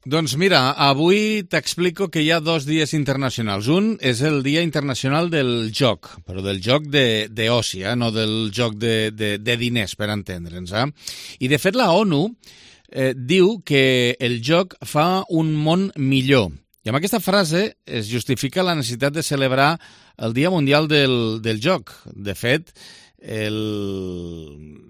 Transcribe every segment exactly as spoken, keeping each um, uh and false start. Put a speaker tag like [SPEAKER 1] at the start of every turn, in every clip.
[SPEAKER 1] Doncs mira, avui t'explico que hi ha dos dies internacionals. Un és el Dia Internacional del Joc, però del joc d'oci, eh? No del joc de, de, de diners, per entendre'ns. Eh? I de fet la ONU eh, diu que el joc fa un món millor. I amb aquesta frase es justifica la necessitat de celebrar el Dia Mundial del, del Joc. De fet, el...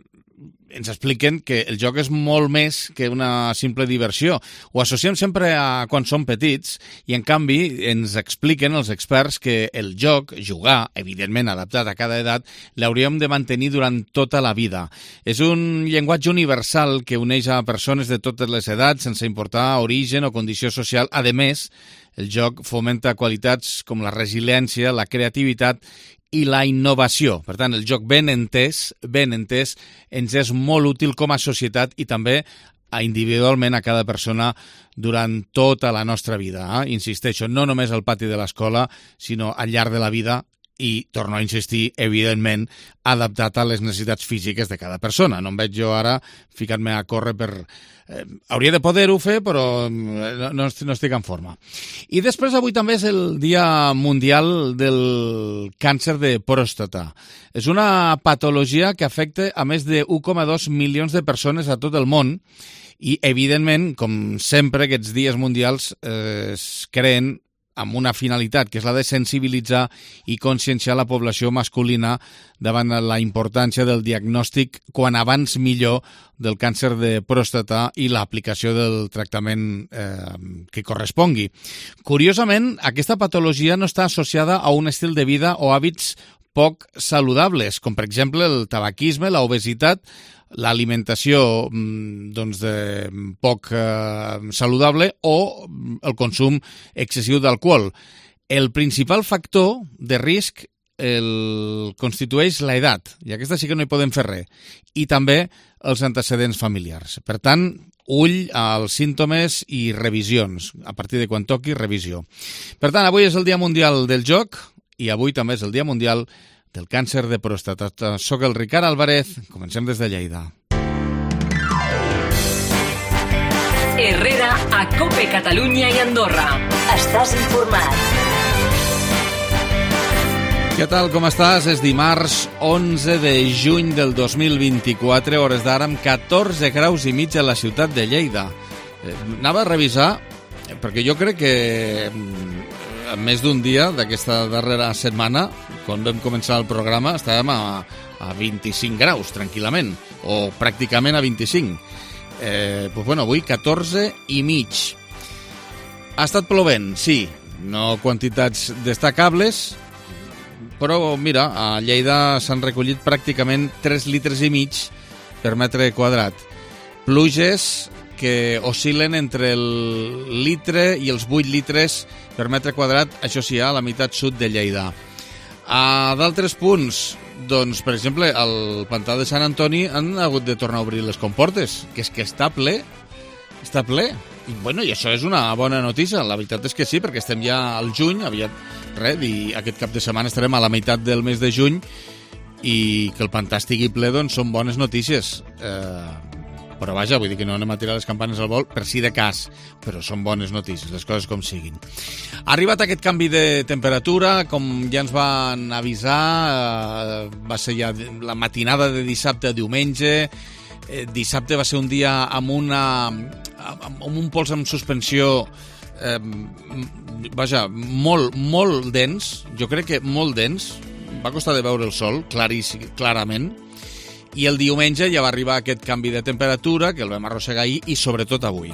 [SPEAKER 1] ens expliquen que el joc és molt més que una simple diversió. Ho associem sempre a quan som petits i, en canvi, ens expliquen els experts que el joc, jugar, evidentment adaptat a cada edat, l'hauríem de mantenir durant tota la vida. És un llenguatge universal que uneix a persones de totes les edats, sense importar origen o condició social. A més, el joc fomenta qualitats com la resiliència, la creativitat i la innovació. Per tant, el joc ben entès, ben entès, ens és molt útil com a societat i també individualment a cada persona durant tota la nostra vida. Eh? Insisteixo, no només al pati de l'escola, sinó al llarg de la vida i, torno a insistir, evidentment, adaptat a les necessitats físiques de cada persona. No em veig jo ara ficant-me a córrer per... Eh, hauria de poder-ho fer, però no, no estic en forma. I després, avui també és el Dia Mundial del Càncer de Pròstata. És una patologia que afecta a més de un coma dos milions de persones a tot el món i, evidentment, com sempre, aquests dies mundials eh, es creen amb una finalitat, que és la de sensibilitzar i conscienciar la població masculina davant la importància del diagnòstic quan abans millor del càncer de pròstata i l'aplicació del tractament eh, que correspongui. Curiosament, aquesta patologia no està associada a un estil de vida o hàbits poc saludables, com per exemple el tabaquisme, l'obesitat, l'alimentació doncs, de poc eh, saludable o el consum excessiu d'alcohol. El principal factor de risc el constitueix l'edat, i aquesta sí que no hi podem fer res, i també els antecedents familiars. Per tant, ull als símptomes i revisions. A partir de quan toqui, revisió. Per tant, avui és el Dia Mundial del Joc i avui també és el Dia Mundial del Càncer de Pròstata. Soc el Ricard Álvarez, comencem des de Lleida.
[SPEAKER 2] Herrera, a COPE Catalunya i Andorra. Estàs informat.
[SPEAKER 1] Què tal, com estàs? És dimarts onze de juny del dos mil vint-i-quatre, hores d'ara amb catorze graus i mig a la ciutat de Lleida. Eh, anava a revisar, perquè jo crec que més d'un dia d'aquesta darrera setmana, quan vam començar el programa, estàvem a, a vint-i-cinc graus, tranquil·lament, o pràcticament a vint-i-cinc. Eh, doncs, bueno, avui catorze i mig. Ha estat plovent, sí, no quantitats destacables, però, mira, a Lleida s'han recollit pràcticament tres litres i mig per metre quadrat. Pluges que oscil·len entre el litre i els vuit litres per metre quadrat, això sí, a la meitat sud de Lleida. A d'altres punts, doncs, per exemple, al pantà de Sant Antoni han hagut de tornar a obrir les comportes, que és que està ple, està ple. I, bueno, i això és una bona notícia, la veritat és que sí, perquè estem ja al juny, aviat, res, i aquest cap de setmana estarem a la meitat del mes de juny, i que el pantà estigui ple, doncs, són bones notícies. Eh... Però vaja, vull dir que no anem a tirar les campanes al vol per si de cas, però són bones notícies, les coses com siguin. Ha arribat aquest canvi de temperatura, com ja ens van avisar, eh, va ser ja la matinada de dissabte a diumenge. Eh, dissabte va ser un dia amb, una, amb un pols en suspensió eh, vaja, molt, molt dens, jo crec que molt dens, va costar de veure el sol, claríssim, clarament. I el diumenge ja va arribar aquest canvi de temperatura, que el vam arrossegar ahir, i sobretot avui.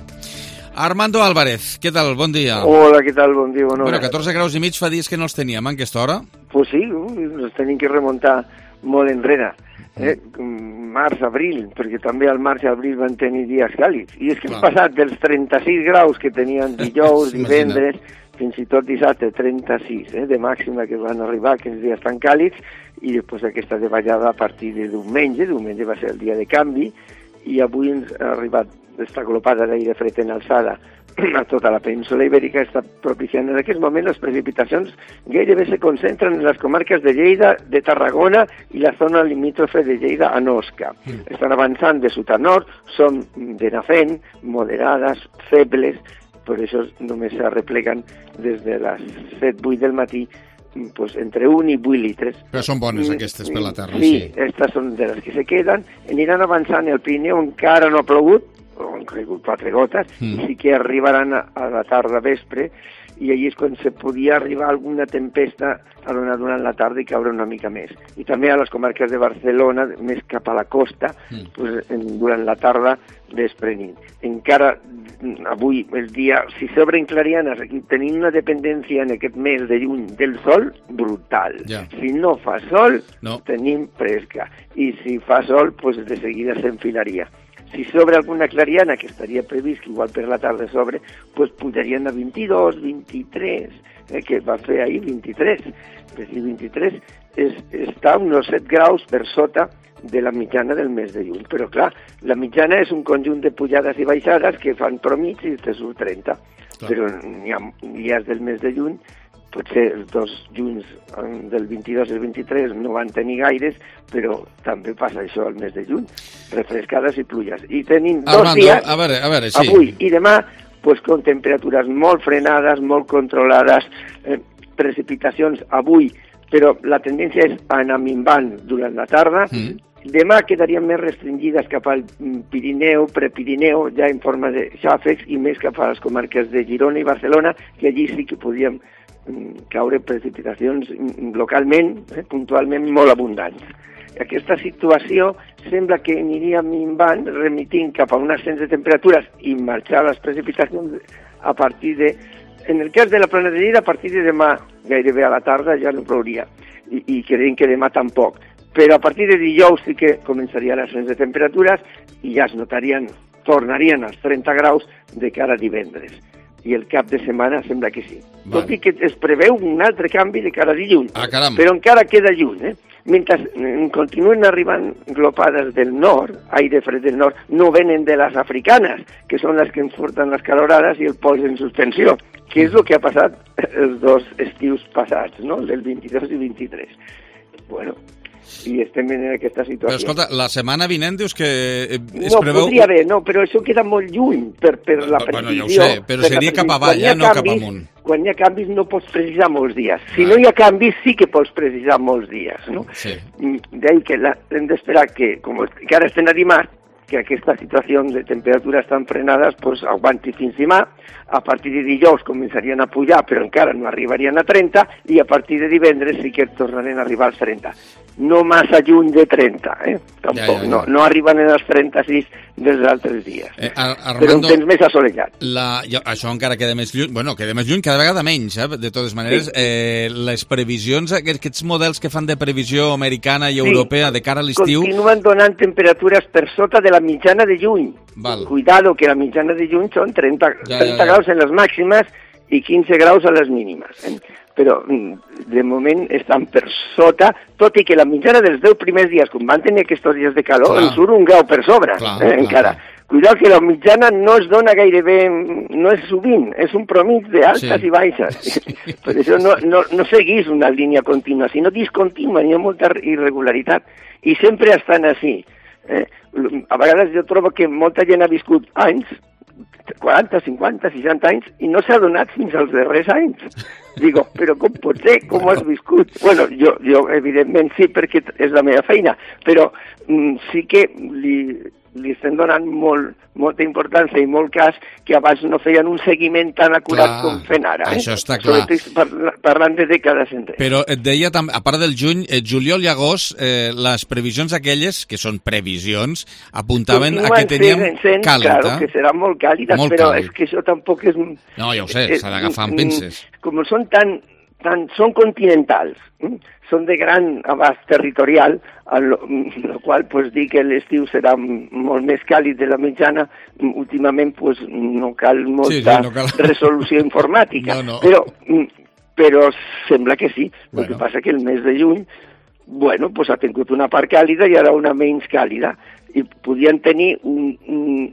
[SPEAKER 1] Armando Álvarez, què tal? Bon dia.
[SPEAKER 3] Hola, què tal? Bon dia. Bueno,
[SPEAKER 1] bueno catorze graus i mig fa dies que no els teníem, a aquesta hora?
[SPEAKER 3] Pues sí, ens tenim que remuntar molt enrere. Eh? Març, abril, perquè també al març i abril van tenir dies càlids. I és que hem passat dels trenta-sis graus que tenien dijous, divendres, fins i tot dissabte, trenta-sis, eh, de màxima que van arribar aquests dies tan càlids, i després aquesta davallada a partir de diumenge, diumenge va ser el dia de canvi, i avui ens ha arribat aquesta glopada d'aire fred en alçada a tota la península ibèrica, està propiciant en aquest moment les precipitacions gairebé se concentren en les comarques de Lleida, de Tarragona i la zona limítrofe de Lleida a Osca. Mm. Estan avançant de sud a nord, són de nafent, moderades, febles, per això només s'arrepleguen des de les set vuit del matí pues, entre un i vuit litres.
[SPEAKER 1] Però són bones aquestes per la terra.
[SPEAKER 3] Sí, sí, aquestes són de les que se queden. Aniran avançant, el Pirineu encara no ha plogut, han caigut quatre gotes, mm. i sí que arribaran a, a la tarda vespre, i allí és quan se podia arribar alguna tempesta a donar durant la tarda i caure una mica més. I també a les comarques de Barcelona, més cap a la costa, mm. pues, en, durant la tarda desprenint. Encara avui, el dia, si s'obren clarianes, aquí tenim una dependència en aquest mes de juny del sol brutal. Yeah. Si no fa sol, no. tenim fresca. I si fa sol, pues de seguida s'enfilaria. Si sobre alguna clariana, que estaria previst que igual per la tarda sobre, pues pujarien a vint-i-dos, vint-i-tres, eh, que va fer ahir vint-i-tres. Però si vint-i-tres és, està uns set graus per sota de la mitjana del mes de juny. Però clar, la mitjana és un conjunt de pujades i baixades que fan promig i te surt trenta. Clar. Però n'hi ha dies del mes de juny, potser els dos junys del vint-i-dos i el vint-i-tres no van tenir gaires, però també passa això al mes de juny, refrescades i pluges. I tenim dos
[SPEAKER 1] Armando,
[SPEAKER 3] dies,
[SPEAKER 1] a veure, a veure, sí.
[SPEAKER 3] avui i demà, pues, con temperatures molt frenades, molt controlades, eh, precipitacions avui, però la tendència és anar minvant durant la tarda. Mm. Demà quedarien més restringides cap al Pirineu, Prepirineu, ja en forma de xàfecs, i més cap a les comarques de Girona i Barcelona, que allí sí que podíem caure precipitacions localment, eh, puntualment molt abundants. Aquesta situació sembla que aniria minvant, remitint cap a un ascens de temperatures i marxar les precipitacions a partir de... En el cas de la Plana de Lleida, a partir de demà, gairebé a la tarda, ja no plouria, i, i creiem que demà tampoc. Però a partir de dijous sí que començaria l'ascens de temperatures i ja es notarien, tornarien als trenta graus de cara a divendres. I el cap de setmana sembla que sí. Vale. Tot i que es preveu un altre canvi de cara a dilluns,
[SPEAKER 1] ah, caram.
[SPEAKER 3] Però encara queda lluny. Eh? Mentre continuen arribant glopades del nord, aire fred del nord, no venen de les africanes, que són les que ens porten les calorades i el pols en suspensió, que és el que ha passat els dos estius passats, no? El vint-i-dos i vint-i-tres. Bueno, i estem en aquesta situació.
[SPEAKER 1] Però escolta, la setmana vinent dius que es
[SPEAKER 3] no,
[SPEAKER 1] preveu...
[SPEAKER 3] No, podria haver, no, però això queda molt lluny per, per la precisió.
[SPEAKER 1] Bueno, ja ho sé, però seria cap avall, eh, no cap amunt.
[SPEAKER 3] Quan hi ha canvis no pots precisar molts dies. Si ah. no hi ha canvis sí que pots precisar molts dies, no?
[SPEAKER 1] Sí.
[SPEAKER 3] D'ahí que la, hem d'esperar que, com que ara estem a dimarts, que aquesta situació de temperatures tan frenades pues, aguanti fins demà. A partir de dijous començarien a pujar, però encara no arribarien a trenta, i a partir de divendres sí que tornarien a arribar als trenta. No massa lluny de trenta, eh? Tampoc, ja, ja, ja. No, no arriben als trenta-sis dels altres dies. Eh, Armando, però un temps més assolellat.
[SPEAKER 1] La, jo, això encara queda més lluny, bueno, queda més lluny, cada vegada menys, eh? De totes maneres. Sí. Eh, les previsions, aquests models que fan de previsió americana i europea sí. de cara a l'estiu...
[SPEAKER 3] Continuen donant temperatures per sota de la mitjana de juny.
[SPEAKER 1] Val.
[SPEAKER 3] Cuidado, que la mitjana de juny són trenta,
[SPEAKER 1] ja,
[SPEAKER 3] trenta ja, ja. graus en les màximes i quinze graus a les mínimes. Eh? Però de moment estan per sota, tot i que la mitjana dels deu primers dies, quan van tenir aquests dies de calor, clar. ens surt un grau per sobre, clar, eh, encara. Clar. Cuidado que la mitjana no es dona gairebé, no és sovint, és un promig d'altes sí. i baixes. Sí. Per això no, no, no seguís una línia contínua, sinó discontínua, hi ha molta irregularitat. I sempre estan així. Eh? A vegades jo trobo que molta gent ha viscut anys, quaranta, cinquanta, seixanta anys, i no s'ha donat fins als darrers anys. Digo, però com pot ser? Com has viscut? Bueno, jo, jo evidentment sí, perquè és la meva feina, però mm, sí que li, li estem donant molt, molta importància i molt cas que abans no feien un seguiment tan acurat clar, com fent ara. Eh?
[SPEAKER 1] Això està clar.
[SPEAKER 3] Sobretot par parlant de dècades enrere.
[SPEAKER 1] Però et deia, a part del juny, eh, juliol i agost, eh, les previsions aquelles, que són previsions, apuntaven a que teníem
[SPEAKER 3] sent,
[SPEAKER 1] càlida.
[SPEAKER 3] Claro, que serà molt càlida,
[SPEAKER 1] molt
[SPEAKER 3] però
[SPEAKER 1] càlid.
[SPEAKER 3] És que això tampoc és...
[SPEAKER 1] No, ja ho sé, s'ha d'agafar amb pinces.
[SPEAKER 3] Com són tan... Tan, són continentals, eh? Són de gran abast territorial, el qual pues, dir que l'estiu serà molt més càlid de la mitjana, últimament pues, no cal molta sí, sí, no cal... resolució informàtica, no, no. Però, però sembla que sí. Bueno. El que passa que el mes de juny bueno, pues, ha tingut una part càlida i ara una menys càlida, i podien tenir un, un,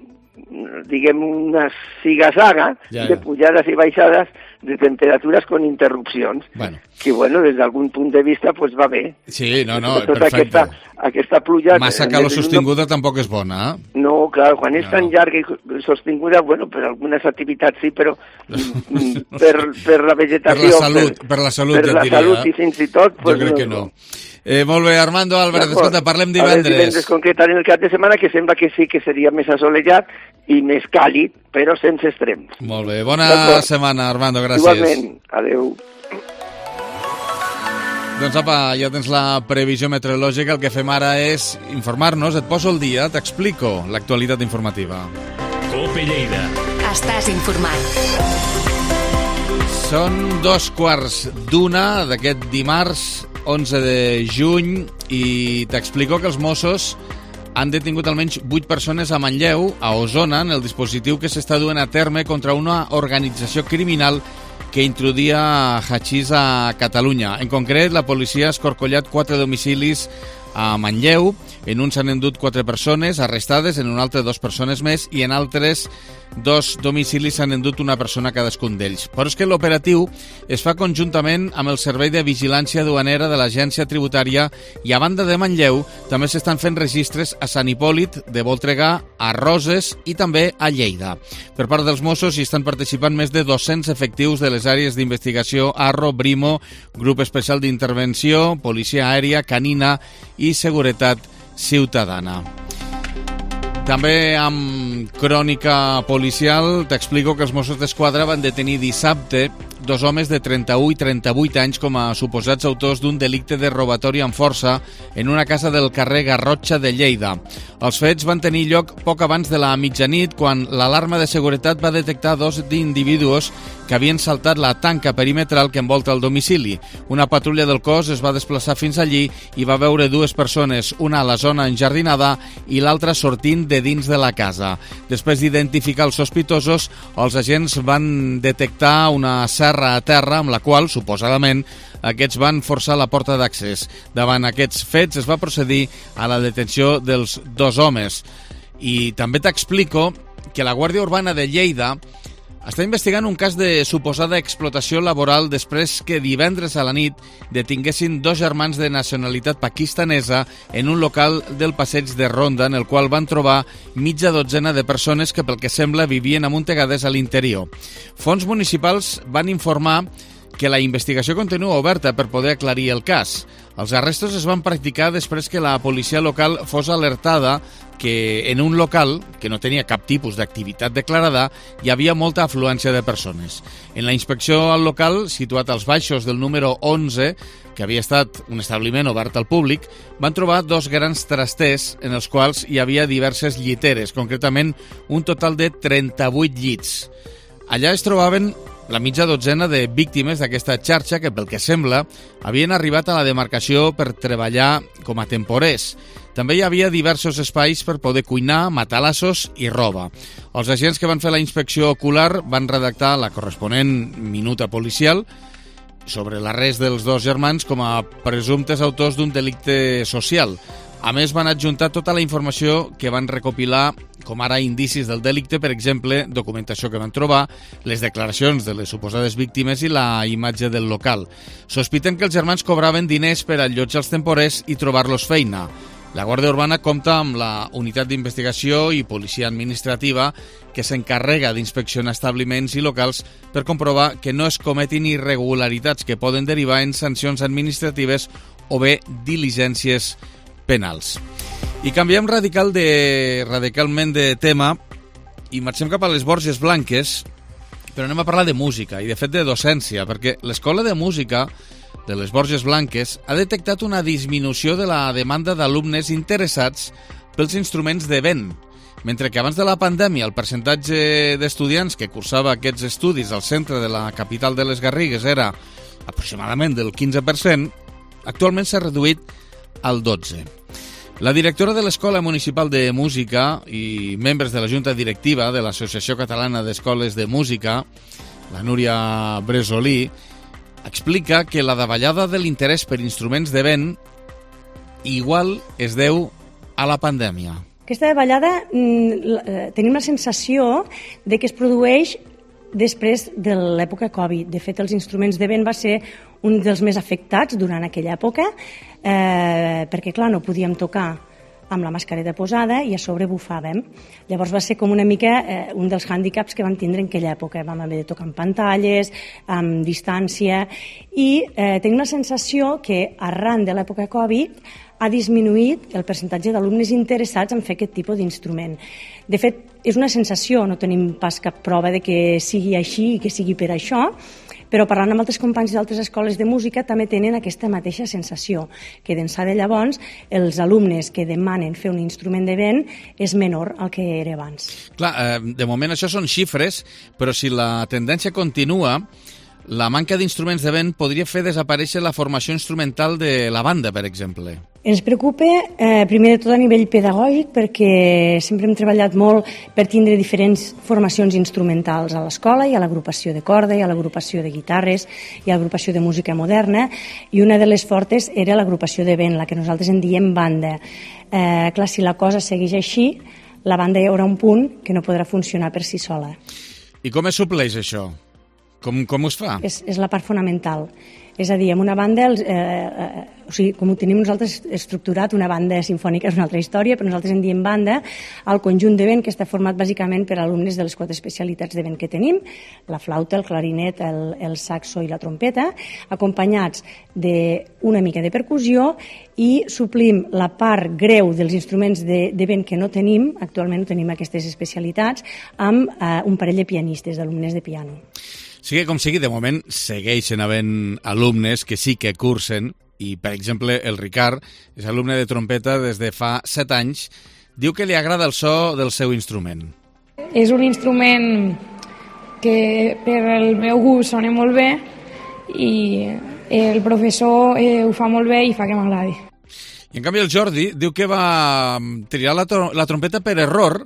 [SPEAKER 3] diguem, una siga-saga ja, ja. de pujades i baixades de temperatures con interrupcions, bueno. que, bueno, des d'algun punt de vista, pues va bé.
[SPEAKER 1] Sí, no, no,
[SPEAKER 3] tota
[SPEAKER 1] perfecte.
[SPEAKER 3] Aquesta, aquesta pluja...
[SPEAKER 1] Massa calor sostinguda tampoc és bona, eh?
[SPEAKER 3] No, clar, quan és
[SPEAKER 1] no.
[SPEAKER 3] tan llarga i sostinguda, bueno, per algunes activitats sí, però per, per la vegetació...
[SPEAKER 1] Per la salut, per, per la salut,
[SPEAKER 3] per
[SPEAKER 1] ja
[SPEAKER 3] la
[SPEAKER 1] diria.
[SPEAKER 3] salut i fins i tot...
[SPEAKER 1] Pues, jo crec no, que no. Eh, molt bé, Armando Álvarez, escolta, parlem divendres.
[SPEAKER 3] Divendres concretament el cap de setmana, que sembla que sí que seria més assolellat i més càlid, però sense extrems.
[SPEAKER 1] Molt bé, bona setmana, Armando, gràcies.
[SPEAKER 3] Igualment, adeu.
[SPEAKER 1] Doncs apa, ja tens la previsió meteorològica, el que fem ara és informar-nos, et poso el dia, t'explico l'actualitat informativa.
[SPEAKER 2] Cope Lleida. Estàs informat.
[SPEAKER 1] Són dos quarts d'una d'aquest dimarts onze de juny i t'explico que els Mossos han detingut almenys vuit persones a Manlleu, a Osona, en el dispositiu que s'està duent a terme contra una organització criminal que introduïa hachís a Catalunya. En concret, la policia ha escorcollat quatre domicilis a Manlleu. En un s'han endut quatre persones arrestades, en un altre dos persones més, i en altres dos domicilis s'han endut una persona cadascun d'ells. Però és que l'operatiu es fa conjuntament amb el Servei de Vigilància Duanera de l'Agència Tributària i a banda de Manlleu també s'estan fent registres a Sant Hipòlit de Voltregà, a Roses i també a Lleida. Per part dels Mossos hi estan participant més de dos-cents efectius de les àrees d'investigació Arro, Brimo, Grup Especial d'Intervenció, Policia Aèria, Canina i Seguretat Ciutadana. També amb crònica policial t'explico que els Mossos d'Esquadra van detenir dissabte dos homes de trenta-u i trenta-vuit anys com a suposats autors d'un delicte de robatori amb força en una casa del carrer Garrotxa de Lleida. Els fets van tenir lloc poc abans de la mitjanit quan l'alarma de seguretat va detectar dos individus que havien saltat la tanca perimetral que envolta el domicili. Una patrulla del cos es va desplaçar fins allí i va veure dues persones, una a la zona enjardinada i l'altra sortint de dins de la casa. Després d'identificar els sospitosos, els agents van detectar una serra a terra amb la qual, suposadament, aquests van forçar la porta d'accés. Davant aquests fets es va procedir a la detenció dels dos homes. I també t'explico que la Guàrdia Urbana de Lleida està investigant un cas de suposada explotació laboral després que divendres a la nit detinguessin dos germans de nacionalitat pakistanesa en un local del passeig de Ronda en el qual van trobar mitja dotzena de persones que pel que sembla vivien amuntegades a l'interior. Fons municipals van informar que la investigació continua oberta per poder aclarir el cas. Els arrestos es van practicar després que la policia local fos alertada que en un local, que no tenia cap tipus d'activitat declarada, hi havia molta afluència de persones. En la inspecció al local, situat als baixos del número onze, que havia estat un establiment obert al públic, van trobar dos grans trasters en els quals hi havia diverses lliteres, concretament un total de trenta-vuit llits. Allà es trobaven la mitja dotzena de víctimes d'aquesta xarxa que, pel que sembla, havien arribat a la demarcació per treballar com a temporers. També hi havia diversos espais per poder cuinar, matalassos i roba. Els agents que van fer la inspecció ocular van redactar la corresponent minuta policial sobre l'arrest dels dos germans com a presumptes autors d'un delicte social. A més, van adjuntar tota la informació que van recopilar, com ara indicis del delicte, per exemple, documentació que van trobar, les declaracions de les suposades víctimes i la imatge del local. Sospiten que els germans cobraven diners per allotjar els temporers i trobar-los feina. La Guàrdia Urbana compta amb la unitat d'investigació i policia administrativa que s'encarrega d'inspeccionar establiments i locals per comprovar que no es cometin irregularitats que poden derivar en sancions administratives o bé diligències penals. I canviem radical de, radicalment de tema i marxem cap a les Borges Blanques, però anem a parlar de música i de fet de docència, perquè l'Escola de Música de les Borges Blanques ha detectat una disminució de la demanda d'alumnes interessats pels instruments de vent. Mentre que abans de la pandèmia el percentatge d'estudiants que cursava aquests estudis al centre de la capital de les Garrigues era aproximadament del quinze per cent, actualment s'ha reduït al dotze per cent. La directora de l'Escola Municipal de Música i membres de la Junta Directiva de l'Associació Catalana d'Escoles de Música, la Núria Bresolí, explica que la davallada de l'interès per instruments de vent igual es deu a la pandèmia.
[SPEAKER 4] Aquesta davallada tenim la sensació de que es produeix després de l'època Covid. De fet, els instruments de vent va ser un dels més afectats durant aquella època, eh, perquè, clar, no podíem tocar amb la mascareta posada i a sobre bufàvem. Llavors va ser com una mica eh, un dels hàndicaps que vam tindre en aquella època. Vam haver de tocar amb pantalles, amb distància, i eh, tenim la sensació que arran de l'època Covid ha disminuït el percentatge d'alumnes interessats en fer aquest tipus d'instrument. De fet, és una sensació, no tenim pas cap prova de que sigui així i que sigui per això, però parlant amb altres companys d'altres escoles de música també tenen aquesta mateixa sensació, que d'ençà de llavors els alumnes que demanen fer un instrument de vent és menor al que era abans.
[SPEAKER 1] Clar, eh, de moment això són xifres, però si la tendència continua, la manca d'instruments de vent podria fer desaparèixer la formació instrumental de la banda, per exemple.
[SPEAKER 4] Ens preocupa, eh, primer de tot a nivell pedagògic, perquè sempre hem treballat molt per tindre diferents formacions instrumentals a l'escola. Hi ha l'agrupació de corda, hi ha l'agrupació de guitarres, hi ha l'agrupació de música moderna, i una de les fortes era l'agrupació de vent, la que nosaltres en diem banda. Eh, clar, si la cosa segueix així, la banda hi haurà un punt que no podrà funcionar per si sola.
[SPEAKER 1] I com es supleix això? Com, com us fa?
[SPEAKER 4] És, és la part fonamental. És a dir, en una banda, els, eh, eh, o sigui, com ho tenim nosaltres estructurat, una banda sinfònica és una altra història, però nosaltres en diem banda al conjunt de vent, que està format bàsicament per alumnes de les quatre especialitats de vent que tenim, la flauta, el clarinet, el, el saxo i la trompeta, acompanyats d'una mica de percussió, i suplim la part greu dels instruments de, de vent que no tenim, actualment no tenim aquestes especialitats, amb eh, un parell de pianistes, d'alumnes de piano.
[SPEAKER 1] Sigui com sigui, de moment segueixen havent alumnes que sí que cursen, i per exemple el Ricard és alumne de trompeta des de fa set anys, diu que li agrada el so del seu instrument.
[SPEAKER 5] És un instrument que per el meu gust sona molt bé i el professor eh, ho fa molt bé i fa que m'agradi.
[SPEAKER 1] I en canvi el Jordi diu que va triar la, la trompeta per error,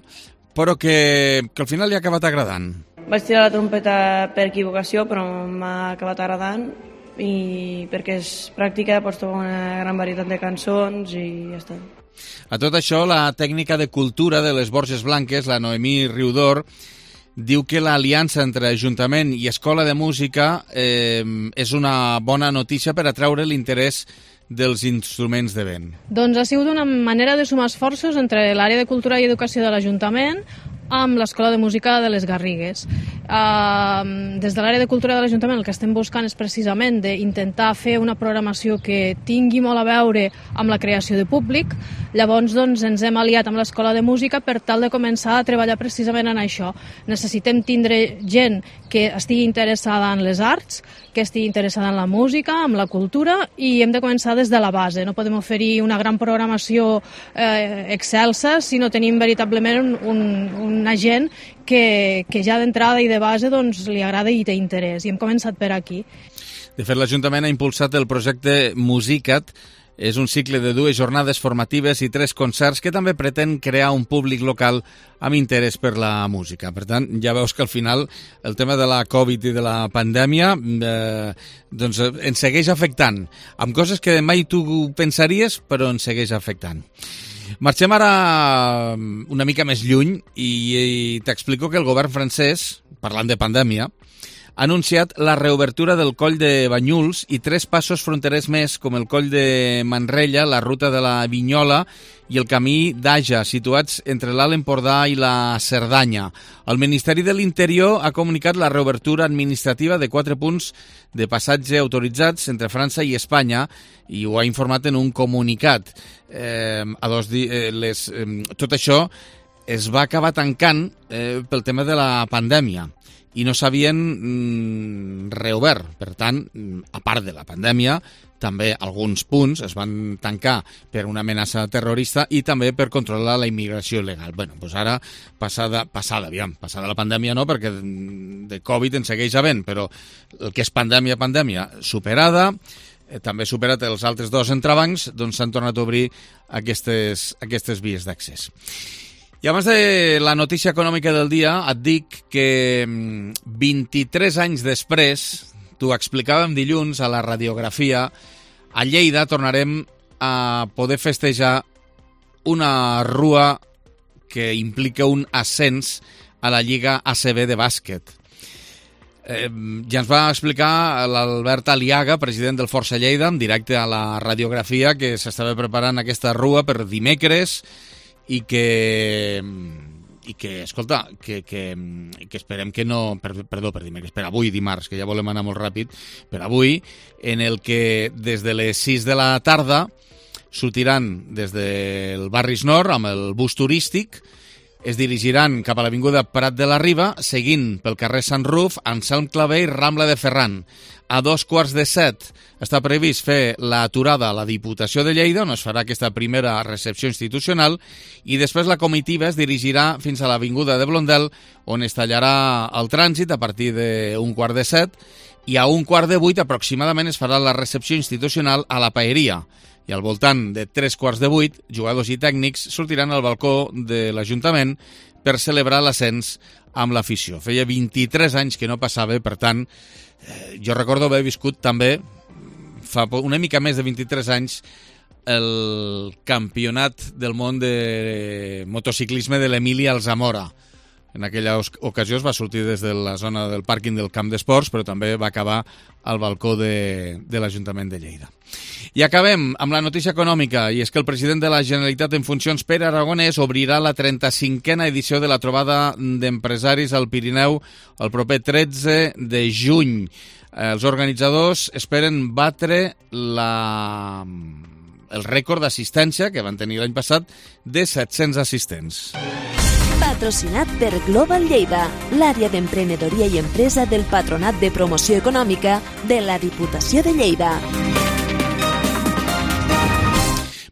[SPEAKER 1] però que, que al final li ha acabat agradant.
[SPEAKER 6] Vaig tirar la trompeta per equivocació, però m'ha acabat agradant, i perquè és pràctica, pots tocar una gran varietat de cançons i ja està.
[SPEAKER 1] A tot això, la tècnica de cultura de les Borges Blanques, la Noemí Riudor, diu que l'aliança entre Ajuntament i Escola de Música eh, és una bona notícia per atraure l'interès dels instruments de vent.
[SPEAKER 7] Doncs ha sigut una manera de sumar esforços entre l'àrea de Cultura i Educació de l'Ajuntament amb l'Escola de Música de les Garrigues. Uh, des de l'àrea de Cultura de l'Ajuntament el que estem buscant és precisament d'intentar fer una programació que tingui molt a veure amb la creació de públic. Llavors doncs, ens hem aliat amb l'Escola de Música per tal de començar a treballar precisament en això. Necessitem tindre gent que estigui interessada en les arts, que estigui interessada en la música, en la cultura, i hem de començar des de la base. No podem oferir una gran programació eh, excelsa si no tenim veritablement un, un una gent que, que ja d'entrada i de base doncs, li agrada i té interès, i hem començat per aquí.
[SPEAKER 1] De fet, l'Ajuntament ha impulsat el projecte Musicat. És un cicle de dues jornades formatives i tres concerts que també pretén crear un públic local amb interès per la música. Per tant, ja veus que al final el tema de la Covid i de la pandèmia eh, doncs ens segueix afectant, amb coses que mai tu pensaries, però ens segueix afectant. Marxem ara una mica més lluny i, i t'explico que el govern francès, parlant de pandèmia, ha anunciat la reobertura del coll de Banyuls i tres passos fronterers més, com el coll de Manrella, la ruta de la Vinyola i el camí d'Aja, situats entre l'Alt Empordà i la Cerdanya. El Ministeri de l'Interior ha comunicat la reobertura administrativa de quatre punts de passatge autoritzats entre França i Espanya i ho ha informat en un comunicat. Eh, a dos di- eh, les, eh, tot això es va acabar tancant eh, pel tema de la pandèmia i no s'havien mm, reobert. Per tant, a part de la pandèmia, també alguns punts es van tancar per una amenaça terrorista i també per controlar la immigració il·legal. Bé, doncs ara, passada, passada, aviam, passada la pandèmia no, perquè de Covid en segueix havent, però el que és pandèmia, pandèmia, superada, eh, també superat els altres dos entrebancs, doncs s'han tornat a obrir aquestes, aquestes vies d'accés. I abans de la notícia econòmica del dia, et dic que vint-i-tres anys després, t'ho explicàvem dilluns a la radiografia, a Lleida tornarem a poder festejar una rua que implica un ascens a la Lliga A C B de bàsquet. Eh, ja ens va explicar l'Albert Aliaga, president del Força Lleida, en directe a la radiografia, que s'estava preparant aquesta rua per dimecres i que, i que escolta, que, que, que esperem que no... Per, perdó, per dimecres, per avui, dimarts, que ja volem anar molt ràpid, per avui, en el que des de les sis de la tarda sortiran des del Barris Nord amb el bus turístic, es dirigiran cap a l'avinguda Prat de la Riba, seguint pel carrer Sant Ruf, Anselm Clavé i Rambla de Ferran. A dos quarts de set està previst fer l'aturada a la Diputació de Lleida, on es farà aquesta primera recepció institucional, i després la comitiva es dirigirà fins a l'avinguda de Blondel, on es tallarà el trànsit a partir d'un quart de set, i a un quart de vuit aproximadament es farà la recepció institucional a la Paeria. I al voltant de tres quarts de vuit, jugadors i tècnics sortiran al balcó de l'Ajuntament per celebrar l'ascens amb l'afició. Feia vint-i-tres anys que no passava, per tant, eh, jo recordo haver viscut també, fa una mica més de vint-i-tres anys, el campionat del món de motociclisme de l'Emília Alzamora. En aquella ocasió es va sortir des de la zona del pàrquing del camp d'esports, però també va acabar al balcó de, de l'Ajuntament de Lleida. I acabem amb la notícia econòmica, i és que el president de la Generalitat en funcions, Pere Aragonès, obrirà la trenta-cinquena edició de la trobada d'empresaris al Pirineu el proper tretze de juny. Els organitzadors esperen batre la... el rècord d'assistència que van tenir l'any passat de set-cents assistents.
[SPEAKER 8] Patrocinat per Global Lleida, l'àrea d'emprenedoria i empresa del Patronat de Promoció Econòmica de la Diputació de Lleida.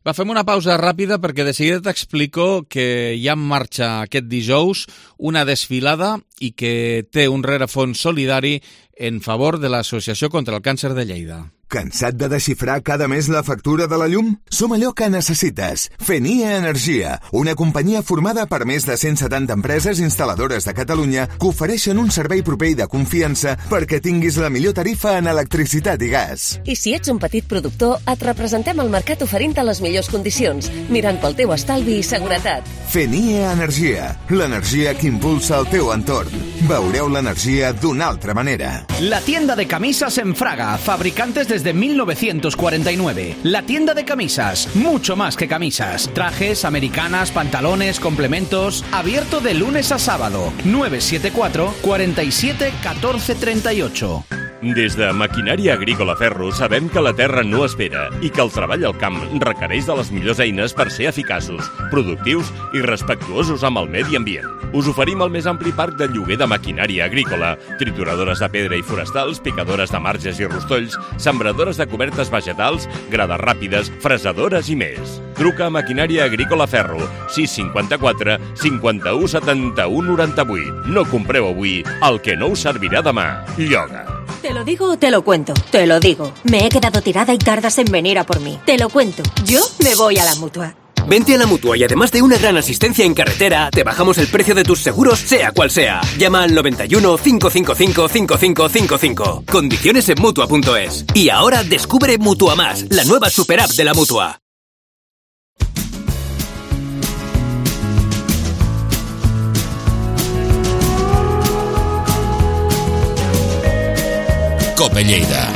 [SPEAKER 1] Va, fem una pausa ràpida perquè de seguida t'explico que hi ha en marxa aquest dijous una desfilada i que té un rerefons solidari en favor de l'Associació contra el Càncer de Lleida.
[SPEAKER 9] Cansat de desxifrar cada mes la factura de la llum? Som allò que necessites. Fenia Energia, una companyia formada per més de cent setanta empreses instal·ladores de Catalunya que ofereixen un servei proper i de confiança perquè tinguis la millor tarifa en electricitat i gas.
[SPEAKER 10] I si ets un petit productor, et representem al mercat oferint-te les millors condicions, mirant pel teu estalvi i seguretat.
[SPEAKER 9] Fenia Energia, l'energia que impulsa el teu entorn. Veureu l'energia d'una altra manera.
[SPEAKER 11] La tienda de camisas en Fraga, fabricantes desde mil novecientos cuarenta y nueve. La tienda de camisas, mucho más que camisas. Trajes, americanas, pantalones, complementos. Abierto de lunes a sábado. nueve siete cuatro, cuatro siete, uno cuatro tres ocho.
[SPEAKER 12] Des de Maquinària Agrícola Ferro sabem que la terra no espera i que el treball al camp requereix de les millors eines per ser eficaços, productius i respectuosos amb el medi ambient. Us oferim el més ampli parc de lloguer de maquinària agrícola, trituradores de pedra i forestals, picadores de marges i rostolls, sembradores de cobertes vegetals, grades ràpides, fresadores i més. Truca a Maquinària Agrícola Ferro, sis cinquanta-quatre, cinquanta-u, setanta-u, noranta-vuit. No compreu avui el que no us servirà demà. Lloga.
[SPEAKER 13] ¿Te lo digo o te lo cuento? Te lo digo. Me he quedado tirada y tardas en venir a por mí. Te lo cuento. Yo me voy a la Mutua.
[SPEAKER 14] Vente a la Mutua y además de una gran asistencia en carretera, te bajamos el precio de tus seguros, sea cual sea. Llama al noventa y uno, cinco cinco cinco, cinco cinco cinco cinco. Condiciones en Mutua punto es. Y ahora descubre Mutua Más, la nueva super app de la Mutua.
[SPEAKER 15] Cope Lleida.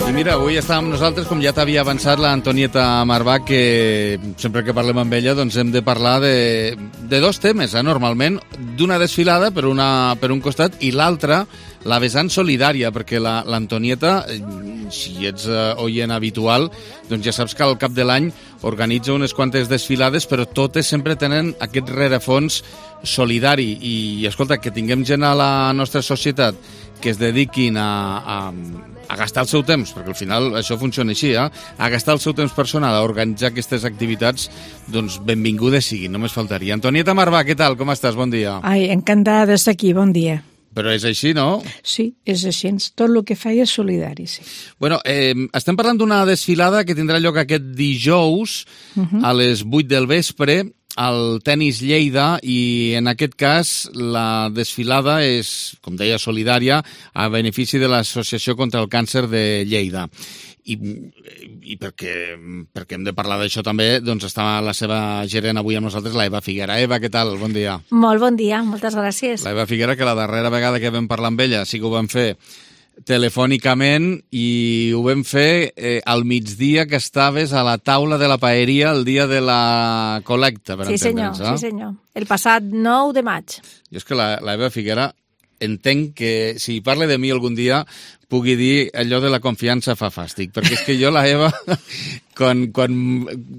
[SPEAKER 1] I mira, avui està amb nosaltres, com ja t'havia avançat, la Antonieta Marvà, que sempre que parlem amb ella doncs hem de parlar de, de dos temes, eh, normalment, d'una desfilada per, una, per un costat i l'altra, la vessant solidària, perquè l'Antonieta, la, si ets uh, oient habitual, doncs ja saps que al cap de l'any organitza unes quantes desfilades, però totes sempre tenen aquest rerefons solidari. I, i escolta, que tinguem gent a la nostra societat que es dediquin a, a, a gastar el seu temps, perquè al final això funciona així, eh? a gastar el seu temps personal, a organitzar aquestes activitats, doncs benvingudes siguin, només faltaria. Antonieta Marvà, què tal? Com estàs? Bon dia.
[SPEAKER 16] Ai, encantada d'estar aquí, bon dia.
[SPEAKER 1] Però és així, no?
[SPEAKER 16] Sí, és així. Tot el que faig és solidari, sí.
[SPEAKER 1] Bueno, eh, estem parlant d'una desfilada que tindrà lloc aquest dijous uh-huh. a les vuit del vespre al Tenis Lleida, i en aquest cas la desfilada és, com deia, solidària a benefici de l'Associació contra el Càncer de Lleida. i, i perquè, perquè hem de parlar d'això també, doncs està la seva gerent avui amb nosaltres, la Eva Figuera. Eva, què tal? Bon dia.
[SPEAKER 15] Molt bon dia, moltes gràcies.
[SPEAKER 1] La Eva Figuera, que la darrera vegada que vam parlar amb ella sí que ho vam fer telefònicament i ho vam fer eh, al migdia que estaves a la taula de la paeria el dia de la col·lecta, per
[SPEAKER 15] sí,
[SPEAKER 1] entendre'ns.
[SPEAKER 15] Senyor, sí, senyor. El passat nou de maig.
[SPEAKER 1] Jo és que la, la Eva Figuera entenc que si parla de mi algun dia pugui dir allò de la confiança fa fàstic, perquè és que jo la Eva, quan, quan,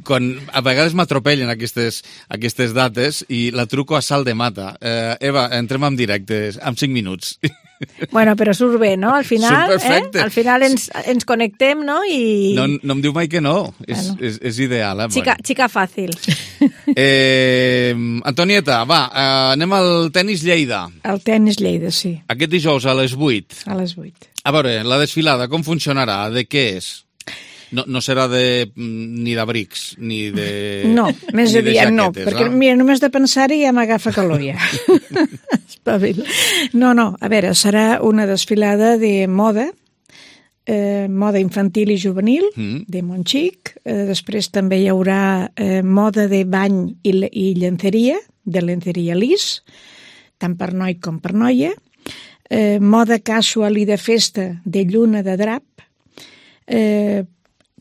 [SPEAKER 1] quan a vegades m'atropellen aquestes, aquestes dates i la truco a salt de mata. Eh, Eva, entrem en directe, en cinc minuts.
[SPEAKER 15] Bueno, però surt bé, no? Al final, eh? Al final ens, ens connectem, no? I...
[SPEAKER 1] No, no em diu mai que no. És,
[SPEAKER 15] bueno.
[SPEAKER 1] és, és ideal. Eh?
[SPEAKER 15] Xica, xica fàcil.
[SPEAKER 1] Eh, Antonieta, va, eh, anem al tenis Lleida.
[SPEAKER 16] El tenis Lleida, sí.
[SPEAKER 1] Aquest dijous a les vuit.
[SPEAKER 16] A les vuit.
[SPEAKER 1] A veure, la desfilada, com funcionarà? De què és? No, no serà de, ni d'abrics, ni de
[SPEAKER 16] No, més
[SPEAKER 1] ni
[SPEAKER 16] aviat no,
[SPEAKER 1] jaquetes,
[SPEAKER 16] perquè
[SPEAKER 1] eh?
[SPEAKER 16] mira, només de pensar-hi ja m'agafa calor ja. Espavil. No, no, a veure, serà una desfilada de moda, eh, moda infantil i juvenil, mm. de Montxic, eh, després també hi haurà eh, moda de bany i, i llenceria, de lenceria lis, tant per noi com per noia, eh, moda casual i de festa de lluna de drap, eh,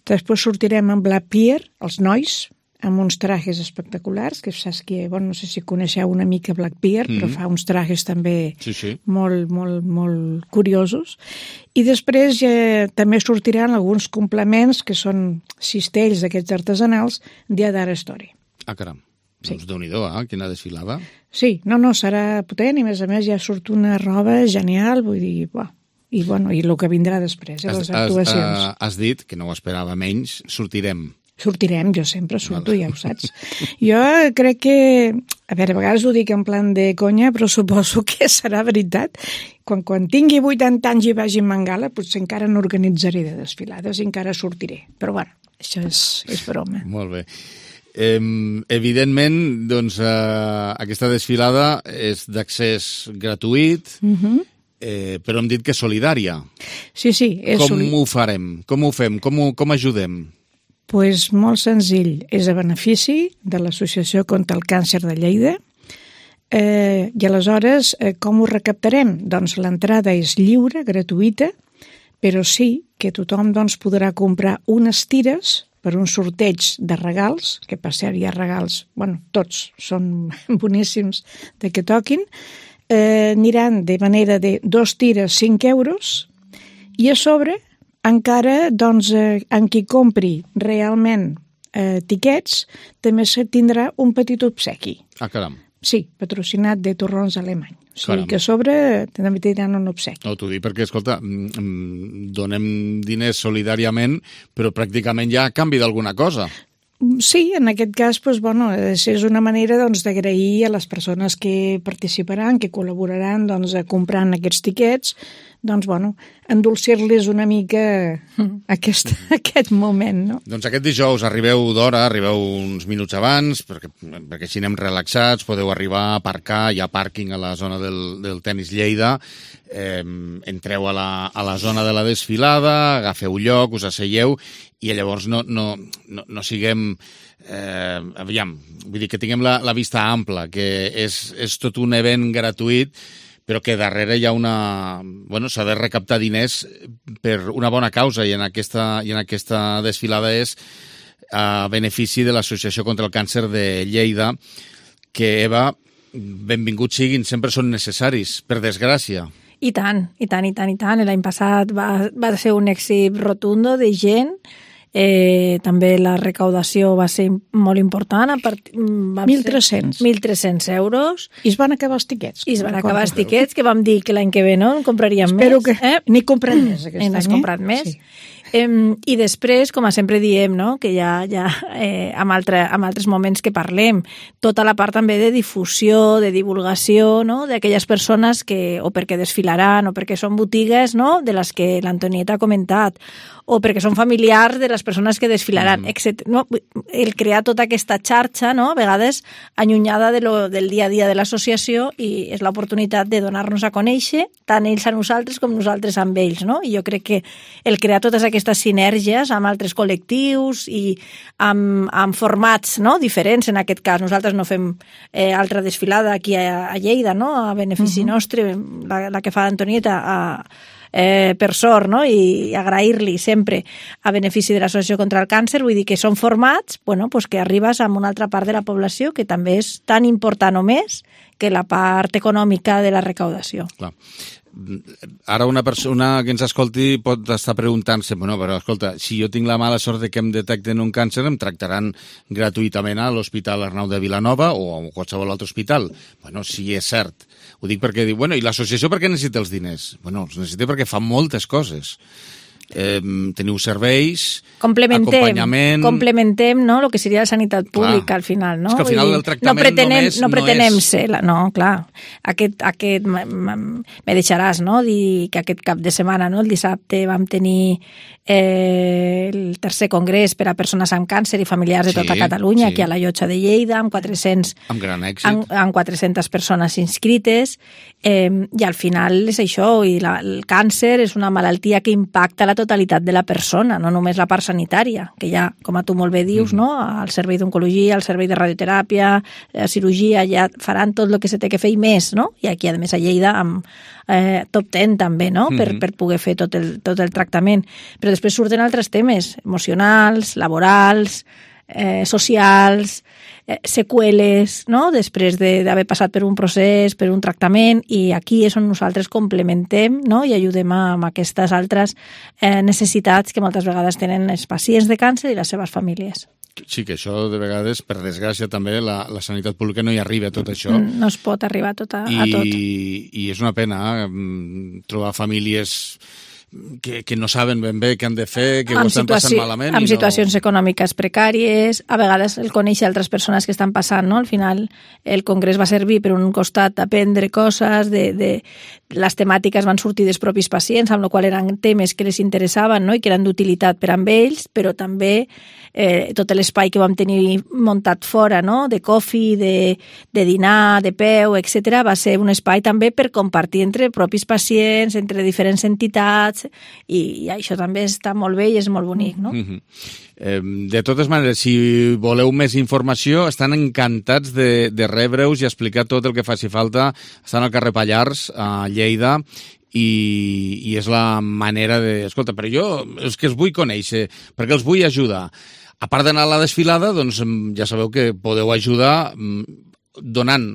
[SPEAKER 16] després sortirem amb la Pier, els nois, amb uns trajes espectaculars, que saps que, bueno, no sé si coneixeu una mica Black Pier, mm-hmm. però fa uns trajes també
[SPEAKER 1] sí, sí.
[SPEAKER 16] molt, molt, molt curiosos. I després eh, també sortiran alguns complements, que són cistells d'aquests artesanals, de Adara Story.
[SPEAKER 1] Ah, caram.
[SPEAKER 16] Sí.
[SPEAKER 1] Doncs Déu-n'hi-do, eh? Quina desfilada.
[SPEAKER 16] Sí, no, no, serà potent i a més a més ja surt una roba genial, vull dir, buah. I, bueno, i el que vindrà després, eh, les actuacions.
[SPEAKER 1] Has, has dit, que no ho esperava menys, sortirem.
[SPEAKER 16] Sortirem, jo sempre surto, ja ho saps. Jo crec que, a veure, a vegades ho dic en plan de conya, però suposo que serà veritat. Quan, quan tingui vuitanta anys i vagi a Mangala, potser encara n'organitzaré de desfilades i encara sortiré. Però bueno, això és, és broma.
[SPEAKER 1] Molt bé. Eh, evidentment, doncs, eh, aquesta desfilada és d'accés gratuït,
[SPEAKER 16] Mhm.
[SPEAKER 1] Eh, però hem dit que és solidària.
[SPEAKER 16] Sí, sí. És
[SPEAKER 1] com
[SPEAKER 16] soli...
[SPEAKER 1] ho farem? Com ho fem? Com, ho, com ajudem?
[SPEAKER 16] Pues molt senzill. És a benefici de l'Associació contra el Càncer de Lleida. Eh, I aleshores, eh, com ho recaptarem? Doncs l'entrada és lliure, gratuïta, però sí que tothom doncs, podrà comprar unes tires per un sorteig de regals, que per cert hi ha regals, bueno, tots són boníssims de que toquin, Eh, aniran de manera de dos tires cinc euros i a sobre encara doncs, eh, en qui compri realment eh, tiquets també se tindrà un petit obsequi.
[SPEAKER 1] Ah, caram.
[SPEAKER 16] Sí, patrocinat de Torrons Alemany. O sigui
[SPEAKER 1] Caram.
[SPEAKER 16] que a sobre també tindran un obsequi.
[SPEAKER 1] No, t'ho dic perquè, escolta, donem diners solidàriament, però pràcticament ja a canvi d'alguna cosa.
[SPEAKER 16] Sí, en aquest cas, doncs, bueno, és una manera doncs, d'agrair a les persones que participaran, que col·laboraran doncs, comprant aquests tiquets, doncs, bueno, endolcir-les una mica aquest, aquest moment, no?
[SPEAKER 1] Doncs aquest dijous arribeu d'hora, arribeu uns minuts abans, perquè, perquè així anem relaxats, podeu arribar a aparcar, hi ha pàrquing a la zona del, del tenis Lleida, eh, entreu a la, a la zona de la desfilada, agafeu lloc, us asseieu, i llavors no, no, no, no siguem, eh, aviam, vull dir que tinguem la, la vista ampla, que és, és tot un event gratuït, però que darrere hi ha una... Bueno, s'ha de recaptar diners per una bona causa, i en aquesta, i en aquesta desfilada és a benefici de l'Associació contra el Càncer de Lleida, que, Eva, benvinguts siguin, sempre són necessaris, per desgràcia.
[SPEAKER 15] I tant, i tant, i tant, i tant. L'any passat va, va ser un èxit rotundo de gent. Eh, també la recaudació va ser molt important.
[SPEAKER 16] mil tres-cents.
[SPEAKER 15] mil tres-cents euros.
[SPEAKER 16] I es van acabar els tiquets.
[SPEAKER 15] I es van acabar els tiquets, que vam dir que l'any que ve no en compraríem
[SPEAKER 16] Espero
[SPEAKER 15] més.
[SPEAKER 16] Espero que eh? n'he comprat més aquest any.
[SPEAKER 15] N'has comprat més. Sí. Eh, I després, com sempre diem, no? que ja, ja eh, amb, altre, amb altres moments que parlem, tota la part també de difusió, de divulgació, no? d'aquelles persones que o perquè desfilaran o perquè són botigues, no? de les que l'Antonieta ha comentat, o perquè són familiars de les persones que desfilaran, mm. etcètera. No? El crear tota aquesta xarxa, no? a vegades allunyada de lo, del dia a dia de l'associació, i és l'oportunitat de donar-nos a conèixer, tant ells a nosaltres com nosaltres amb ells. No? I jo crec que el crear totes aquestes aquestes sinergies amb altres col·lectius i amb, amb formats, no?, diferents en aquest cas. Nosaltres no fem eh, altra desfilada aquí a, a Lleida, no?, a benefici uh-huh. nostre, la, la que fa Antonieta a Eh, per sort, no? I agrair-li sempre a benefici de l'Associació contra el Càncer. Vull dir que són formats, bueno, pues que arribes a una altra part de la població que també és tan important o més que la part econòmica de la recaudació.
[SPEAKER 1] Clar. Ara una persona que ens escolti pot estar preguntant-se, bueno, però escolta, si jo tinc la mala sort de que em detecten un càncer, em tractaran gratuïtament a l'Hospital Arnau de Vilanova o a qualsevol altre hospital. Bueno, sí, és cert. Ho dic perquè diu, bueno, i l'associació per què necessita els diners? Bueno, els necessita perquè fa moltes coses. Eh, teniu serveis,
[SPEAKER 15] complementem,
[SPEAKER 1] acompanyament...
[SPEAKER 15] Complementem, no?, el que seria la sanitat pública, clar, al final, no?
[SPEAKER 1] És que al final el tractament
[SPEAKER 15] no pretenem,
[SPEAKER 1] només
[SPEAKER 15] no pretenem
[SPEAKER 1] no és...
[SPEAKER 15] ser... La, no, clar, aquest, aquest me deixaràs, no?, dir que aquest cap de setmana, no?, el dissabte vam tenir eh, el tercer congrés per a persones amb càncer i familiars de
[SPEAKER 1] sí,
[SPEAKER 15] tota Catalunya,
[SPEAKER 1] sí.
[SPEAKER 15] aquí a la Llotja de Lleida, amb quatre-cents...
[SPEAKER 1] Amb gran èxit.
[SPEAKER 15] Amb, amb quatre-centes persones inscrites, eh, i al final és això, i la, el càncer és una malaltia que impacta la totalitat de la persona, no només la part sanitària, que ja, com a tu molt bé dius, mm. no? Al servei d'oncologia, al servei de radioteràpia, la cirurgia, ja faran tot el que se té que fer i més, no? I aquí, a més, a Lleida, amb eh, top deu també, no? Mm-hmm. Per, per poder fer tot el, tot el tractament. Però després surten altres temes emocionals, laborals, eh, socials, eh, seqüeles, no?, després d'haver passat per un procés, per un tractament, i aquí és on nosaltres complementem, no?, i ajudem a, amb aquestes altres eh, necessitats que moltes vegades tenen els pacients de càncer i les seves famílies.
[SPEAKER 1] Sí, que això de vegades, per desgràcia també, la, la sanitat pública no hi arriba a tot això.
[SPEAKER 15] No es pot arribar a tot. A,
[SPEAKER 1] I,
[SPEAKER 15] a tot.
[SPEAKER 1] I és una pena eh, trobar famílies que, que no saben ben bé què han de fer, que
[SPEAKER 15] amb
[SPEAKER 1] ho estan
[SPEAKER 15] situació,
[SPEAKER 1] passant malament.
[SPEAKER 15] Amb
[SPEAKER 1] i
[SPEAKER 15] situacions
[SPEAKER 1] no...
[SPEAKER 15] econòmiques precàries, a vegades el conèixer altres persones que estan passant, no? Al final el congrés va servir per un costat aprendre coses, de, de, les temàtiques van sortir dels propis pacients, amb la qual eren temes que les interessaven, no?, i que eren d'utilitat per amb ells, però també eh, tot l'espai que vam tenir muntat fora, no?, de coffee, de, de dinar, de peu, etcètera, va ser un espai també per compartir entre propis pacients, entre diferents entitats, i, i això també està molt bé i és molt bonic, no?
[SPEAKER 1] Mm-hmm. eh, de totes maneres, si voleu més informació, estan encantats de, de rebre-us i explicar tot el que faci falta. Estan al carrer Pallars, a Lleida, i, i és la manera de... Escolta, però jo és que els vull conèixer, perquè els vull ajudar. A part d'anar a la desfilada, doncs ja sabeu que podeu ajudar donant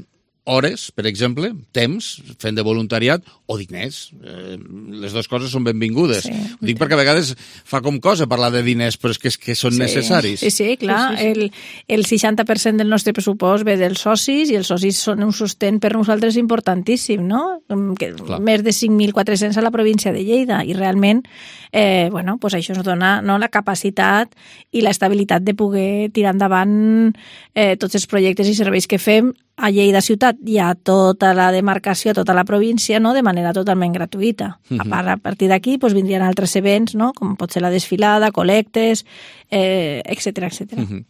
[SPEAKER 1] hores, per exemple, temps, fent de voluntariat, o diners. Eh, les dues coses són benvingudes. Sí. Ho dic perquè a vegades fa com cosa parlar de diners, però és que, és que són
[SPEAKER 15] sí.
[SPEAKER 1] necessaris.
[SPEAKER 15] Sí, sí, clar. Sí, sí, sí. El, el seixanta per cent del nostre pressupost ve dels socis, i els socis són un sostén per nosaltres importantíssim, no? Que més de cinc mil quatre-cents a la província de Lleida, i realment eh, bueno, pues això ens dona, no, la capacitat i l'estabilitat de poder tirar endavant eh, tots els projectes i serveis que fem a Lleida ciutat i a tota la demarcació, a tota la província, no?, de manera totalment gratuïta. Uh-huh. A part, a partir d'aquí pues, vindrien altres events, no?, com pot ser la desfilada, col·lectes, eh, etcètera, etcètera.
[SPEAKER 1] Uh-huh.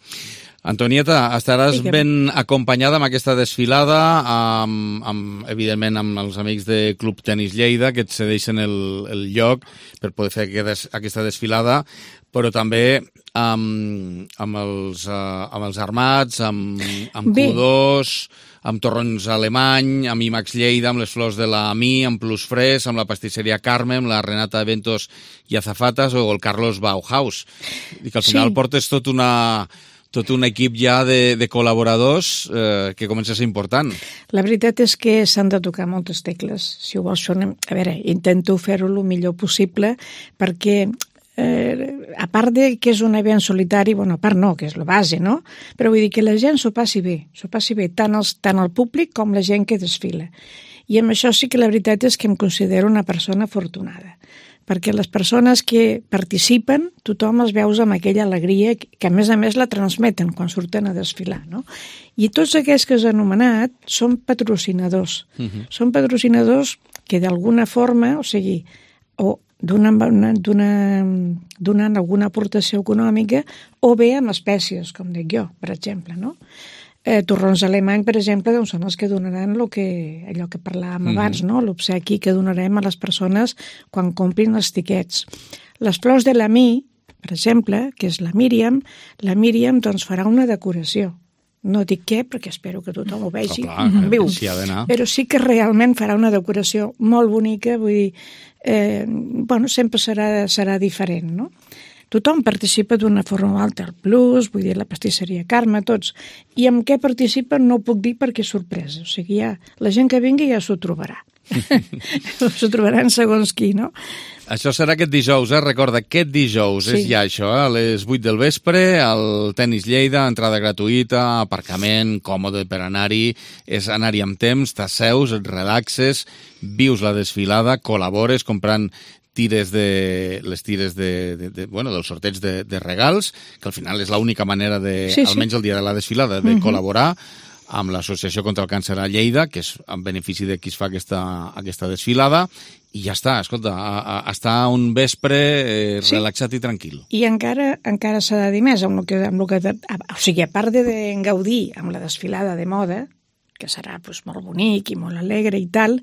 [SPEAKER 1] Antonieta, estaràs sí, que... ben acompanyada amb aquesta desfilada, amb, amb, evidentment amb els amics de Club Tenis Lleida, que et cedeixen el, el lloc per poder fer aquesta desfilada, però també amb, amb, els, uh, amb els armats, amb, amb Q dos, amb Torrons Alemany, amb IMAX Lleida, amb les flors de la Mi, amb Plus Fres, amb la pastisseria Carme, amb la Renata Eventos i Azafatas, o el Carlos Bauhaus. I que al final sí. portes tot una... tot un equip ja de, de col·laboradors eh, que comença a ser important.
[SPEAKER 16] La veritat és que s'han de tocar moltes tecles. Si ho vols, a veure, intento fer-ho el millor possible, perquè eh, a part de que és un event solitari, bueno, a part no, que és la base, no? Però vull dir que la gent s'ho passi bé, s'ho passi bé, tant, els, tant el públic com la gent que desfila. I amb això sí que la veritat és que em considero una persona afortunada, perquè les persones que participen, tothom els veus amb aquella alegria que a més a més la transmeten quan surten a desfilar, no? I tots aquests que has anomenat són patrocinadors. Uh-huh. Són patrocinadors que d'alguna forma, o sigui, o donen, donen alguna aportació econòmica o bé amb espècies, com dic jo, per exemple, no? Eh, Torrons Alemany, per exemple, doncs són els que donaran lo que, allò que parlàvem mm-hmm. abans, no? L'obsequi que donarem a les persones quan comprin els tiquets. Les flors de l'Amí, per exemple, que és la Míriam, la Míriam doncs, farà una decoració. No dic què, perquè espero que tothom ho vegi
[SPEAKER 1] oh, clar,
[SPEAKER 16] en viu,
[SPEAKER 1] sí ha d'anar.
[SPEAKER 16] però sí que realment farà una decoració molt bonica, vull dir, eh, bueno, sempre serà, serà diferent, no? Tothom participa d'una forma o altra, el Plus, vull dir, la pastisseria Carme, tots. I amb què participen no ho puc dir perquè és sorpresa. O sigui, ja, la gent que vingui ja s'ho trobarà. S'ho trobaran segons qui, no?
[SPEAKER 1] Això serà aquest dijous, eh? Recorda, aquest dijous sí. és ja això, eh? A les vuit del vespre, al Tenis Lleida, entrada gratuïta, aparcament, còmode per anar-hi, és anar-hi amb temps, t'asseus, et relaxes, vius la desfilada, col·labores comprant tires de, les tires de, de, de, bueno, dels sorteig de, de regals, que al final és l'única manera de, sí, sí. almenys el dia de la desfilada, de uh-huh. col·laborar amb l'Associació contra el Càncer a Lleida, que és en benefici de qui es fa aquesta, aquesta desfilada, i ja està, escolta, a, a, està un vespre eh, sí. relaxat i tranquil.
[SPEAKER 16] I encara encara s'ha de dir més, amb el que, amb el que, o sigui, a part de, de gaudir amb la desfilada de moda, que serà pues, molt bonic i molt alegre i tal,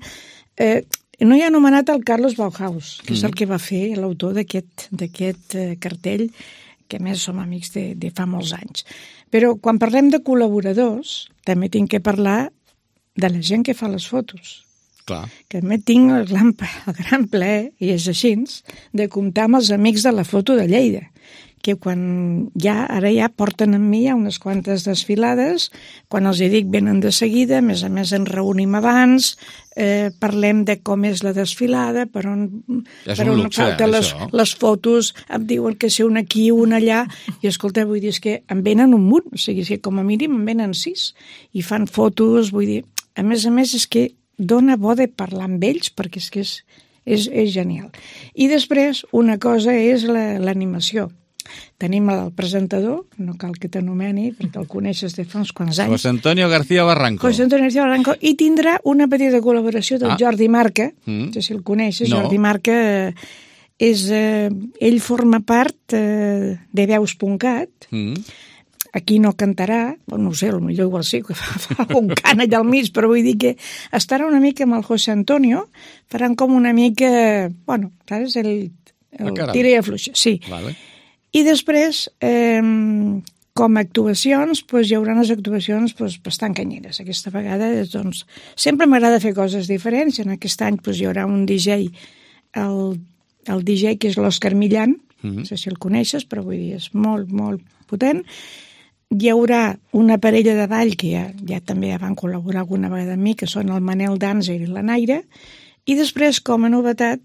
[SPEAKER 16] eh, no hi ha anomenat el Carlos Bauhaus, que és el que va fer l'autor d'aquest d'aquest eh, cartell, que a més som amics de, de fa molts anys. Però quan parlem de col·laboradors, també tinc que parlar de la gent que fa les fotos.
[SPEAKER 1] Clar.
[SPEAKER 16] Que també tinc el gran, el gran plaer, i és així, de comptar amb els amics de la foto de Lleida, que quan ja, ara ja porten amb mi ja unes quantes desfilades, quan els hi dic venen de seguida, a més a més ens reunim abans, eh, parlem de com és la desfilada, per on, per on luxe, falta les, les fotos, em diuen que sé un aquí, un allà, i escolta, vull dir, és que em venen un munt, o sigui, que com a mínim em venen sis, i fan fotos, vull dir, a més a més és que dona bo de parlar amb ells, perquè és que és, és, és genial. I després, una cosa és la, l'animació. Tenim el presentador, no cal que t'anomeni, perquè el coneixes de fa uns quants anys.
[SPEAKER 1] José Antonio García Barranco.
[SPEAKER 16] José Antonio García Barranco, i tindrà una petita col·laboració del ah. Jordi Marca, mm. no sé si el coneixes, no. Jordi Marca és, eh, ell forma part eh, de veus punt cat, mm. aquí no cantarà, no ho sé, potser igual sí, que fa, fa un cant allà al mig, però vull dir que estarà una mica amb el José Antonio, faran com una mica, bueno, saps, el, el ah, tira i afluixa, sí.
[SPEAKER 1] Vale.
[SPEAKER 16] I després, eh, com a actuacions, doncs, hi haurà unes actuacions doncs, bastant canyeres. Aquesta vegada, doncs, sempre m'agrada fer coses diferents. En aquest any doncs, hi haurà un D J, el, el D J que és l'Òscar Millán, mm-hmm. no sé si el coneixes, però vull dir, és molt, molt potent. Hi haurà una parella de ball que ja, ja també ja van col·laborar alguna vegada amb mi, que són el Manel Danzer i la Naira, i després, com a novetat,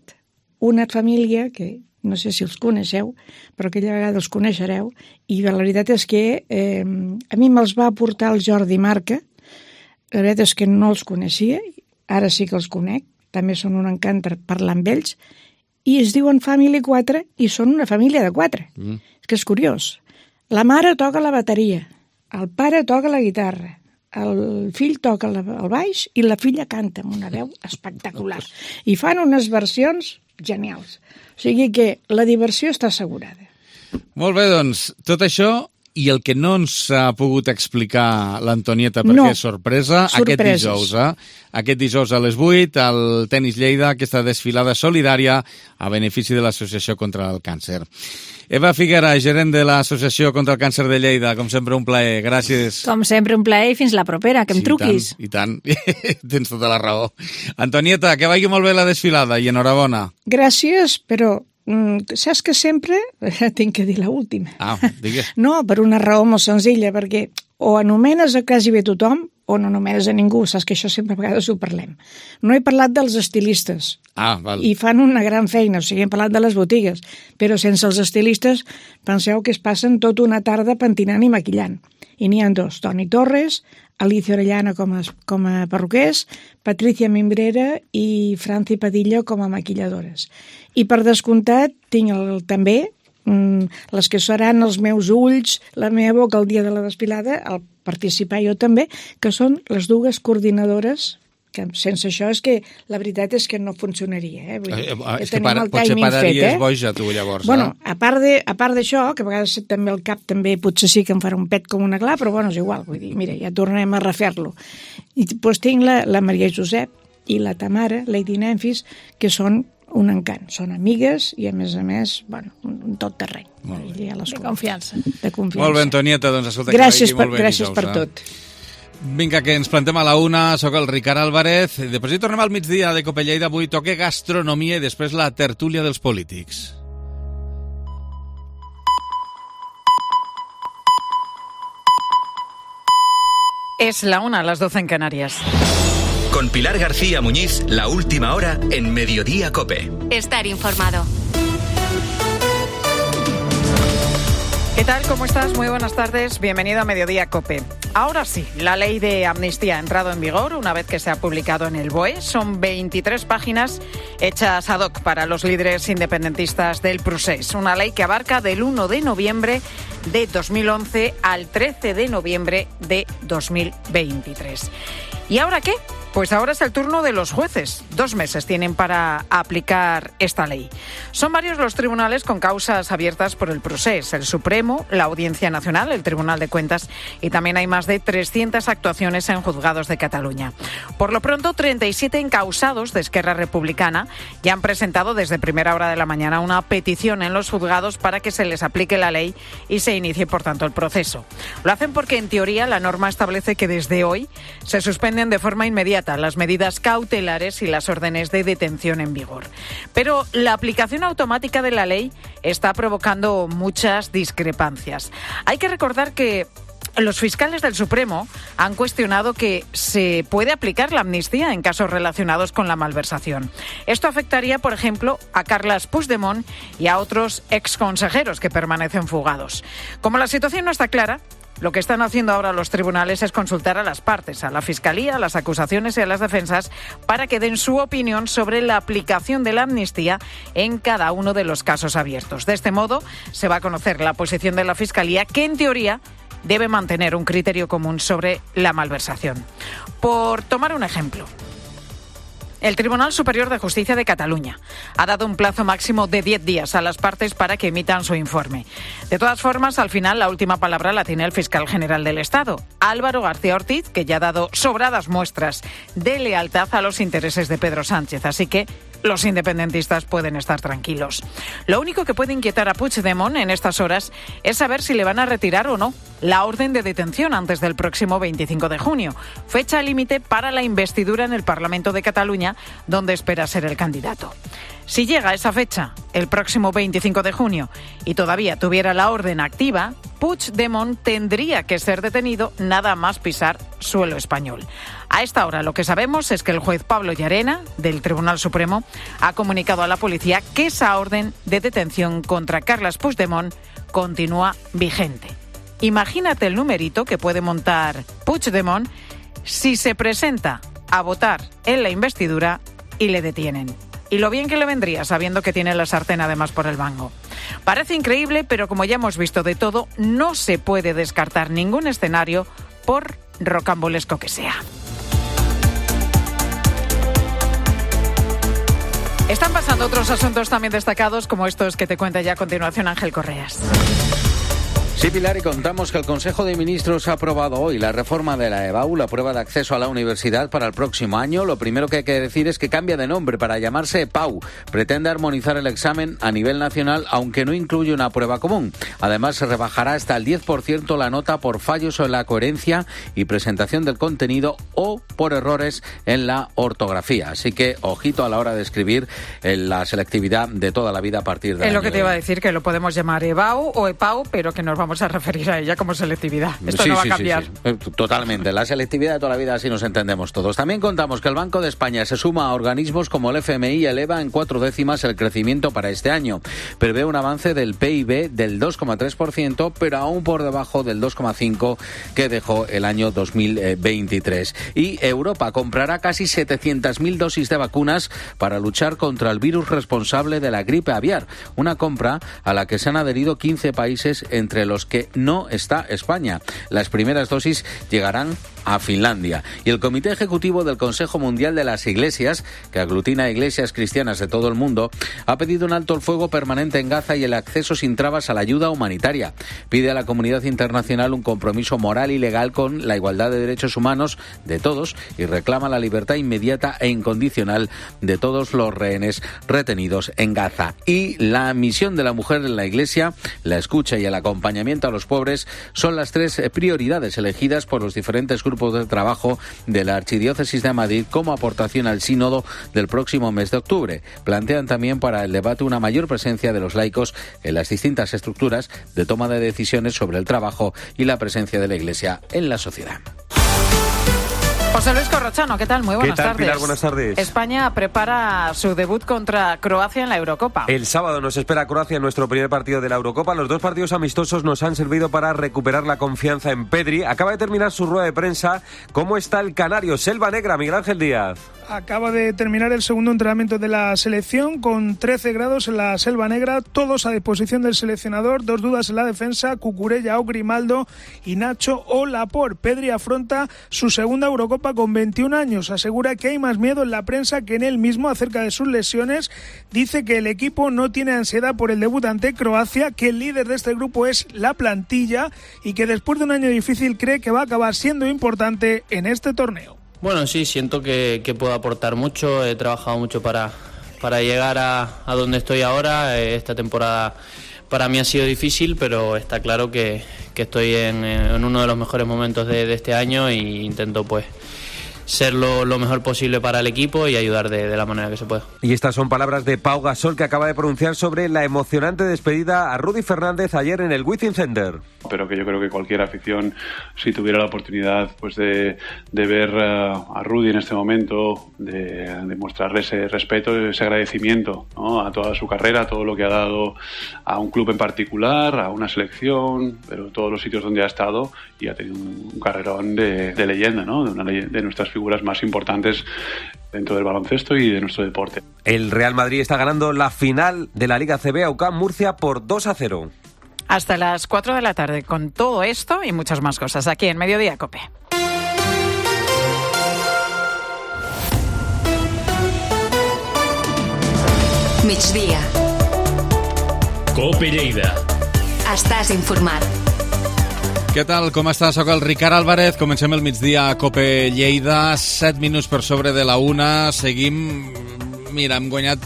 [SPEAKER 16] una família que no sé si els coneixeu, però aquella vegada els coneixereu, i la veritat és que eh, a mi me'ls va aportar el Jordi Marca, la veritat és que no els coneixia, ara sí que els conec, també són un encant per parlar amb ells, i es diuen Family quatre, i són una família de quatre. Mm. És que és curiós. La mare toca la bateria, el pare toca la guitarra, el fill toca el baix i la filla canta amb una veu espectacular. I fan unes versions genials. O sigui que la diversió està assegurada.
[SPEAKER 1] Molt bé, doncs, tot això i el que no ens ha pogut explicar l'Antonieta perquè no. és sorpresa, Sorpreses. aquest dijous, eh? Aquest dijous a les vuit, al Tenis Lleida, aquesta desfilada solidària a benefici de l'Associació contra el Càncer. Eva Figuera, gerent de l'Associació contra el Càncer de Lleida, com sempre un plaer, gràcies.
[SPEAKER 15] Com sempre un plaer i fins la propera, que em
[SPEAKER 1] sí,
[SPEAKER 15] truquis.
[SPEAKER 1] I tant, i tant, tens tota la raó. Antonieta, que vagi molt bé la desfilada i enhorabona.
[SPEAKER 16] Gràcies, però mm, saps que sempre tinc que dir l'última.
[SPEAKER 1] Ah, digues.
[SPEAKER 16] No, per una raó molt senzilla, perquè o anomenes a quasi bé tothom o no anomenes a ningú, saps que això sempre a vegades ho parlem. No he parlat dels estilistes.
[SPEAKER 1] Ah, val.
[SPEAKER 16] I fan una gran feina, o sigui, hem parlat de les botigues, però sense els estilistes penseu que es passen tota una tarda pentinant i maquillant. I n'hi ha dos, Toni Torres, Alicia Orellana com a, com a perruquers, Patricia Mimbrera i Franci Padilla com a maquilladores. I per descomptat tinc el, també mm, les que seran els meus ulls, la meva boca el dia de la desfilada, el participar jo també, que són les dues coordinadores, que sense això és que la veritat és que no funcionaria. Eh? Vull dir,
[SPEAKER 1] eh, és que para, potser pararies fet, eh? boja tu llavors.
[SPEAKER 16] Bueno,
[SPEAKER 1] eh?
[SPEAKER 16] a part de, a part d'això, que a vegades també el cap també potser sí que em farà un pet com una gla, però bueno, és igual, vull dir, mira, ja tornem a refer-lo. I doncs tinc la, la Maria Josep i la Tamara, Lady Nemphis, que són un encant. Són amigues i, a més a més, bueno, un tot terreny.
[SPEAKER 15] De confiança.
[SPEAKER 16] De confiança.
[SPEAKER 1] Molt bé, Antonieta, doncs escolta,
[SPEAKER 16] gràcies
[SPEAKER 1] que vagi molt
[SPEAKER 16] per,
[SPEAKER 1] bé
[SPEAKER 16] gràcies
[SPEAKER 1] dijous,
[SPEAKER 16] per
[SPEAKER 1] eh?
[SPEAKER 16] tot.
[SPEAKER 1] Vinga, que ens plantem a la una, sóc el Ricard Álvarez. Després hi tornem al migdia de Copelleida, avui toque gastronomia i després la tertúlia dels polítics.
[SPEAKER 17] Es la una, las doce en Canarias.
[SPEAKER 18] Con Pilar García Muñiz, la última hora en Mediodía COPE.
[SPEAKER 19] Estar informado.
[SPEAKER 17] ¿Qué tal? ¿Cómo estás? Muy buenas tardes. Bienvenido a Mediodía COPE. Ahora sí, la ley de amnistía ha entrado en vigor una vez que se ha publicado en el B O E. Son veintitrés páginas hechas ad hoc para los líderes independentistas del Procés. Una ley que abarca del uno de noviembre de dos mil once al trece de noviembre de dos mil veintitrés. ¿Y ahora qué? Pues ahora es el turno de los jueces. Dos meses tienen para aplicar esta ley. Son varios los tribunales con causas abiertas por el Procés. El Supremo, la Audiencia Nacional, el Tribunal de Cuentas y también hay más de trescientas actuaciones en juzgados de Cataluña. Por lo pronto, treinta y siete encausados de Esquerra Republicana ya han presentado desde primera hora de la mañana una petición en los juzgados para que se les aplique la ley y se inicie, por tanto, el proceso. Lo hacen porque, en teoría, la norma establece que desde hoy se suspenden de forma inmediata las medidas cautelares y las órdenes de detención en vigor. Pero la aplicación automática de la ley está provocando muchas discrepancias. Hay que recordar que los fiscales del Supremo han cuestionado que se puede aplicar la amnistía en casos relacionados con la malversación. Esto afectaría, por ejemplo, a Carles Puigdemont y a otros exconsejeros que permanecen fugados. Como la situación no está clara, lo que están haciendo ahora los tribunales es consultar a las partes, a la Fiscalía, a las acusaciones y a las defensas, para que den su opinión sobre la aplicación de la amnistía en cada uno de los casos abiertos. De este modo, se va a conocer la posición de la Fiscalía, que en teoría debe mantener un criterio común sobre la malversación. Por tomar un ejemplo, el Tribunal Superior de Justicia de Cataluña ha dado un plazo máximo de diez días a las partes para que emitan su informe. De todas formas, al final, la última palabra la tiene el fiscal general del Estado, Álvaro García Ortiz, que ya ha dado sobradas muestras de lealtad a los intereses de Pedro Sánchez. Así que los independentistas pueden estar tranquilos. Lo único que puede inquietar a Puigdemont en estas horas es saber si le van a retirar o no la orden de detención antes del próximo veinticinco de junio, fecha límite para la investidura en el Parlamento de Cataluña, donde espera ser el candidato. Si llega esa fecha, el próximo veinticinco de junio, y todavía tuviera la orden activa, Puigdemont tendría que ser detenido nada más pisar suelo español. A esta hora lo que sabemos es que el juez Pablo Llarena, del Tribunal Supremo, ha comunicado a la policía que esa orden de detención contra Carles Puigdemont continúa vigente. Imagínate el numerito que puede montar Puigdemont si se presenta a votar en la investidura y le detienen. Y lo bien que le vendría sabiendo que tiene la sartén además por el mango. Parece increíble, pero como ya hemos visto de todo, no se puede descartar ningún escenario, por rocambolesco que sea. Están pasando otros asuntos también destacados, como estos que te cuenta ya a continuación Ángel Correas.
[SPEAKER 20] Sí, Pilar, y contamos que el Consejo de Ministros ha aprobado hoy la reforma de la EBAU, la prueba de acceso a la universidad para el próximo año. Lo primero que hay que decir es que cambia de nombre para llamarse EPAU. Pretende armonizar el examen a nivel nacional, aunque no incluye una prueba común. Además, se rebajará hasta el diez por ciento la nota por fallos en la coherencia y presentación del contenido o por errores en la ortografía. Así que, ojito a la hora de escribir en la selectividad de toda la vida a partir de
[SPEAKER 17] Es lo que te iba a decir, que lo podemos llamar EBAU o EPAU, pero que nos vamos a referir a ella como selectividad. Esto
[SPEAKER 20] sí,
[SPEAKER 17] no va
[SPEAKER 20] sí,
[SPEAKER 17] a cambiar.
[SPEAKER 20] Sí, sí. Totalmente. La selectividad de toda la vida, así nos entendemos todos. También contamos que el Banco de España se suma a organismos como el F M I y eleva en cuatro décimas el crecimiento para este año. Prevé un avance del P I B del dos coma tres por ciento, pero aún por debajo del dos coma cinco por ciento que dejó el año dos mil veintitrés. Y Europa comprará casi setecientas mil dosis de vacunas para luchar contra el virus responsable de la gripe aviar. Una compra a la que se han adherido quince países, entre los que no está España. Las primeras dosis llegarán a Finlandia. Y el Comité Ejecutivo del Consejo Mundial de las Iglesias, que aglutina iglesias cristianas de todo el mundo, ha pedido un alto el fuego permanente en Gaza y el acceso sin trabas a la ayuda humanitaria. Pide a la comunidad internacional un compromiso moral y legal con la igualdad de derechos humanos de todos y reclama la libertad inmediata e incondicional de todos los rehenes retenidos en Gaza. Y la misión de la mujer en la Iglesia, la escucha y el acompañamiento a los pobres son las tres prioridades elegidas por los diferentes grupos de trabajo de la Archidiócesis de Madrid como aportación al sínodo del próximo mes de octubre. Plantean también para el debate una mayor presencia de los laicos en las distintas estructuras de toma de decisiones sobre el trabajo y la presencia de la Iglesia en la sociedad.
[SPEAKER 17] José Luis Corrochano, ¿qué tal? Muy buenas
[SPEAKER 19] ¿Qué tal,
[SPEAKER 17] tardes.
[SPEAKER 19] Pilar? Buenas tardes.
[SPEAKER 17] España prepara su debut contra Croacia en la Eurocopa.
[SPEAKER 19] El sábado nos espera Croacia en nuestro primer partido de la Eurocopa. Los dos partidos amistosos nos han servido para recuperar la confianza en Pedri. Acaba de terminar su rueda de prensa. ¿Cómo está el canario? Selva Negra, Miguel Ángel Díaz.
[SPEAKER 21] Acaba de terminar el segundo entrenamiento de la selección con trece grados en la Selva Negra, todos a disposición del seleccionador. Dos dudas en la defensa, Cucurella o Grimaldo y Nacho o Laporte. Pedri afronta su segunda Eurocopa con veintiún años. Asegura que hay más miedo en la prensa que en él mismo acerca de sus lesiones. Dice que el equipo no tiene ansiedad por el debut ante Croacia, que el líder de este grupo es la plantilla y que después de un año difícil cree que va a acabar siendo importante en este torneo.
[SPEAKER 22] Bueno, sí, siento que, que puedo aportar mucho. He trabajado mucho para, para llegar a, a donde estoy ahora. Esta temporada para mí ha sido difícil, pero está claro que, que estoy en, en uno de los mejores momentos de, de este año e intento pues ser lo, lo mejor posible para el equipo y ayudar de, de la manera que se pueda.
[SPEAKER 19] Y estas son palabras de Pau Gasol, que acaba de pronunciar sobre la emocionante despedida a Rudy Fernández ayer en el Wizzing Center.
[SPEAKER 23] Pero que yo creo que cualquier afición, si tuviera la oportunidad pues de, de ver uh, a Rudy en este momento, de, de mostrarle ese respeto, ese agradecimiento, ¿no?, a toda su carrera, a todo lo que ha dado a un club en particular, a una selección, pero todos los sitios donde ha estado, y ha tenido un, un carrerón de, de leyenda, ¿no?, de, una ley, de nuestras figuras más importantes dentro del baloncesto y de nuestro deporte.
[SPEAKER 19] El Real Madrid está ganando la final de la Liga C B a U C A M Murcia por dos a cero.
[SPEAKER 17] Hasta las cuatro de la tarde con todo esto y muchas más cosas aquí en Mediodía COPE.
[SPEAKER 2] Migdia.
[SPEAKER 18] COPE Lleida.
[SPEAKER 2] Estàs informat.
[SPEAKER 1] Què tal? Com estàs? Soc el Ricard Álvarez. Comencem el migdia a COPE Lleida. Set minuts per sobre de la una. Seguim... Mira, hem guanyat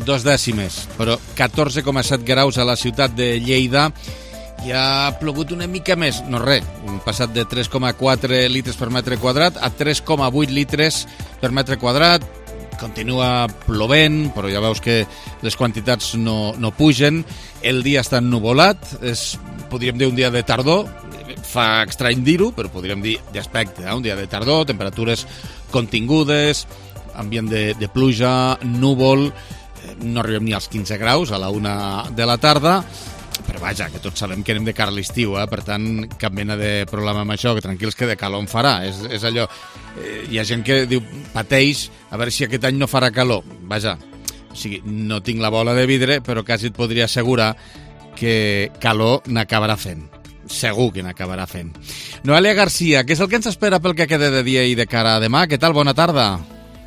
[SPEAKER 1] dos dècimes, però catorze coma set graus a la ciutat de Lleida. I ha plogut una mica més. No res, hem passat de tres coma quatre litres per metre quadrat a tres coma vuit litres per metre quadrat. Continua plovent, però ja veus que les quantitats no, no pugen. El dia està ennuvolat. És, podríem dir, un dia de tardor. Fa estrany dir-ho, però podríem dir d'aspecte, eh? Un dia de tardor, temperatures contingudes, ambient de, de pluja, núvol, no arribem ni als quinze graus a la una de la tarda, però vaja, que tots sabem que anem de cara a l'estiu, eh? Per tant, cap mena de problema amb això, que tranquils que de calor en farà, és, és allò, eh, hi ha gent que diu, pateix, a veure si aquest any no farà calor, vaja, o sigui, no tinc la bola de vidre, però quasi et podria assegurar que calor n'acabarà fent. Segur que n'acabarà fent. Noelia Garcia, què és el que ens espera pel que queda de dia i de cara a demà? Què tal? Bona tarda.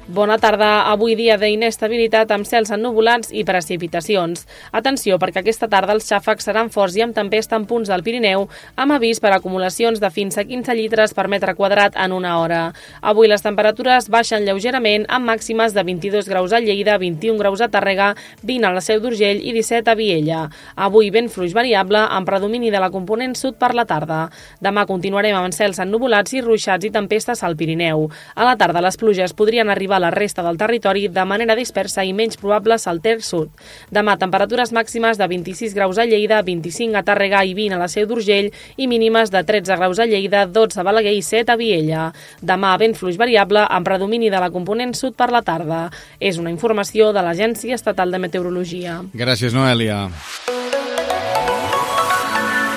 [SPEAKER 24] Bona tarda. Avui dia d'inestabilitat amb cels ennuvolats i precipitacions. Atenció, perquè aquesta tarda els xàfecs seran forts i amb tempesta en punts del Pirineu, amb avís per acumulacions de fins a quinze litres per metre quadrat en una hora. Avui les temperatures baixen lleugerament amb màximes de vint-i-dos graus a Lleida, vint-i-un graus a Tàrrega, vint a la Seu d'Urgell i disset a Viella. Avui vent fluix variable amb predomini de la component sud per la tarda. Demà continuarem amb cels ennuvolats i ruixats i tempestes al Pirineu. A la tarda les pluges podrien arribar a la resta del territori de manera dispersa i menys probables al terç sud. Demà, temperatures màximes de vint-i-sis graus a Lleida, vint-i-cinc a Tàrrega i vint a la Seu d'Urgell i mínimes de tretze graus a Lleida, dotze a Balaguer i set a Viella. Demà, vent fluix variable amb predomini de la component sud per la tarda. És una informació de l'Agència Estatal de Meteorologia.
[SPEAKER 1] Gràcies, Noelia.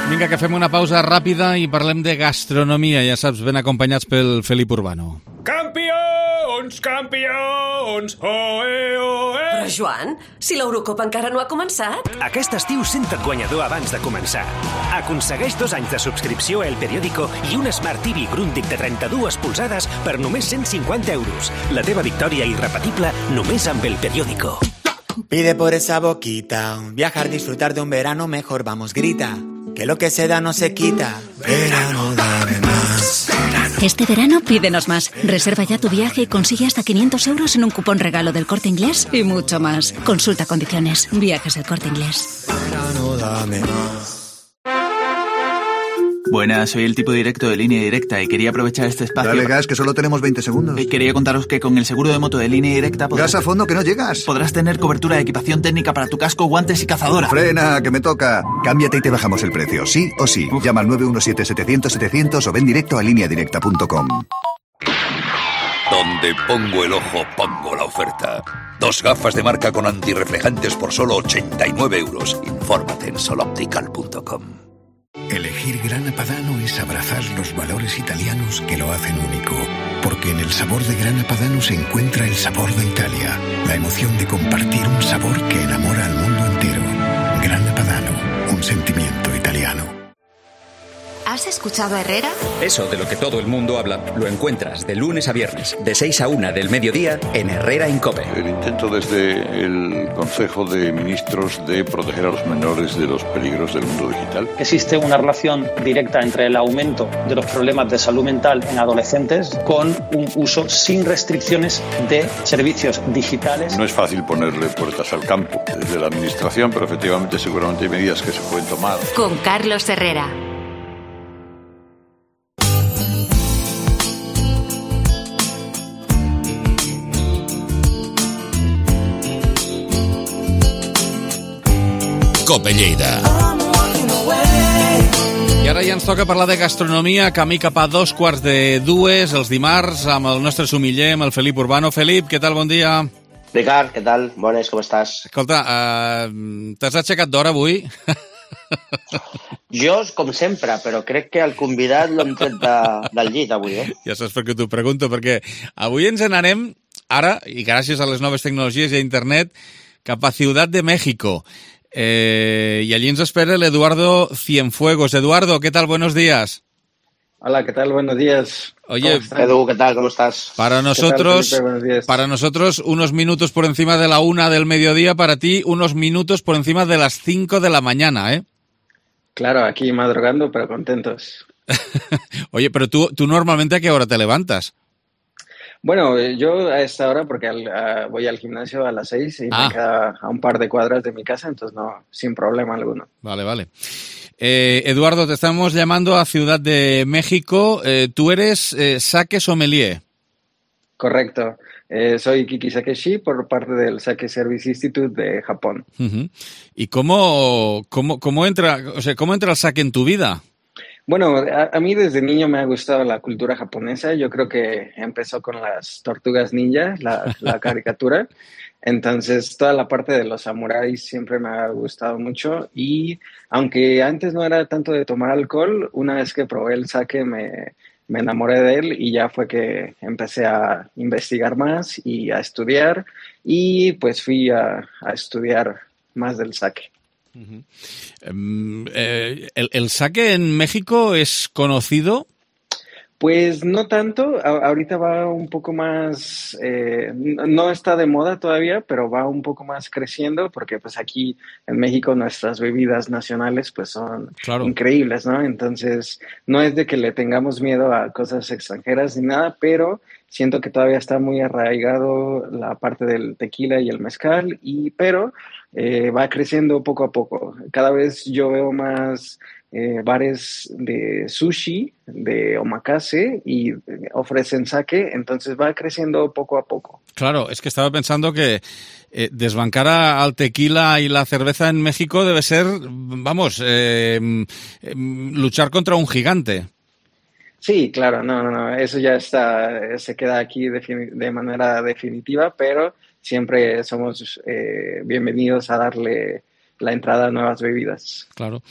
[SPEAKER 1] Vinga, que fem una pausa ràpida i parlem de gastronomia, ja saps, ben acompanyats pel Felip Urbano.
[SPEAKER 25] Campió!
[SPEAKER 3] Campions, campions, oe, oe.
[SPEAKER 10] Però, Joan, si l'Eurocopa encara no ha començat.
[SPEAKER 4] Aquest estiu senta't guanyador abans de començar. Aconsegueix dos anys de subscripció a El Periódico i un Smart T V Grundig de trenta-dues polzades per només cent cinquanta euros. La teva victòria irrepetible només amb El Periódico.
[SPEAKER 5] Pide por esa boquita, viajar, disfrutar de un verano mejor, vamos, grita, que lo que se da no se quita. Verano, dame más.
[SPEAKER 6] Este verano pídenos más. Reserva ya tu viaje y consigue hasta quinientos euros en un cupón regalo del Corte Inglés y mucho más. Consulta condiciones. Viajes del Corte Inglés.
[SPEAKER 5] Verano, dame más.
[SPEAKER 25] Buenas, soy el tipo directo de Línea Directa y quería aprovechar este espacio...
[SPEAKER 26] Dale gas, que solo tenemos veinte segundos.
[SPEAKER 25] Y quería contaros que con el seguro de moto de Línea Directa...
[SPEAKER 26] Podrás... Gas a fondo, que no llegas.
[SPEAKER 25] Podrás tener cobertura de equipación técnica para tu casco, guantes y cazadora.
[SPEAKER 26] Frena, que me toca. Cámbiate y te bajamos el precio, sí o sí. Uf. Llama al nueve uno siete, setecientos, setecientos o ven directo a línea directa punto com.
[SPEAKER 27] Donde pongo el ojo, pongo la oferta. Dos gafas de marca con antirreflejantes por solo ochenta y nueve euros. Infórmate en soloptical punto com.
[SPEAKER 28] Elegir Grana Padano es abrazar los valores italianos que lo hacen único, porque en el sabor de Grana Padano se encuentra el sabor de Italia, la emoción de compartir un sabor que enamora al mundo entero. Grana Padano, un sentimiento italiano.
[SPEAKER 29] ¿Has escuchado a Herrera?
[SPEAKER 30] Eso de lo que todo el mundo habla lo encuentras de lunes a viernes, de seis a una del mediodía, en Herrera en COPE.
[SPEAKER 31] El intento desde el Consejo de Ministros de proteger a los menores de los peligros del mundo digital.
[SPEAKER 32] Existe una relación directa entre el aumento de los problemas de salud mental en adolescentes con un uso sin restricciones de servicios digitales.
[SPEAKER 31] No es fácil ponerle puertas al campo desde la Administración, pero efectivamente seguramente hay medidas que se pueden tomar.
[SPEAKER 29] Con Carlos Herrera.
[SPEAKER 1] Cope Lleida. I ara ja ens toca parlar de gastronomia, camí cap a dos quarts de dues, els dimarts, amb el nostre sumiller, amb el Felip Urbano. Felip, què tal? Bon dia.
[SPEAKER 33] Ricard, què tal? Bones, com estàs?
[SPEAKER 1] Escolta, uh, t'has aixecat d'hora avui?
[SPEAKER 33] Jo, com sempre, però crec que el convidat l'hem tret de, del llit avui, eh?
[SPEAKER 1] Ja saps per què t'ho pregunto, perquè avui ens n'anem, ara, i gràcies a les noves tecnologies i a internet, cap a Ciutat de México. Eh, y allí nos espera el Eduardo Cienfuegos. Eduardo, ¿qué tal? Buenos días.
[SPEAKER 34] Hola, ¿qué tal? Buenos días.
[SPEAKER 1] Oye,
[SPEAKER 33] Edu, ¿qué tal? ¿Cómo estás?
[SPEAKER 1] Para nosotros,
[SPEAKER 34] tal, Buenos días.
[SPEAKER 1] Para nosotros, unos minutos por encima de la una del mediodía, para ti, unos minutos por encima de las cinco de la mañana, ¿eh?
[SPEAKER 34] Claro, aquí madrugando, pero contentos.
[SPEAKER 1] Oye, pero tú, tú normalmente ¿a qué hora te levantas?
[SPEAKER 34] Bueno, yo a esta hora, porque al, uh, voy al gimnasio a las seis y ah. me queda a un par de cuadras de mi casa, entonces no, sin problema alguno.
[SPEAKER 1] Vale, vale. Eh, Eduardo, te estamos llamando a Ciudad de México. Eh, tú eres eh, sake sommelier.
[SPEAKER 34] Correcto. Eh, soy Kiki Sakeshi por parte del Sake Service Institute de Japón.
[SPEAKER 1] Uh-huh. ¿Y cómo, cómo, cómo entra, o sea, cómo entra el sake en tu vida?
[SPEAKER 34] Bueno, a, a mí desde niño me ha gustado la cultura japonesa. Yo creo que empezó con las tortugas ninja, la, la caricatura. Entonces, toda la parte de los samuráis siempre me ha gustado mucho. Y aunque antes no era tanto de tomar alcohol, una vez que probé el sake me, me enamoré de él y ya fue que empecé a investigar más y a estudiar. Y pues fui a, a estudiar más del sake.
[SPEAKER 1] Uh-huh. Um, eh, ¿el, ¿El sake en México es conocido?
[SPEAKER 34] Pues no tanto, a- ahorita va un poco más, eh, no está de moda todavía, pero va un poco más creciendo porque pues aquí en México nuestras bebidas nacionales pues son
[SPEAKER 1] Claro.
[SPEAKER 34] increíbles, ¿no? Entonces no es de que le tengamos miedo a cosas extranjeras ni nada, pero siento que todavía está muy arraigado la parte del tequila y el mezcal, y pero eh, va creciendo poco a poco. Cada vez yo veo más eh, bares de sushi, de omakase, y eh, ofrecen sake, entonces va creciendo poco a poco.
[SPEAKER 1] Claro, es que estaba pensando que eh, desbancar a- al tequila y la cerveza en México debe ser, vamos, eh, eh, luchar contra un gigante.
[SPEAKER 34] Sí, claro, no, no, no, eso ya está, se queda aquí defini- de manera definitiva, pero siempre somos eh, bienvenidos a darle la entrada a nuevas bebidas.
[SPEAKER 1] Claro.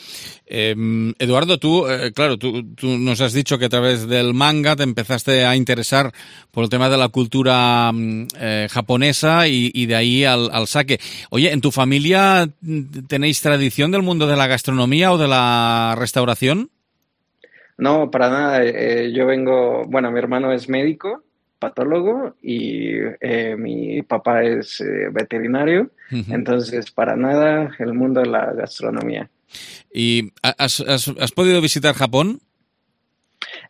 [SPEAKER 1] Eh, Eduardo, tú, eh, claro, tú, tú nos has dicho que a través del manga te empezaste a interesar por el tema de la cultura eh, japonesa y, y de ahí al, al sake. Oye, ¿en tu familia tenéis tradición del mundo de la gastronomía o de la restauración?
[SPEAKER 34] No, para nada. Eh, yo vengo, bueno, mi hermano es médico, patólogo, y eh, mi papá es eh, veterinario, uh-huh. Entonces para nada el mundo de la gastronomía.
[SPEAKER 1] ¿Y has, has, has podido visitar Japón?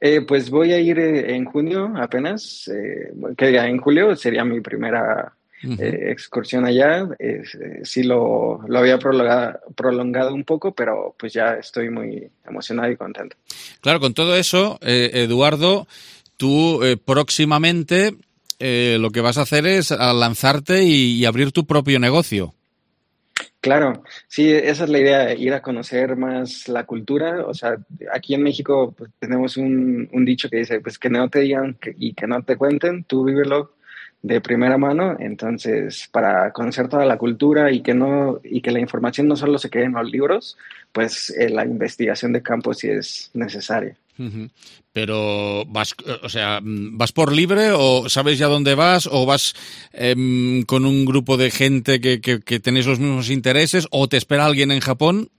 [SPEAKER 34] Eh, pues voy a ir eh, en junio apenas, eh, que diga, en julio sería mi primera uh-huh. eh, excursión allá. Eh, eh, sí lo, lo había prolongado, prolongado un poco, pero pues ya estoy muy emocionado y contento.
[SPEAKER 1] Claro, con todo eso, eh, Eduardo, tú eh, próximamente eh, lo que vas a hacer es a lanzarte y, y abrir tu propio negocio.
[SPEAKER 34] Claro, sí, esa es la idea, ir a conocer más la cultura. O sea, aquí en México pues, tenemos un, un dicho que dice, pues que no te digan que, y que no te cuenten, tú vívelo de primera mano. Entonces, para conocer toda la cultura y que no y que la información no solo se quede en los libros, pues eh, la investigación de campo sí es necesaria.
[SPEAKER 1] Uh-huh. Pero vas, o sea, ¿vas por libre o sabes ya dónde vas o vas eh, con un grupo de gente que, que, que tenéis los mismos intereses o te espera alguien en Japón?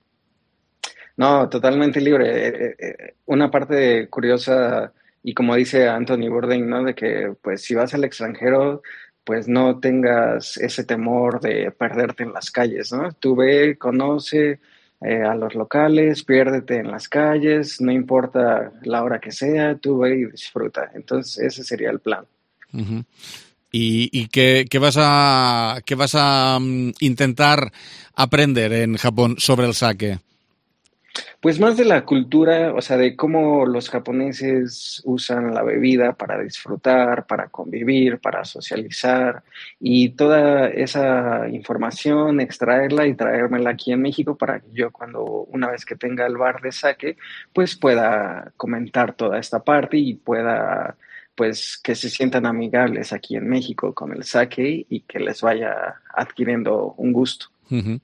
[SPEAKER 34] No, totalmente libre. Eh, eh, una parte curiosa, y como dice Anthony Bourdain, ¿no? De que pues si vas al extranjero, pues no tengas ese temor de perderte en las calles, ¿no? Tú ve, conoce Eh, a los locales, piérdete en las calles, no importa la hora que sea, tú ve y disfruta. Entonces ese sería el plan.
[SPEAKER 1] Uh-huh. ¿Y, y qué, qué vas a qué vas a um, intentar aprender en Japón sobre el sake?
[SPEAKER 34] Pues más de la cultura, o sea, de cómo los japoneses usan la bebida para disfrutar, para convivir, para socializar, y toda esa información, extraerla y traérmela aquí en México para que yo cuando, una vez que tenga el bar de sake, pues pueda comentar toda esta parte y pueda, pues, que se sientan amigables aquí en México con el sake y que les vaya adquiriendo un gusto.
[SPEAKER 1] Uh-huh.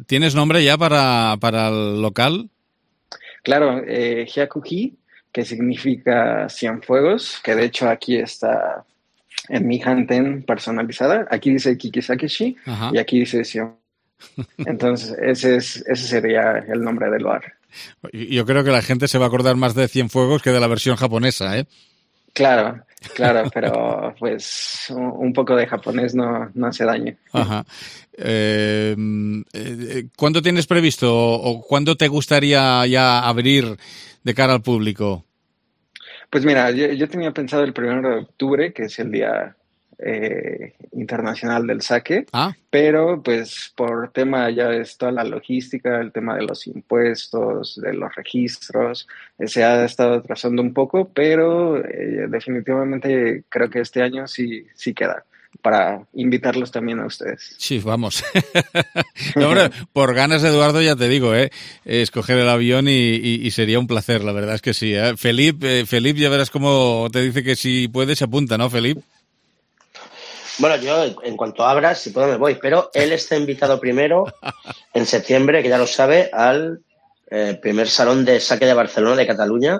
[SPEAKER 1] ¿Tienes nombre ya para, para el local?
[SPEAKER 34] Claro, eh, Hyakuji, que significa Cienfuegos, que de hecho aquí está en mi Hanten personalizada. Aquí dice Kikisakeshi uh-huh. y aquí dice Cien. Entonces ese, es, ese sería el nombre del bar.
[SPEAKER 1] Yo creo que la gente se va a acordar más de Cienfuegos que de la versión japonesa, ¿eh?
[SPEAKER 34] Claro, claro, pero pues un poco de japonés no, no hace daño.
[SPEAKER 1] Ajá. Eh, eh, ¿Cuándo tienes previsto o cuándo te gustaría ya abrir de cara al público?
[SPEAKER 34] Pues mira, yo, yo tenía pensado el primero de octubre, que es el Día eh, Internacional del Sake,
[SPEAKER 1] ¿Ah?
[SPEAKER 34] pero pues por tema ya es toda la logística, el tema de los impuestos, de los registros, eh, se ha estado atrasando un poco, pero eh, definitivamente creo que este año sí, sí queda, para invitarlos también a ustedes.
[SPEAKER 1] Sí, vamos. No, hombre, por ganas, Eduardo, ya te digo, ¿eh? Escoger el avión y, y, y sería un placer, la verdad es que sí. ¿eh? Felipe, eh, Felipe, ya verás cómo te dice que si puede se apunta, ¿no, Felipe?
[SPEAKER 33] Bueno, yo en cuanto abra, si puedo me voy, pero él está invitado primero en septiembre, que ya lo sabe, al eh, primer salón de sake de Barcelona, de Cataluña,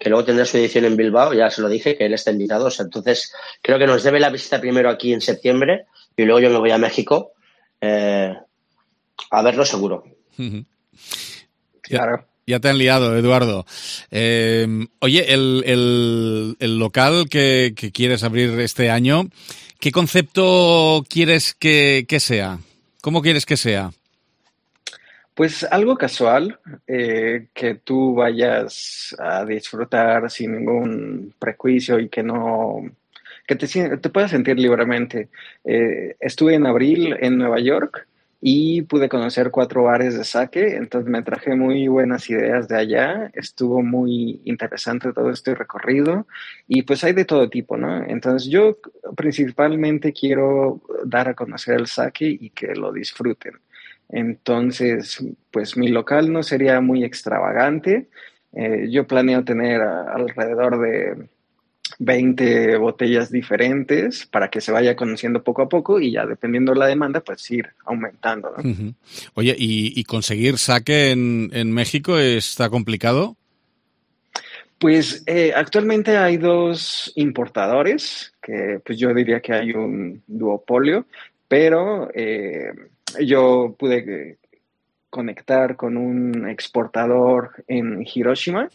[SPEAKER 33] que luego tendrá su edición en Bilbao, ya se lo dije, que él está invitado. O sea, entonces creo que nos debe la visita primero aquí en septiembre y luego yo me voy a México eh, a verlo seguro.
[SPEAKER 1] Claro. Ya te han liado, Eduardo. Eh, oye, el, el, el local que, que quieres abrir este año, ¿qué concepto quieres que, que sea? ¿Cómo quieres que sea?
[SPEAKER 34] Pues algo casual, eh, que tú vayas a disfrutar sin ningún prejuicio y que no, que te, te puedas sentir libremente. Eh, estuve en abril en Nueva York y pude conocer cuatro bares de sake, entonces me traje muy buenas ideas de allá, estuvo muy interesante todo este recorrido y pues hay de todo tipo, ¿no? Entonces yo principalmente quiero dar a conocer el sake y que lo disfruten. Entonces, pues mi local no sería muy extravagante. Eh, yo planeo tener a, alrededor de veinte botellas diferentes para que se vaya conociendo poco a poco y ya dependiendo de la demanda, pues ir aumentando, ¿no?
[SPEAKER 1] Uh-huh. Oye, ¿y, y conseguir sake en, en México está complicado?
[SPEAKER 34] Pues eh, actualmente hay dos importadores, que pues yo diría que hay un duopolio, pero eh, yo pude conectar con un exportador en Hiroshima.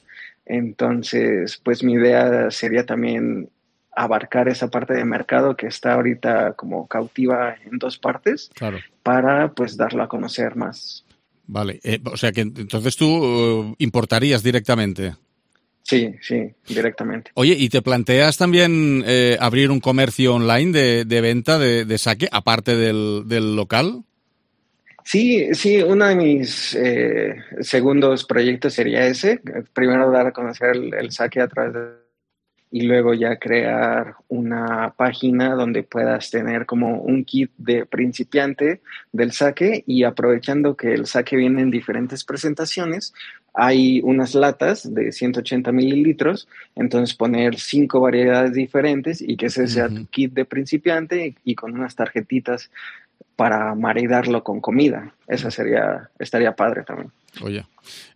[SPEAKER 34] Entonces, pues mi idea sería también abarcar esa parte de mercado que está ahorita como cautiva en dos partes,
[SPEAKER 1] claro,
[SPEAKER 34] para pues darlo a conocer más.
[SPEAKER 1] Vale, eh, o sea que entonces tú uh, importarías directamente.
[SPEAKER 34] Sí, sí, directamente.
[SPEAKER 1] Oye, ¿y te planteas también eh, abrir un comercio online de, de venta de, de sake, aparte del, del local?
[SPEAKER 34] Sí, sí, uno de mis eh, segundos proyectos sería ese. Primero dar a conocer el, el sake a través de... y luego ya crear una página donde puedas tener como un kit de principiante del sake, y aprovechando que el sake viene en diferentes presentaciones, hay unas latas de ciento ochenta mililitros, entonces poner cinco variedades diferentes y que ese sea uh-huh. tu kit de principiante, y, y con unas tarjetitas para maridarlo con comida. Esa sería, estaría padre también.
[SPEAKER 1] Oye,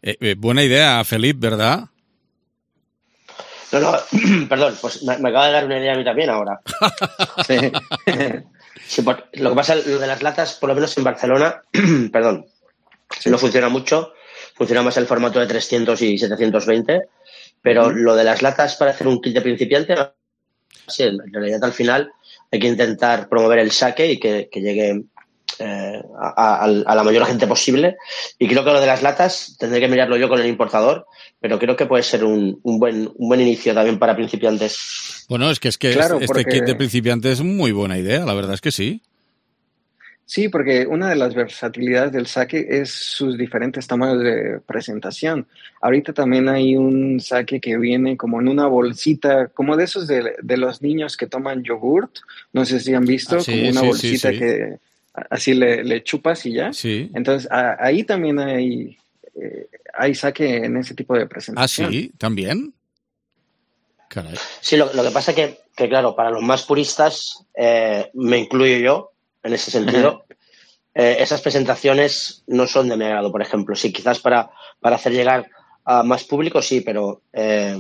[SPEAKER 1] eh, eh, buena idea, Felip, ¿verdad?
[SPEAKER 33] No, no, perdón, pues me, me acaba de dar una idea a mí también ahora. Sí. Sí, por, lo que pasa, lo de las latas, por lo menos en Barcelona, perdón, sí. no funciona mucho, funciona más el formato de trescientos y setecientos veinte, pero uh-huh. lo de las latas para hacer un kit de principiante, sí, en realidad al final hay que intentar promover el sake y que, que llegue eh, a, a, a la mayor gente posible. Y creo que lo de las latas tendré que mirarlo yo con el importador, pero creo que puede ser un, un, buen, un buen inicio también para principiantes.
[SPEAKER 1] Bueno, es que, es que claro, este porque... kit de principiantes es muy buena idea, la verdad es que sí.
[SPEAKER 34] Sí, porque una de las versatilidades del sake es sus diferentes tamaños de presentación. Ahorita también hay un sake que viene como en una bolsita, como de esos de, de los niños que toman yogurt. No sé si han visto, ah, sí, como una sí, bolsita sí, sí. que así le, le chupas y ya.
[SPEAKER 1] Sí.
[SPEAKER 34] Entonces, a, ahí también hay, eh, hay sake en ese tipo de presentación.
[SPEAKER 1] Ah, sí, también. Caray.
[SPEAKER 33] Sí, lo, lo que pasa es que, que, claro, para los más puristas, eh, me incluyo yo, en ese sentido, eh, esas presentaciones no son de mi agrado, por ejemplo. Sí, quizás para, para hacer llegar a más público, sí, pero eh,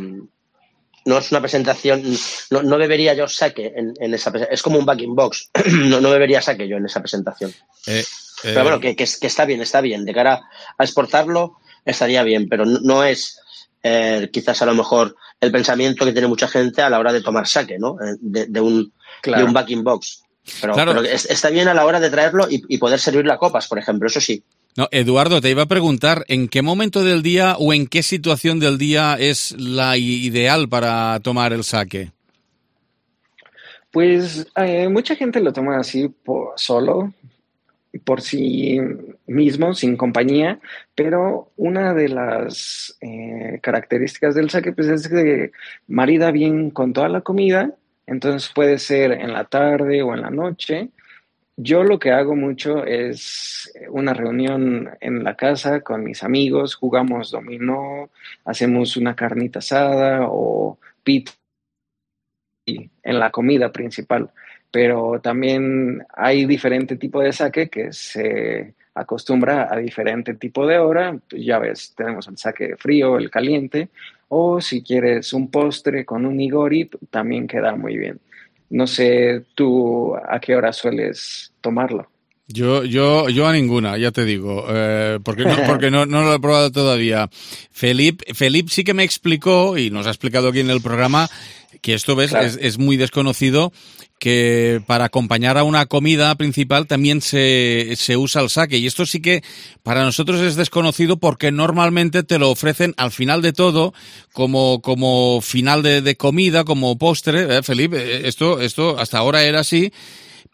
[SPEAKER 33] no es una presentación, no, no bebería yo sake en, en esa presentación. Es como un backing box, no, no bebería sake yo en esa presentación.
[SPEAKER 1] Eh, eh,
[SPEAKER 33] pero bueno, que, que, que está bien, está bien. De cara a exportarlo, estaría bien, pero no, no es eh, quizás a lo mejor el pensamiento que tiene mucha gente a la hora de tomar sake, ¿no? De, de, un, claro. de un backing box. Pero, claro. pero está bien a la hora de traerlo y, y poder servirlo a copas, por ejemplo, eso sí.
[SPEAKER 1] No, Eduardo, te iba a preguntar, ¿en qué momento del día o en qué situación del día es la ideal para tomar el sake?
[SPEAKER 34] Pues eh, mucha gente lo toma así por, solo, por sí mismo, sin compañía, pero una de las eh, características del sake pues, es que marida bien con toda la comida. Entonces puede ser en la tarde o en la noche. Yo lo que hago mucho es una reunión en la casa con mis amigos, jugamos dominó, hacemos una carnita asada o pizza en la comida principal. Pero también hay diferente tipo de sake que se acostumbra a diferente tipo de hora. Pues ya ves, tenemos el sake frío, el caliente, o si quieres un postre con un nigori, también queda muy bien. No sé, ¿tú a qué hora sueles tomarlo?
[SPEAKER 1] Yo, yo, yo a ninguna, ya te digo, eh, porque, no, porque no, no lo he probado todavía. Felip, Felip sí que me explicó, y nos ha explicado aquí en el programa, que esto ves claro. es, es muy desconocido, que para acompañar a una comida principal también se, se usa el sake. Y esto sí que para nosotros es desconocido porque normalmente te lo ofrecen al final de todo, como, como final de, de comida, como postre. ¿Eh, Felipe? Esto, esto hasta ahora era así,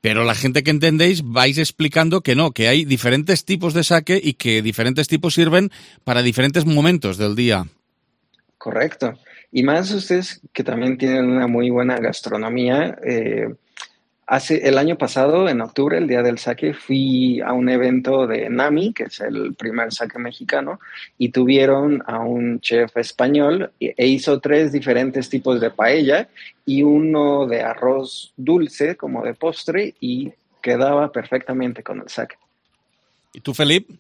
[SPEAKER 1] pero la gente que entendéis vais explicando que no, que hay diferentes tipos de sake y que diferentes tipos sirven para diferentes momentos del día.
[SPEAKER 34] Correcto. Y más ustedes que también tienen una muy buena gastronomía, eh, hace el año pasado, en octubre, el día del sake, fui a un evento de Nami, que es el primer sake mexicano, y tuvieron a un chef español e hizo tres diferentes tipos de paella y uno de arroz dulce como de postre y quedaba perfectamente con el sake.
[SPEAKER 1] ¿Y tú, Felipe?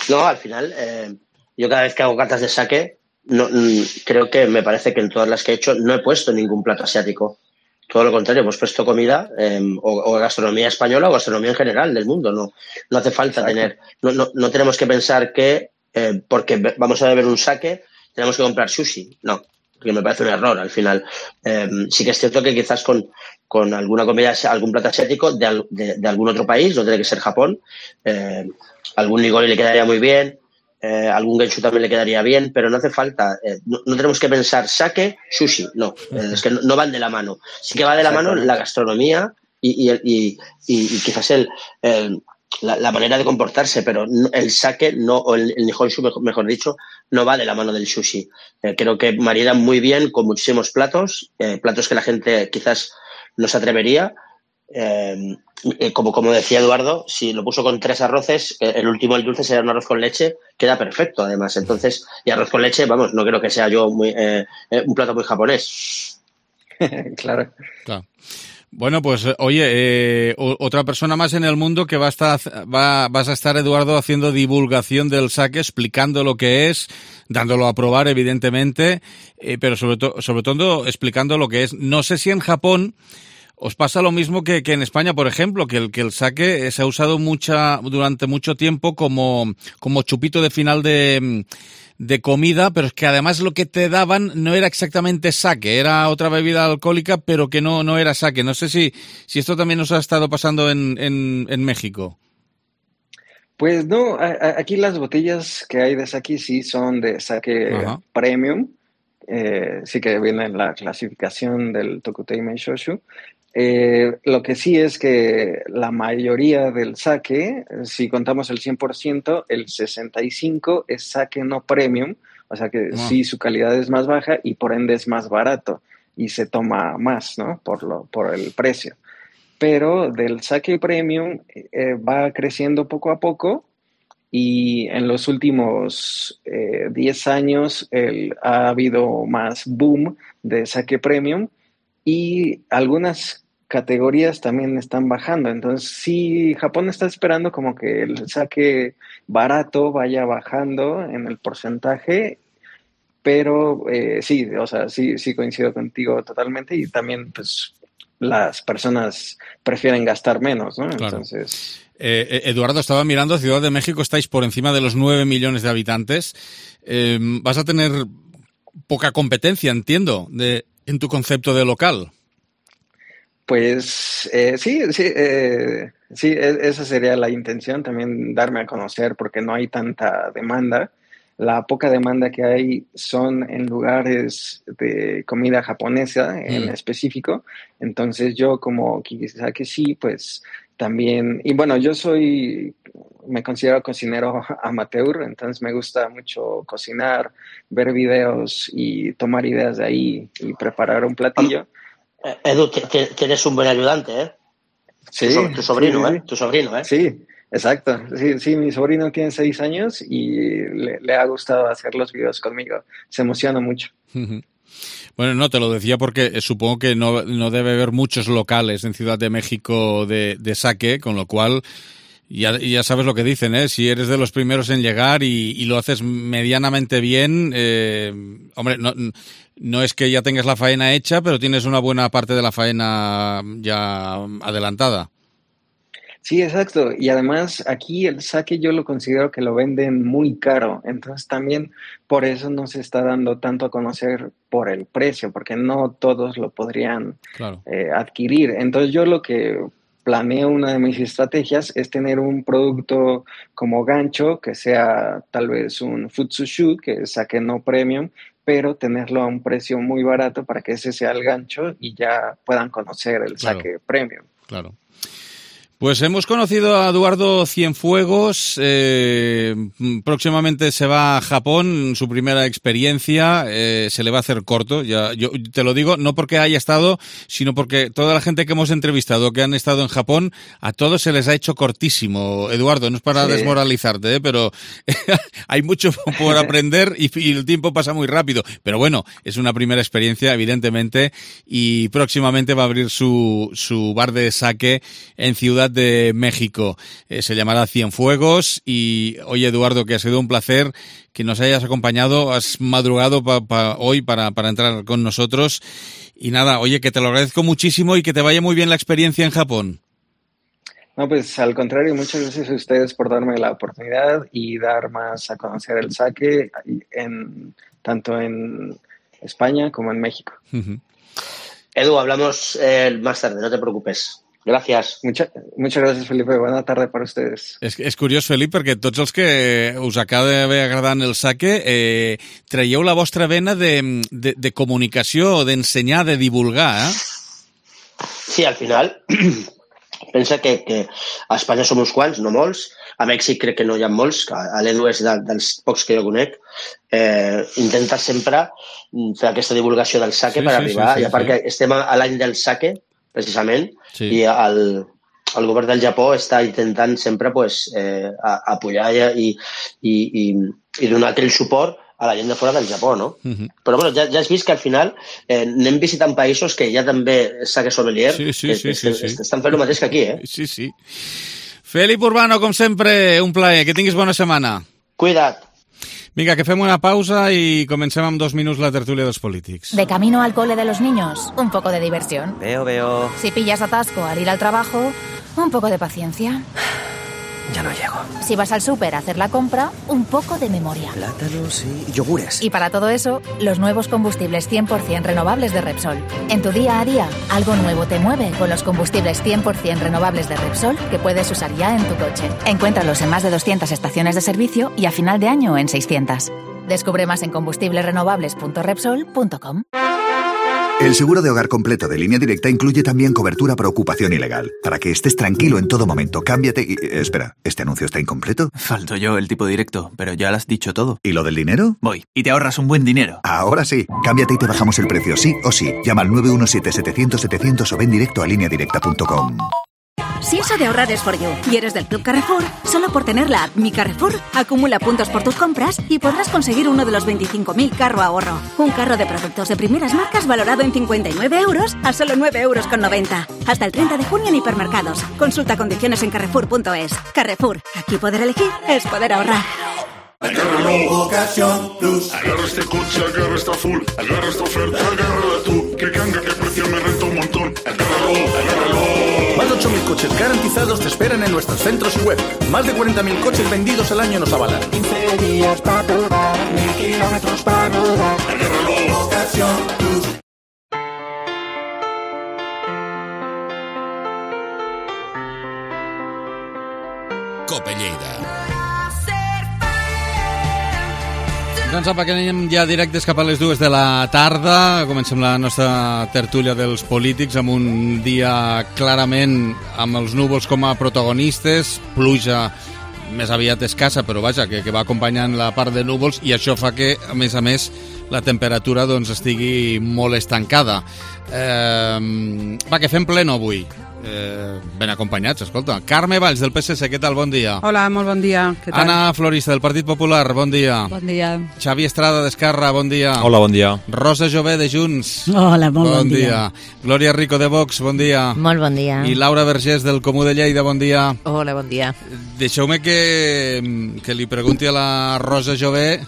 [SPEAKER 33] No, al final, eh, yo cada vez que hago catas de sake, no, creo que me parece que en todas las que he hecho no he puesto ningún plato asiático. Todo lo contrario, hemos puesto comida eh, o, o gastronomía española o gastronomía en general del mundo. No, no hace falta Exacto. tener, no, no, no tenemos que pensar que eh, porque vamos a beber un sake tenemos que comprar sushi. No, porque me parece un error al final. Eh, sí que es cierto que quizás con, con alguna comida, algún plato asiático de, de, de algún otro país, no tiene que ser Japón, eh, algún nigori le quedaría muy bien. Eh, algún genshu también le quedaría bien, pero no hace falta, eh, no, no tenemos que pensar sake, sushi, no, eh, es que no, no van de la mano. Sí que va de la mano la gastronomía y, y, y, y, y quizás el, el la, la manera de comportarse, pero el sake no, o el, el nihonshu, mejor, mejor dicho, no va de la mano del sushi. Eh, creo que maridan muy bien con muchísimos platos, eh, platos que la gente quizás no se atrevería. Eh, como, como decía Eduardo, si lo puso con tres arroces, el último, el dulce, será un arroz con leche, queda perfecto además. Entonces, y arroz con leche, vamos, no creo que sea yo muy, eh, un plato muy japonés.
[SPEAKER 34] Claro.
[SPEAKER 1] Claro. Bueno, pues oye, eh, otra persona más en el mundo que va a estar, va, vas a estar, Eduardo, haciendo divulgación del sake, explicando lo que es, dándolo a probar, evidentemente, eh, pero sobre todo, sobre todo explicando lo que es. No sé si en Japón os pasa lo mismo que, que en España, por ejemplo, que el, que el sake se ha usado mucha, durante mucho tiempo como, como chupito de final de, de comida, pero es que además lo que te daban no era exactamente sake, era otra bebida alcohólica, pero que no, no era sake. No sé si, si esto también os ha estado pasando en, en, en México.
[SPEAKER 34] Pues no, a, a, aquí las botellas que hay de sake sí son de sake Ajá. premium, eh, sí que viene en la clasificación del Tokutei Meishōshu. Eh, lo que sí es que la mayoría del sake, si contamos el cien por ciento, el sesenta y cinco por ciento es sake no premium, o sea que wow. sí su calidad es más baja y por ende es más barato y se toma más, ¿no? Por, lo, por el precio. Pero del sake premium eh, va creciendo poco a poco y en los últimos eh, diez años el, ha habido más boom de sake premium y algunas categorías también están bajando. Entonces, sí, Japón está esperando como que el sake barato vaya bajando en el porcentaje, pero eh, sí, o sea, sí, sí coincido contigo totalmente y también, pues, las personas prefieren gastar menos, ¿no?
[SPEAKER 1] Claro.
[SPEAKER 34] Entonces...
[SPEAKER 1] Eh, Eduardo, estaba mirando, Ciudad de México estáis por encima de los nueve millones de habitantes. Eh, vas a tener poca competencia, entiendo, de, en tu concepto de local.
[SPEAKER 34] Pues eh, sí, sí, eh, sí, esa sería la intención, también darme a conocer porque no hay tanta demanda. La poca demanda que hay son en lugares de comida japonesa en mm. específico. Entonces yo como quizá que sí, pues también, y bueno, yo soy, me considero cocinero amateur, entonces me gusta mucho cocinar, ver videos y tomar ideas de ahí y preparar un platillo.
[SPEAKER 33] Edu, tienes un buen ayudante, ¿eh?
[SPEAKER 34] Sí.
[SPEAKER 33] Tu, tu sobrino,
[SPEAKER 34] sí,
[SPEAKER 33] ¿eh? Tu sobrino, ¿eh?
[SPEAKER 34] Sí, exacto. Sí, sí, mi sobrino tiene seis años y le, le ha gustado hacer los videos conmigo. Se emociona mucho.
[SPEAKER 1] Bueno, no, te lo decía porque supongo que no, no debe haber muchos locales en Ciudad de México de, de sake, con lo cual ya, ya sabes lo que dicen, ¿eh? Si eres de los primeros en llegar y, y lo haces medianamente bien, eh, hombre, no... No es que ya tengas la faena hecha, pero tienes una buena parte de la faena ya adelantada.
[SPEAKER 34] Sí, exacto. Y además aquí el sake yo lo considero que lo venden muy caro. Entonces también por eso no se está dando tanto a conocer por el precio, porque no todos lo podrían
[SPEAKER 1] claro.
[SPEAKER 34] eh, adquirir. Entonces yo lo que planeo, una de mis estrategias, es tener un producto como gancho, que sea tal vez un futsushu, que es sake no premium, pero tenerlo a un precio muy barato para que ese sea el gancho y ya puedan conocer el
[SPEAKER 1] claro.
[SPEAKER 34] sake premium.
[SPEAKER 1] Claro. Pues hemos conocido a Eduardo Cienfuegos, eh, próximamente se va a Japón, su primera experiencia, eh, se le va a hacer corto, ya, yo te lo digo, no porque haya estado, sino porque toda la gente que hemos entrevistado que han estado en Japón, a todos se les ha hecho cortísimo. Eduardo, no es para sí. desmoralizarte, ¿eh? Pero hay mucho por aprender y, y el tiempo pasa muy rápido. Pero bueno, es una primera experiencia, evidentemente, y próximamente va a abrir su, su bar de sake en Ciudad de México. Eh, se llamará Cienfuegos y, oye, Eduardo, que ha sido un placer que nos hayas acompañado, has madrugado pa, pa hoy para, para entrar con nosotros y nada, oye, que te lo agradezco muchísimo y que te vaya muy bien la experiencia en Japón.
[SPEAKER 34] No, pues al contrario, muchas gracias a ustedes por darme la oportunidad y dar más a conocer el sake en, tanto en España como en México.
[SPEAKER 33] Uh-huh. Edu, hablamos eh, más tarde, no te preocupes. Gràcies.
[SPEAKER 34] Mucha, muchas gracias, Felipe. Bona tarda per ustedes.
[SPEAKER 1] És, és curiós, Felip, perquè tots els que us acaba d'haver agradant el sake eh, traieu la vostra vena de, de, de comunicació, d'ensenyar, de divulgar, eh?
[SPEAKER 33] Sí, al final, pensa que, que a Espanya som uns quants, no molts, a Mèxic crec que no hi ha molts, a l'Edu és de, dels pocs que jo conec, eh, intenta sempre fer aquesta divulgació del sake sí, per sí, arribar, sí, sí, i a part sí. que estem a l'any del sake, precisament, sí. i el, el govern del Japó està intentant sempre pues, eh, apoyar i, i, i, i donar aquell suport a la gent de fora del Japó, no? Uh-huh. Però bueno, ja, ja has vist que al final eh, anem visitant països que ja també sake sommelier,
[SPEAKER 1] sí, sí, sí,
[SPEAKER 33] que,
[SPEAKER 1] sí,
[SPEAKER 33] que,
[SPEAKER 1] sí.
[SPEAKER 33] estan fent el mateix que aquí, eh?
[SPEAKER 1] Sí, sí. Felip Urbano, com sempre, un plaer. Que tinguis bona setmana.
[SPEAKER 33] Cuida't.
[SPEAKER 1] Vinga, que fem una pausa y comencem amb dos minutos la tertulia de los polítics.
[SPEAKER 7] De camino al cole de los niños, un poco de diversión.
[SPEAKER 8] Veo, veo.
[SPEAKER 7] Si pillas atasco al ir al trabajo, un poco de paciencia.
[SPEAKER 8] Ya no llego.
[SPEAKER 7] Si vas al súper a hacer la compra, un poco de memoria.
[SPEAKER 8] Plátanos y yogures.
[SPEAKER 7] Y para todo eso, los nuevos combustibles cien por ciento renovables de Repsol. En tu día a día, algo nuevo te mueve con los combustibles cien por ciento renovables de Repsol que puedes usar ya en tu coche. Encuéntralos en más de doscientas estaciones de servicio y a final de año en seiscientas. Descubre más en combustibles renovables punto repsol punto com.
[SPEAKER 26] El seguro de hogar completo de Línea Directa incluye también cobertura por ocupación ilegal. Para que estés tranquilo en todo momento, cámbiate y... Espera, ¿este anuncio está incompleto?
[SPEAKER 25] Falto yo, el tipo directo, pero ya lo has dicho todo.
[SPEAKER 26] ¿Y lo del dinero?
[SPEAKER 25] Voy, y te ahorras un buen dinero.
[SPEAKER 26] Ahora sí, cámbiate y te bajamos el precio, sí o sí. Llama al nueve uno siete, setecientos, setecientos o ven directo a línea directa punto com.
[SPEAKER 6] Si eso de ahorrar es for you y eres del Club Carrefour, solo por tener la app Mi Carrefour, acumula puntos por tus compras y podrás conseguir uno de los veinticinco mil carro ahorro. Un carro de productos de primeras marcas valorado en cincuenta y nueve euros a solo nueve euros con noventa. Hasta el treinta de junio en hipermercados. Consulta condiciones en carrefour punto es. Carrefour, aquí poder elegir es poder ahorrar.
[SPEAKER 9] Agárralo, Ocasión Plus. Agarra este coche, agarra esta full. Agarra esta oferta, agárrala tú. Que canga, que precio me renta un montón. Agárralo, agárralo.
[SPEAKER 11] Más de ocho mil coches garantizados te esperan en nuestros centros y web. Más de cuarenta mil coches vendidos al año nos avalan.
[SPEAKER 9] quince días para probar, mil kilómetros para rodar. Agárralo, Ocasión Plus.
[SPEAKER 1] Cope Lleida. Doncs apa, que anem ja directes cap a les dues de la tarda. Comencem la nostra tertúlia dels polítics amb un dia clarament amb els núvols com a protagonistes, pluja més aviat escassa, però vaja, que, que va acompanyant la part de núvols i això fa que, a més a més, la temperatura doncs, estigui molt estancada. Eh, va, que fem pleno avui. Eh, ben acompanyats, escolta. Carme Valls, del P S C, què tal? Bon dia.
[SPEAKER 12] Hola, molt bon dia. Què tal?
[SPEAKER 1] Ana Florista, del Partit Popular, bon dia.
[SPEAKER 12] Bon dia.
[SPEAKER 1] Xavi Estrada, d'Esquerra, bon dia.
[SPEAKER 13] Hola, bon dia.
[SPEAKER 1] Rosa Jové, de Junts.
[SPEAKER 12] Hola, molt bon,
[SPEAKER 1] bon dia.
[SPEAKER 12] dia.
[SPEAKER 1] Glòria Rico, de Vox, bon dia.
[SPEAKER 14] Molt bon dia.
[SPEAKER 1] I Laura Vergés, del Comú de Lleida, bon dia.
[SPEAKER 14] Hola, bon dia.
[SPEAKER 1] Deixeu-me que, que li pregunti a la Rosa Jové.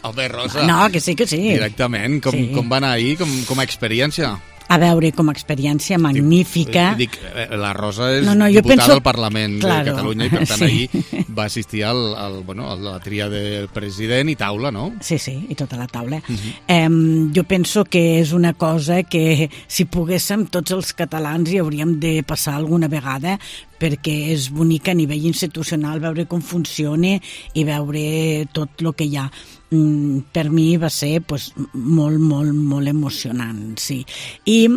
[SPEAKER 1] Home, Rosa.
[SPEAKER 12] No, que sí, que sí.
[SPEAKER 1] Directament, com, sí. com va anar ahir, com, com a experiència?
[SPEAKER 12] A veure, com a experiència magnífica.
[SPEAKER 1] Dic, la Rosa és
[SPEAKER 12] no, no,
[SPEAKER 1] diputada
[SPEAKER 12] penso...
[SPEAKER 1] al Parlament
[SPEAKER 12] claro.
[SPEAKER 1] de Catalunya i per tant
[SPEAKER 12] sí.
[SPEAKER 1] ahir va assistir al, al, bueno, a la tria del president i taula, no?
[SPEAKER 12] Sí, sí, i tota la taula.
[SPEAKER 1] Uh -huh.
[SPEAKER 12] eh, jo penso que és una cosa que si poguéssim tots els catalans hi hauríem de passar alguna vegada perquè és bonic a nivell institucional veure com funciona i veure tot el que hi ha. Per mi va ser pues, molt, molt, molt emocionant, sí. I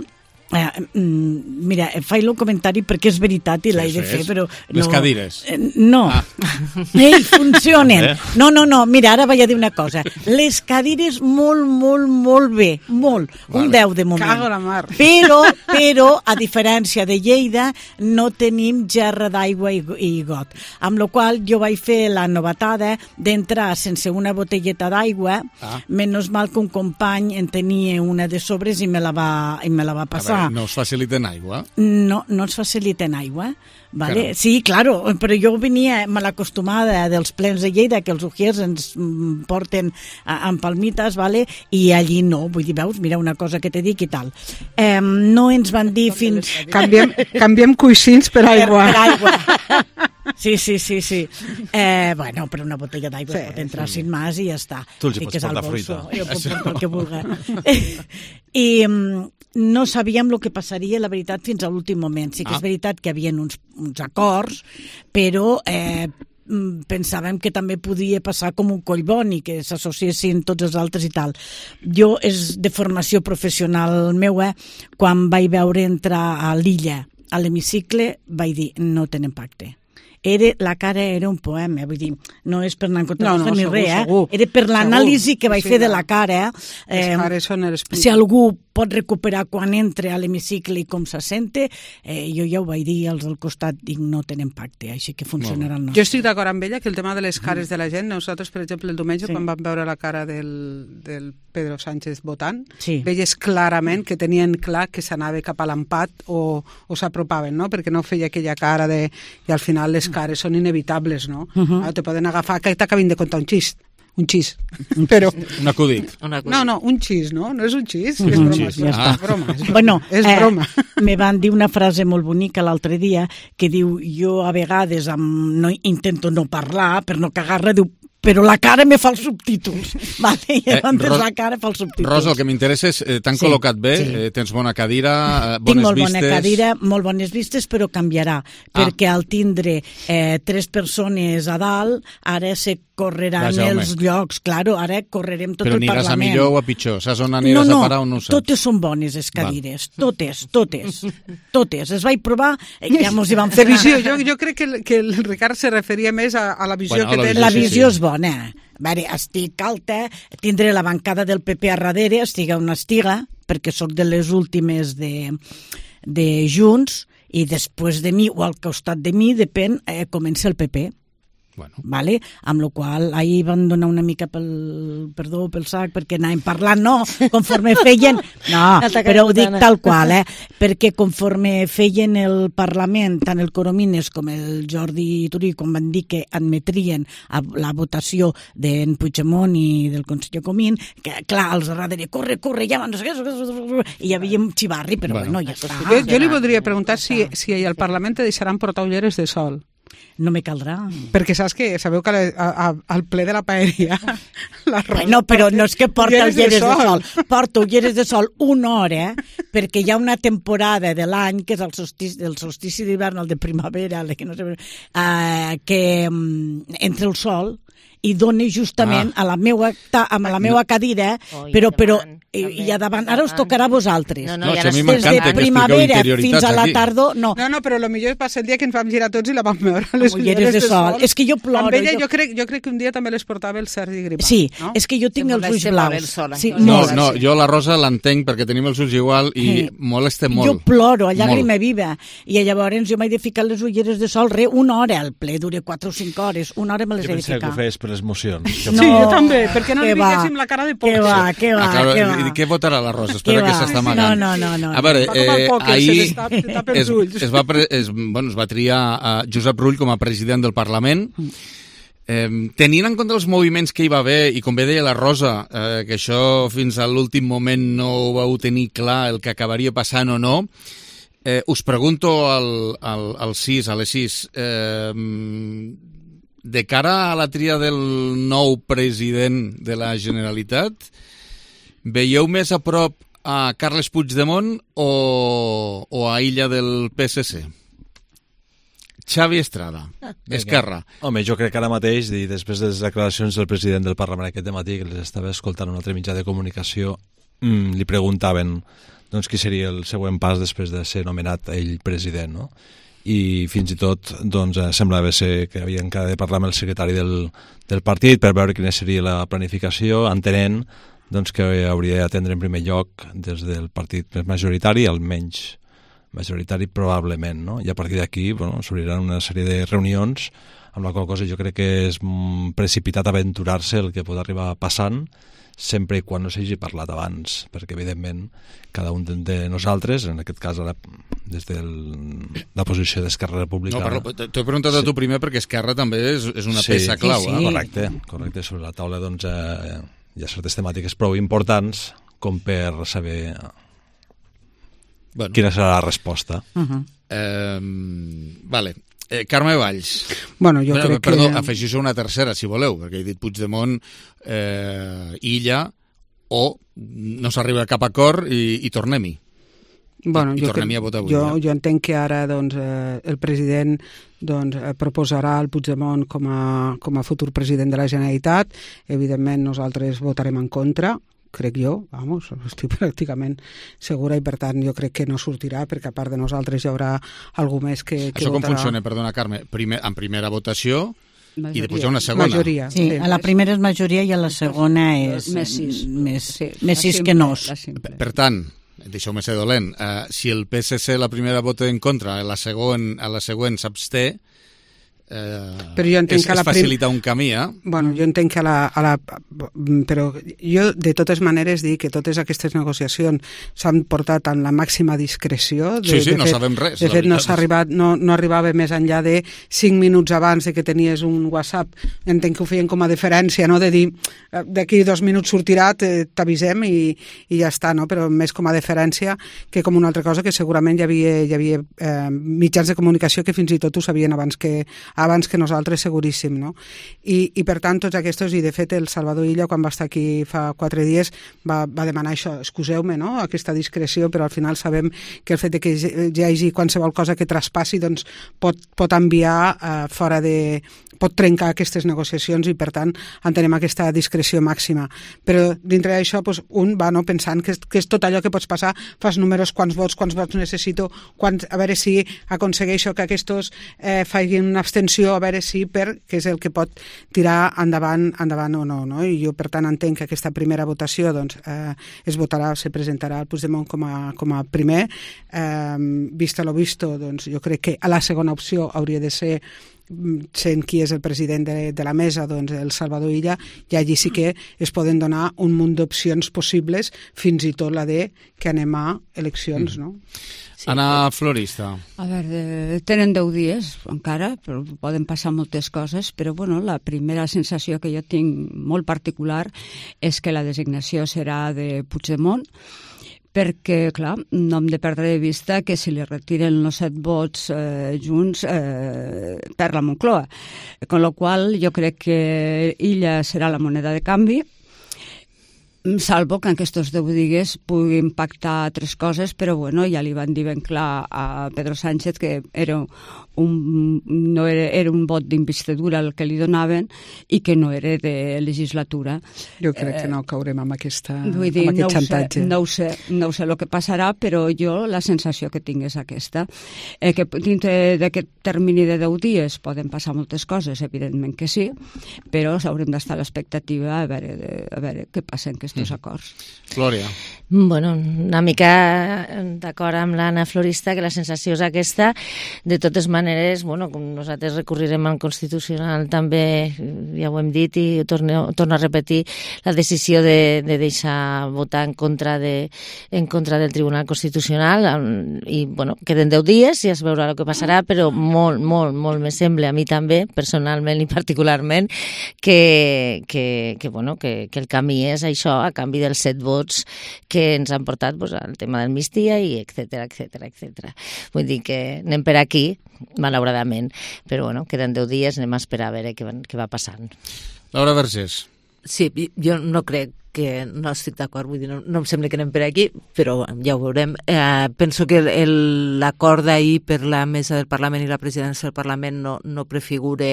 [SPEAKER 12] Eh, mira, faig el comentari perquè és veritat i l'he de fer, però...
[SPEAKER 1] Les
[SPEAKER 12] no,
[SPEAKER 1] cadires.
[SPEAKER 12] Eh, no. Ah. Ei, funcionen. No, no, no, mira, ara vaig a dir una cosa. Les cadires molt, molt, molt bé, molt. Vale. Un deu de moment.
[SPEAKER 2] Cago la mar.
[SPEAKER 12] Però, però, a diferència de Lleida, no tenim gerra d'aigua i, i got. Amb la qual jo vaig fer la novetada d'entrar sense una botelleta d'aigua, ah. menys mal que un company en tenia una de sobres i me la va, i me la va passar.
[SPEAKER 1] No us faciliten aigua?
[SPEAKER 12] No, no ens faciliten aigua. Vale? Sí, claro, però jo venia mal acostumada dels plens de Lleida, que els ujiers ens porten amb palmites, vale? I allí no, vull dir, veus, mira una cosa que te dic i tal. Eh, no ens van dir fins...
[SPEAKER 2] Canviem, canviem coixins per aigua.
[SPEAKER 12] Per, per aigua. Sí, sí, sí, sí. Eh, bueno, però una botella d'aigua sí, pot entrar sí. sin más i ja està.
[SPEAKER 3] Tu els hi pots portar fruita.
[SPEAKER 12] Jo puc portar el que vulgui. I no sabíem el que passaria, la veritat, fins a l'últim moment. Sí que ah. és veritat que hi havia uns, uns acords, però eh, pensàvem que també podia passar com un collboni, que s'associessin tots els altres i tal. Jo, és de formació professional meua, quan vaig veure entrar a l'illa, a l'hemicicle, vaig dir, no tenen pacte. Era, la cara era un poema, vull dir, no és per anar en contra no, no, ni segur, res, eh? Segur, era per l'anàlisi que vaig sí, fer de la cara.
[SPEAKER 2] Eh? Les cares són el
[SPEAKER 12] si algú pot recuperar quan entra a l'hemicicle i com se sente, eh, jo ja ho vaig dir als al costat, dic, no tenen pacte, així que funcionarà el nostre.
[SPEAKER 2] Jo estic d'acord amb ella que el tema de les cares de la gent, nosaltres, per exemple, el diumenge, sí. quan vam veure la cara del, del Pedro Sánchez votant, sí. veies clarament que tenien clar que s'anava cap a l'empat o, o s'apropaven, no? Perquè no feia aquella cara de... I al final les cares són inevitables, no? Uh -huh. Te poden agafar, que t'acabin de contar un xist. Un xís, però...
[SPEAKER 1] Un acudit.
[SPEAKER 2] No, no, un xís, no? No és un xís, és broma.
[SPEAKER 12] Xís, ja
[SPEAKER 2] ah. és broma. És,
[SPEAKER 12] bueno,
[SPEAKER 2] és
[SPEAKER 12] eh,
[SPEAKER 2] broma.
[SPEAKER 12] Me van dir una frase molt bonica l'altre dia que diu, jo a vegades amb, no, intento no parlar per no cagar-la, diu, però la cara me fa els subtítols. Vale? I eh, Ros la cara fa els subtítols.
[SPEAKER 1] Rosa, el que m'interessa és, eh, t'han sí, col·locat bé, sí. eh, tens bona cadira, eh, bones vistes...
[SPEAKER 12] Tinc molt bona cadira, molt bones vistes, però canviarà, ah. perquè al tindre eh, tres persones a dalt, ara se correran Vaja, els home. llocs, claro, ara correrem tot
[SPEAKER 1] però
[SPEAKER 12] el Parlament.
[SPEAKER 1] Però aniràs a millor o a pitjor? Saps on aniràs
[SPEAKER 12] no, no,
[SPEAKER 1] a parar o no ho saps?
[SPEAKER 12] Totes són bones, les cadires, Va. totes, totes, totes. Es vaig provar, ja mos hi vam fer...
[SPEAKER 2] Visió, jo, jo crec que, que el Ricard se referia més a, a la visió bueno, que té.
[SPEAKER 12] La visió sí. és bona. Vale, estic alta, tindré la bancada del P P a darrere, estiga on estiga, perquè sóc de les últimes de, de Junts, i després de mi, o al costat de mi, depèn, eh, comença el P P. Bueno. Vale? Amb la qual ahir van donar una mica pel, perdó, pel sac, perquè anàvem parlant, no, conforme feien... No, però ho dic tal qual, eh? Perquè conforme feien el Parlament, tant el Coromines com el Jordi Turí, quan van dir que admetrien a la votació d'en Puigdemont i del conseller Comín, que clar, els darrere, corre, corre, ja, no sé què, i hi havia un xivarri, però bueno, bueno ja està.
[SPEAKER 2] Jo, jo li voldria preguntar si, si al Parlament te deixaran portar ulleres de sol.
[SPEAKER 12] No me caldrà.
[SPEAKER 2] Perquè saps que sabeu que a, a, al ple de la paeria la
[SPEAKER 12] bueno, però no és que porta ulleres de sol, de sol. Porta ulleres de sol una hora, perquè hi ha una temporada de l'any, que és el solstici, el solstici d'hivern, el de primavera, el que no sé, uh, que um, entra el sol i dona justament ah. a la meua, a la meua cadira, oh, però, però i, i a davant, ara us tocarà a vosaltres.
[SPEAKER 1] No, no, no a mi m'encanta que
[SPEAKER 12] primavera fins a la tardor, no.
[SPEAKER 2] No, no, però el millor va ser el dia que ens vam girar tots i la vam veure les
[SPEAKER 12] ulleres de sol. És que jo ploro.
[SPEAKER 2] Amb ella jo, jo, crec, jo crec que un dia també les portava el Sergi Gripau.
[SPEAKER 12] Sí,
[SPEAKER 2] no?
[SPEAKER 12] És que jo tinc els ulls blaus. Sí,
[SPEAKER 1] no, no, jo la Rosa l'entenc perquè tenim els ulls igual i sí. molesta molt.
[SPEAKER 12] Jo ploro, a llàgrima viva. I llavors jo m'he de ficar les ulleres de sol, re, una hora, el ple dura quatre o cinc hores, una hora me les he de ficar.
[SPEAKER 3] Jo pensava que ho feies per les emocions.
[SPEAKER 2] No, sí, jo també, perquè no li diguéssim la cara de por.
[SPEAKER 12] Què va, què va,
[SPEAKER 1] ah, claro,
[SPEAKER 12] què va.
[SPEAKER 1] I què votarà la Rosa? Espera que s'està amagant.
[SPEAKER 12] No, no, no.
[SPEAKER 1] A veure, eh, ahir es, es, va pre, es, bueno, es va triar a Josep Rull com a president del Parlament. Eh, tenint en compte els moviments que hi va haver, i com bé deia la Rosa, eh, que això fins a l'últim moment no ho vau tenir clar el que acabaria passant o no, eh, us pregunto al, al, al sis, a les sis, eh, de cara a la tria del nou president de la Generalitat, veieu més a prop a Carles Puigdemont o, o a Illa del P S C? Xavi Estrada, Esquerra.
[SPEAKER 3] Home, jo crec que ara mateix, i després de les declaracions del president del Parlament aquest matí, que les estava escoltant un altre mitjà de comunicació, mmm, li preguntaven doncs, qui seria el següent pas després de ser nomenat ell president, no? I fins i tot doncs, semblava ser que havien de parlar amb el secretari del, del partit per veure quina seria la planificació, entenent doncs, que hauria d'atendre en primer lloc des del partit més majoritari al menys majoritari probablement, no? I a partir d'aquí bueno, s'obriran una sèrie de reunions amb la qual cosa jo crec que és precipitat aventurar-se el que pot arribar passant sempre i quan no s'hagi parlat abans, perquè evidentment cada un de nosaltres, en aquest cas ara des de la posició d'Esquerra Republicana...
[SPEAKER 1] No, t'he preguntat a tu primer perquè Esquerra també és, és una peça
[SPEAKER 3] sí,
[SPEAKER 1] clau.
[SPEAKER 3] Sí, sí. Eh? Correcte, correcte, sobre la taula doncs, eh, hi ha certes temàtiques prou importants com per saber bueno. quina serà la resposta.
[SPEAKER 1] Uh-huh. eh, vale. Eh, Carme Valls.
[SPEAKER 2] Bueno, jo
[SPEAKER 1] Perdó,
[SPEAKER 2] crec
[SPEAKER 1] perdó,
[SPEAKER 2] que...
[SPEAKER 1] afegeixo una tercera, si voleu, perquè he dit Puigdemont, eh, Illa, o no s'arriba a cap acord i, i tornem-hi.
[SPEAKER 2] Bueno,
[SPEAKER 1] I, i
[SPEAKER 2] jo,
[SPEAKER 1] tornem-hi a votar avui.
[SPEAKER 2] Jo,
[SPEAKER 1] ja.
[SPEAKER 2] jo entenc que ara doncs, eh, el president doncs, eh, proposarà el Puigdemont com a, com a futur president de la Generalitat. Evidentment, nosaltres votarem en contra, crec jo, vamos, estic pràcticament segura i per tant jo crec que no sortirà perquè a part de nosaltres hi haurà algú més que, que
[SPEAKER 1] Això
[SPEAKER 2] votarà.
[SPEAKER 1] com funciona, perdona Carme, Primer, en primera votació majoria. I després hi ha una segona.
[SPEAKER 2] Majoria.
[SPEAKER 12] Sí, a la primera és majoria i a la segona és
[SPEAKER 2] més sis,
[SPEAKER 12] més,
[SPEAKER 2] sí,
[SPEAKER 12] més sis
[SPEAKER 2] simple,
[SPEAKER 12] que nos.
[SPEAKER 1] Per, per tant, deixeu-me ser dolent, uh, si el P S C la primera vota en contra, a la següent, a la següent s'absté, Eh,
[SPEAKER 2] però jo entenc
[SPEAKER 1] és,
[SPEAKER 2] que la
[SPEAKER 1] és facilitar un camí, eh?
[SPEAKER 2] Bueno, jo entenc que a la, a la... Però jo, de totes maneres, dic que totes aquestes negociacions s'han portat amb la màxima discreció. De,
[SPEAKER 1] sí, sí,
[SPEAKER 2] de
[SPEAKER 1] no
[SPEAKER 2] fet,
[SPEAKER 1] sabem res.
[SPEAKER 2] De fet, no, s'ha arribat, no, no arribava més enllà de cinc minuts abans de que tenies un WhatsApp. Entenc que ho feien com a deferència, no? De dir, d'aquí dos minuts sortirà, t'avisem i, i ja està, no? Però més com a deferència que com una altra cosa que segurament hi havia, hi havia eh, mitjans de comunicació que fins i tot ho sabien abans que abans que nosaltres, seguríssim, no? I, i per tant, tots aquests, i de fet el Salvador Illa, quan va estar aquí fa quatre dies, va, va demanar això, excuseu-me, no?, aquesta discreció, però al final sabem que el fet de que hi hagi qualsevol cosa que traspassi, doncs pot, pot enviar eh, fora de... pot trencar aquestes negociacions i, per tant, entenem aquesta discreció màxima. Però dintre d'això, doncs, un va no, pensant que és, que és tot allò que pots passar, fas números, quants vots, quants vots necessito, quants, a veure si aconsegueixo que aquests eh, facin una abstenció, a veure si per, que és el que pot tirar endavant, endavant o no, no? I jo, per tant, entenc que aquesta primera votació doncs, eh, es votarà, se presentarà el Puigdemont com a, com a primer. Eh, vista lo visto, doncs, jo crec que a la segona opció hauria de ser, sent qui és el president de, de la mesa, doncs el Salvador Illa, i allí sí que es poden donar un munt d'opcions possibles, fins i tot la de que anem a eleccions, no?
[SPEAKER 1] Sí. Anna Florista.
[SPEAKER 4] A veure, tenen deu dies encara, però poden passar moltes coses, però bueno, la primera sensació que jo tinc molt particular és que la designació serà de Puigdemont, perquè, clar, no hem de perdre de vista que si li retiren els set vots eh, junts eh, per la Moncloa. Con lo qual, jo crec que Illa serà la moneda de canvi, salvo que en aquests deu dies pugui impactar altres coses, però bueno, ja li van dir ben clar a Pedro Sánchez que era un, no era, era un vot d'investidura el que li donaven i que no era de legislatura.
[SPEAKER 2] Jo crec eh, que no caurem amb, aquesta,
[SPEAKER 4] vull dir,
[SPEAKER 2] amb aquest
[SPEAKER 4] no
[SPEAKER 2] xantatge.
[SPEAKER 4] Sé, no, ho sé, no ho sé el que passarà, però jo la sensació que tinc és aquesta. Eh, que dintre d'aquest termini de deu dies poden passar moltes coses, evidentment que sí, però haurem d'estar a l'expectativa a veure, a veure què passa en aquests mm. acords.
[SPEAKER 1] Glòria.
[SPEAKER 10] Bueno, una mica d'acord amb l'Anna Florista, que la sensació és aquesta. De totes maneres, bueno, com nosaltres recorrirem al Constitucional també, ja ho hem dit i torno, torno a repetir, la decisió de, de deixar votar en contra, de, en contra del Tribunal Constitucional i, bueno, queden deu dies i es veurà el que passarà, però molt, molt, molt me sembla a mi també, personalment i particularment, que, que, que, bueno, que, que el camí és això, a canvi dels set vots que ens han portat pues, al tema d'amnistia i etcètera, etcètera, etcètera. Vull dir que anem per aquí, malauradament, però bueno, queden deu dies, anem a esperar a veure què va, què va passant.
[SPEAKER 1] Laura Vergés.
[SPEAKER 10] Sí, jo no crec que no estic d'acord, vull dir, no, no em sembla que anem per aquí, però ja ho veurem. Eh, penso que l'acord d'ahir per la mesa del Parlament i la presidència del Parlament no, no prefigura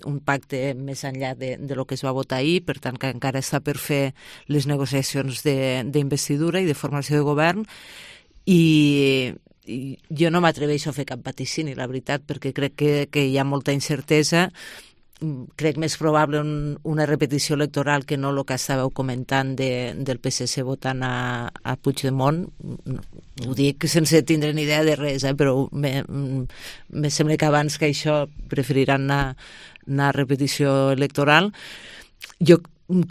[SPEAKER 10] un pacte més enllà de, de lo que es va votar ahir, per tant que encara està per fer les negociacions d'investidura i de formació de govern, i, i jo no m'atreveixo a fer cap vaticini, la veritat, perquè crec que, que hi ha molta incertesa. Crec més probable un, una repetició electoral que no el que estàveu comentant de, del P S C votant a, a Puigdemont. Ho dic sense tindre ni idea de res, eh? Però me, me sembla que abans que això preferiran anar, anar a repetició electoral. Jo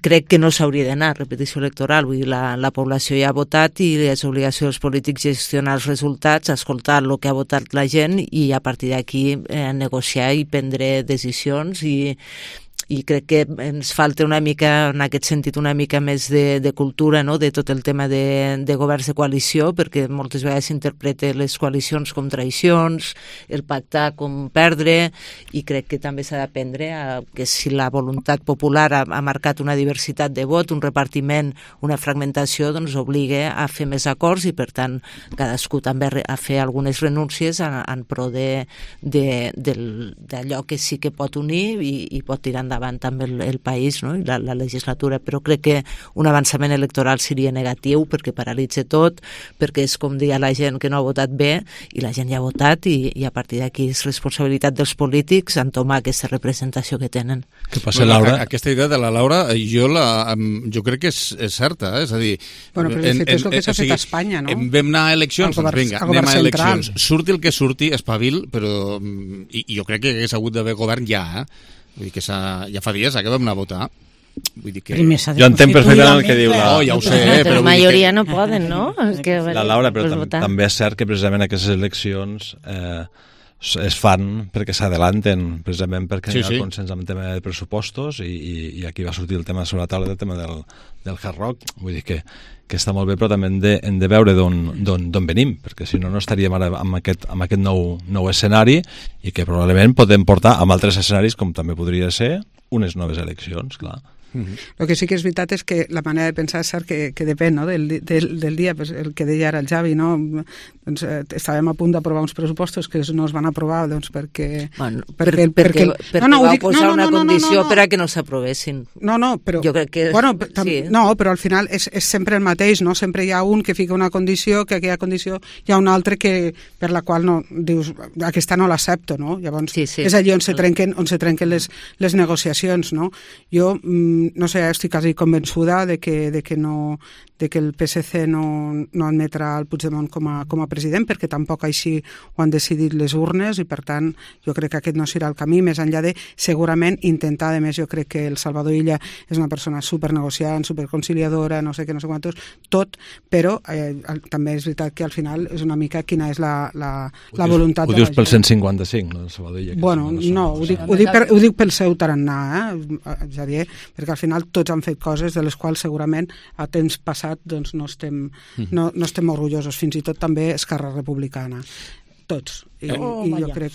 [SPEAKER 10] crec que no s'hauria d'anar a repetició electoral, vull dir, la, la població ja ha votat i és obligació dels polítics gestionar els resultats, escoltar el que ha votat la gent i a partir d'aquí eh, negociar i prendre decisions, i, i crec que ens falta una mica, en aquest sentit, una mica més de, de cultura, no?, de tot el tema de, de governs de coalició, perquè moltes vegades s'interpreta les coalicions com traïcions, el pactar com perdre, i crec que també s'ha d'aprendre a, que si la voluntat popular ha, ha marcat una diversitat de vot, un repartiment, una fragmentació, doncs obliga a fer més acords i, per tant, cadascú també a fer algunes renúncies en, en pro d'allò que sí que pot unir i, i pot tirar endavant davant també el, el país, no?, i la, la legislatura, però crec que un avançament electoral seria negatiu perquè paralitza tot, perquè és com dir a la gent que no ha votat bé i la gent ja ha votat, i, i a partir d'aquí és responsabilitat dels polítics entomar aquesta representació que tenen.
[SPEAKER 1] Què passa, bueno, Laura? Aquesta idea de la Laura jo, la, jo crec que és, és certa, eh? És a dir...
[SPEAKER 2] Bueno, però en, en, és el que s'ha fet a Espanya, no?
[SPEAKER 1] Vam anar a eleccions, doncs vinga, anem a eleccions. Surti el que surti, espavil, però i, i jo crec que hagués hagut d'haver govern ja, eh? Vull dir que ja fa dies que vam anar a votar. Vull dir que...
[SPEAKER 3] Jo entenc perfectament el que diu la...
[SPEAKER 1] Oh, ja ho sé, eh,
[SPEAKER 10] però la majoria que... no poden, no? Que...
[SPEAKER 3] La Laura, però tam també és cert que precisament aquestes eleccions eh, es fan perquè s'adelanten, precisament perquè sí, hi ha sí. consens amb el tema de pressupostos, i, i, i aquí va sortir el tema sobre la taula, el tema del, del Hard Rock. Vull dir que, que està molt bé, però també hem de, hem de veure d'on venim, perquè si no, no estaríem ara amb aquest, amb aquest nou, nou escenari, i que probablement podem portar amb altres escenaris, com també podria ser unes noves eleccions, clar.
[SPEAKER 2] Mm-hmm. El que sí que és veritat és que la manera de pensar és cert que, que depèn, no?, del, del, del dia, pues, el que deia ara el Javi, no? Doncs, eh, estàvem a punt d'aprovar uns pressupostos que no es van aprovar, doncs perquè...
[SPEAKER 10] Bueno, perquè, perquè, perquè, perquè no, no, vau posar no, no, una no, condició no, no, no. per a que no s'aprovessin.
[SPEAKER 2] No, no, però...
[SPEAKER 10] Jo crec que...
[SPEAKER 2] Bueno, sí. No, però al final és, és sempre el mateix, no? Sempre hi ha un que fica una condició, que aquella condició hi ha un altre que, per la qual no, dius, aquesta no l'accepto, no? Llavors sí, sí. és allí on se trenquen, on se trenquen les, les negociacions, no? Jo... Mm, no sé, estic quasi convençuda de que, de que, no, de que el P S C no, no admetrà el Puigdemont com a, com a president, perquè tampoc així ho han decidit les urnes, i per tant jo crec que aquest no serà el camí, més enllà de segurament intentar, a més jo crec que el Salvador Illa és una persona supernegociant, superconciliadora, no sé què, no sé quantos, tot, però eh, també és veritat que al final és una mica quina és la, la, la
[SPEAKER 3] dius,
[SPEAKER 2] voluntat
[SPEAKER 3] ho
[SPEAKER 2] de la gent.
[SPEAKER 3] Ho dius pel cent cinquanta-cinc, no, el Salvador Illa?
[SPEAKER 2] Bueno, no, ho dic, ho, dic per, ho dic pel seu tarannà, eh, Xavier, perquè al final tots han fet coses de les quals segurament a temps passat doncs no estem, no, no estem orgullosos, fins i tot també Esquerra Republicana. Tots. I,
[SPEAKER 12] oh,
[SPEAKER 2] i jo crec...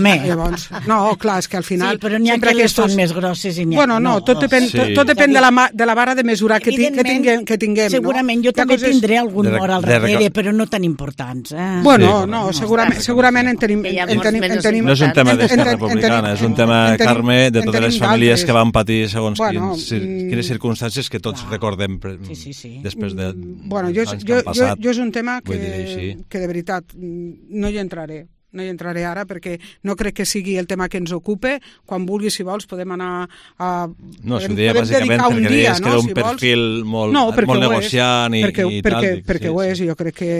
[SPEAKER 12] Llavors,
[SPEAKER 2] no, clar, és que al final...
[SPEAKER 12] Sí, però n'hi ha que les són més grosses i n'hi ha...
[SPEAKER 2] Bueno, no, tot depèn, sí. tot, tot depèn de, la, de la vara de mesurar que, ti, que tinguem. Que tinguem
[SPEAKER 12] segurament
[SPEAKER 2] no?
[SPEAKER 12] jo també
[SPEAKER 2] coses...
[SPEAKER 12] tindré algun mort al darrere, però no tan importants. Eh?
[SPEAKER 2] Bueno, sí, no, no, segurament, segurament en tenim... En tenim, en tenim
[SPEAKER 3] no és un tema d'Esquerra Republicana, és un tema, Carme, de totes les famílies que van patir segons bueno, quins, quines circumstàncies que tots clar. recordem
[SPEAKER 12] sí, sí, sí.
[SPEAKER 3] després de
[SPEAKER 2] bueno, jo, jo, jo, jo és un tema que, que de veritat no hi entraré. No hi entraré ara perquè no crec que sigui el tema que ens ocupe. Quan vulguis, si vols, podem anar a...
[SPEAKER 3] No, s'ho deia bàsicament perquè deies que era un perfil molt,
[SPEAKER 2] no,
[SPEAKER 3] molt negociant i,
[SPEAKER 2] perquè,
[SPEAKER 3] i
[SPEAKER 2] perquè,
[SPEAKER 3] tal.
[SPEAKER 2] Perquè sí, ho és, i jo crec que,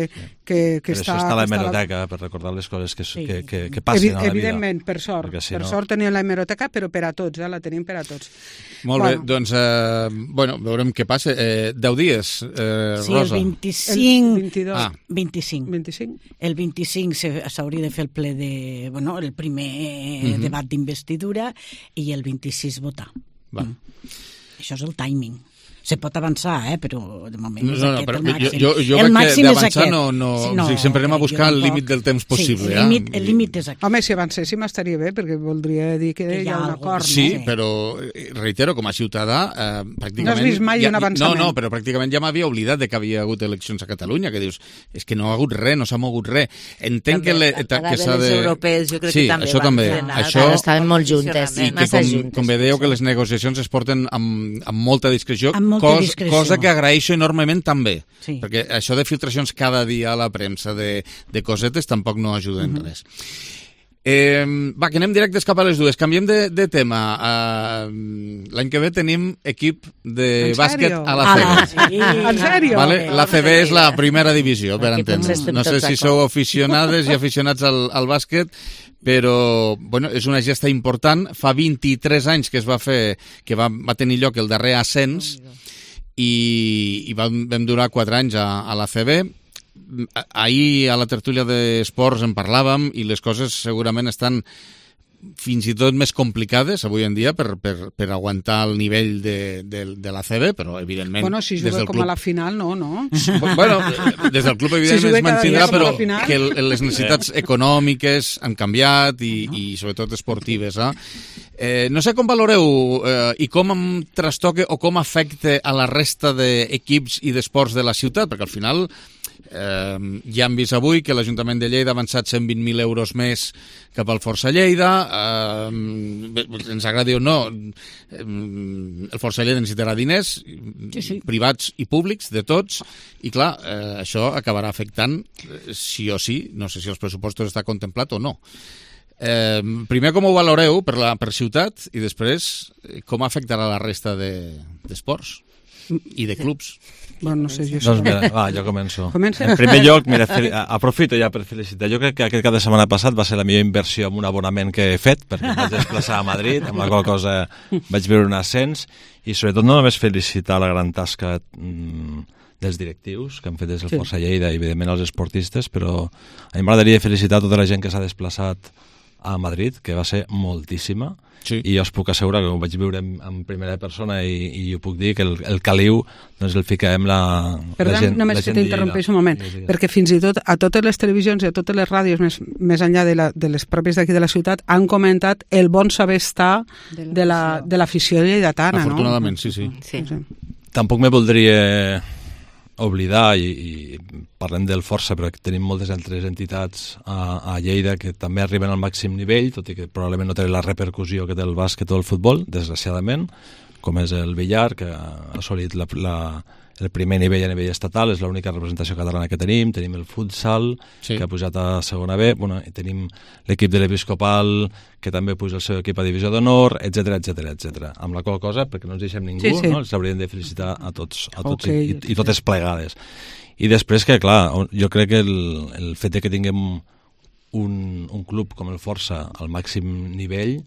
[SPEAKER 2] que, que està...
[SPEAKER 3] Però això està a la hemeroteca, per recordar les coses que, sí. que, que, que passen
[SPEAKER 2] Evi,
[SPEAKER 3] a la vida.
[SPEAKER 2] Evidentment, per sort. Si per no... sort tenim la hemeroteca, però per a tots, eh? La tenim per a tots.
[SPEAKER 1] Molt bueno. bé, doncs, eh, bueno, veurem què passa. Eh, deu dies, eh,
[SPEAKER 12] sí,
[SPEAKER 1] Rosa.
[SPEAKER 12] Sí, el vint-i-cinc.
[SPEAKER 2] El vint-i-dos.
[SPEAKER 12] Ah. vint-i-cinc.
[SPEAKER 2] vint-i-cinc.
[SPEAKER 12] El vint-i-cinc s'hauria de fer el ple de... Bueno, el primer mm-hmm. debat d'investidura i el vint-i-sis votar.
[SPEAKER 1] Va.
[SPEAKER 12] Mm. Això és el timing. Se pot avançar, eh? Però de moment
[SPEAKER 1] no,
[SPEAKER 12] és
[SPEAKER 1] no,
[SPEAKER 12] aquest
[SPEAKER 1] però
[SPEAKER 12] el màxim.
[SPEAKER 1] Jo, jo
[SPEAKER 12] el
[SPEAKER 1] crec que d'avançar no, no,
[SPEAKER 12] no,
[SPEAKER 1] o sigui, sempre anem a buscar el límit del temps possible.
[SPEAKER 12] Sí, el límit, el límit és aquest.
[SPEAKER 2] Home, si avancéssim estaria bé, perquè voldria dir que, que hi ha un acord.
[SPEAKER 1] Sí,
[SPEAKER 2] no?
[SPEAKER 1] però, reitero, com a ciutadà, eh, pràcticament...
[SPEAKER 2] No has vist mai
[SPEAKER 1] ja,
[SPEAKER 2] un avançament.
[SPEAKER 1] No, no, però pràcticament ja m'havia oblidat de que havia hagut eleccions a Catalunya, que dius, és que no ha hagut res, no s'ha mogut res. Entenc també, que, le, que s'ha de...
[SPEAKER 10] les europees, jo crec
[SPEAKER 1] sí,
[SPEAKER 10] que també
[SPEAKER 1] això
[SPEAKER 10] van
[SPEAKER 1] també.
[SPEAKER 10] frenar.
[SPEAKER 1] Això...
[SPEAKER 10] Estaven molt juntes,
[SPEAKER 1] i que, com, com bé dèieu, que les negociacions es porten amb, amb molta discreció,
[SPEAKER 12] amb molta
[SPEAKER 1] cos,
[SPEAKER 12] discreció.
[SPEAKER 1] cosa que agraeixo enormement també,
[SPEAKER 12] sí.
[SPEAKER 1] perquè això de filtracions cada dia a la premsa de, de cosetes tampoc no ajuda en uh -huh. res. Eh, va, que anem directes cap a les dues. Canviem de, de tema. Uh, L'any que ve tenim equip de bàsquet a la C B.
[SPEAKER 2] Ah, sí. En sèrio?
[SPEAKER 1] Vale? La C B és la primera divisió, per entendre. No sé si sou aficionades i aficionats al, al bàsquet, però bueno, és una gesta important. Fa vint-i-tres anys que es va fer, que va, va tenir lloc el darrer ascens, i, i vam, vam durar quatre anys a, a la C B. Ahir a la tertúlia d'esports en parlàvem i les coses segurament estan fins i tot més complicades avui en dia per, per, per aguantar el nivell de, de, de la C B, però evidentment...
[SPEAKER 2] Bueno, si juga com club... a la final, no, no?
[SPEAKER 1] Bueno, des del club evidentment si es mantindrà, però que les necessitats econòmiques han canviat i, i sobretot esportives. Eh? Eh, no sé com valoreu eh, i com em trastoca o com afecta a la resta d'equips i d'esports de la ciutat, perquè al final... Eh, ja hem vist avui que l'Ajuntament de Lleida ha avançat cent vint mil euros més cap al Força Lleida. Eh, ens agradi o no, eh, el Força Lleida necessitarà diners, sí, sí. privats i públics, de tots, i clar, eh, això acabarà afectant eh, sí o sí, no sé si els pressupostos està contemplat o no. Eh, primer, com ho valoreu per, la, per ciutat, i després com afectarà la resta d'esports de, i de clubs?
[SPEAKER 2] Bueno, no sé, jo
[SPEAKER 3] doncs mira, va, jo començo.
[SPEAKER 2] Comença.
[SPEAKER 3] En primer lloc, mira, aprofito ja per felicitar. Jo crec que aquest cap de setmana passat va ser la millor inversió amb un abonament que he fet, perquè em vaig desplaçar a Madrid, amb la qual cosa vaig veure un ascens, i sobretot no només felicitar la gran tasca mm, dels directius que han fet des del sí. Força Lleida i evidentment els esportistes, però a mi m'agradaria felicitar tota la gent que s'ha desplaçat a Madrid, que va ser moltíssima, sí. i jo us puc assegurar que ho vaig viure en, en primera persona i, i jo puc dir que el, el caliu doncs el ficarem la,
[SPEAKER 2] Perdó,
[SPEAKER 3] la gent
[SPEAKER 2] només
[SPEAKER 3] la
[SPEAKER 2] que
[SPEAKER 3] gent
[SPEAKER 2] t'interrompeix un moment, sí, sí. perquè fins i tot a totes les televisions i a totes les ràdios més, més enllà de, la, de les pròpies d'aquí de la ciutat han comentat el bon saber estar de l'afició la, lleidatana.
[SPEAKER 1] Afortunadament,
[SPEAKER 2] no?
[SPEAKER 1] sí, sí.
[SPEAKER 2] sí. sí.
[SPEAKER 3] Tampoc me voldria oblidar, i, i parlem del Força, però tenim moltes altres entitats a, a Lleida que també arriben al màxim nivell, tot i que probablement no té la repercussió que té el bàsquet o el futbol, desgraciadament, com és el billar, que ha assolit la, la, el primer nivell a nivell estatal, és l'única representació catalana que tenim, tenim el futsal, sí. que ha pujat a segona B, bueno, i tenim l'equip de l'Episcopal, que també puja el seu equip a divisió d'honor, etcètera, etcètera, etcètera. Amb la qual cosa, perquè no ens deixem ningú, sí, sí. no? els hauríem de felicitar a tots, a tots okay. i, i, i totes plegades. I després que, clar, jo crec que el, el fet de que tinguem un, un club com el Força al màxim nivell,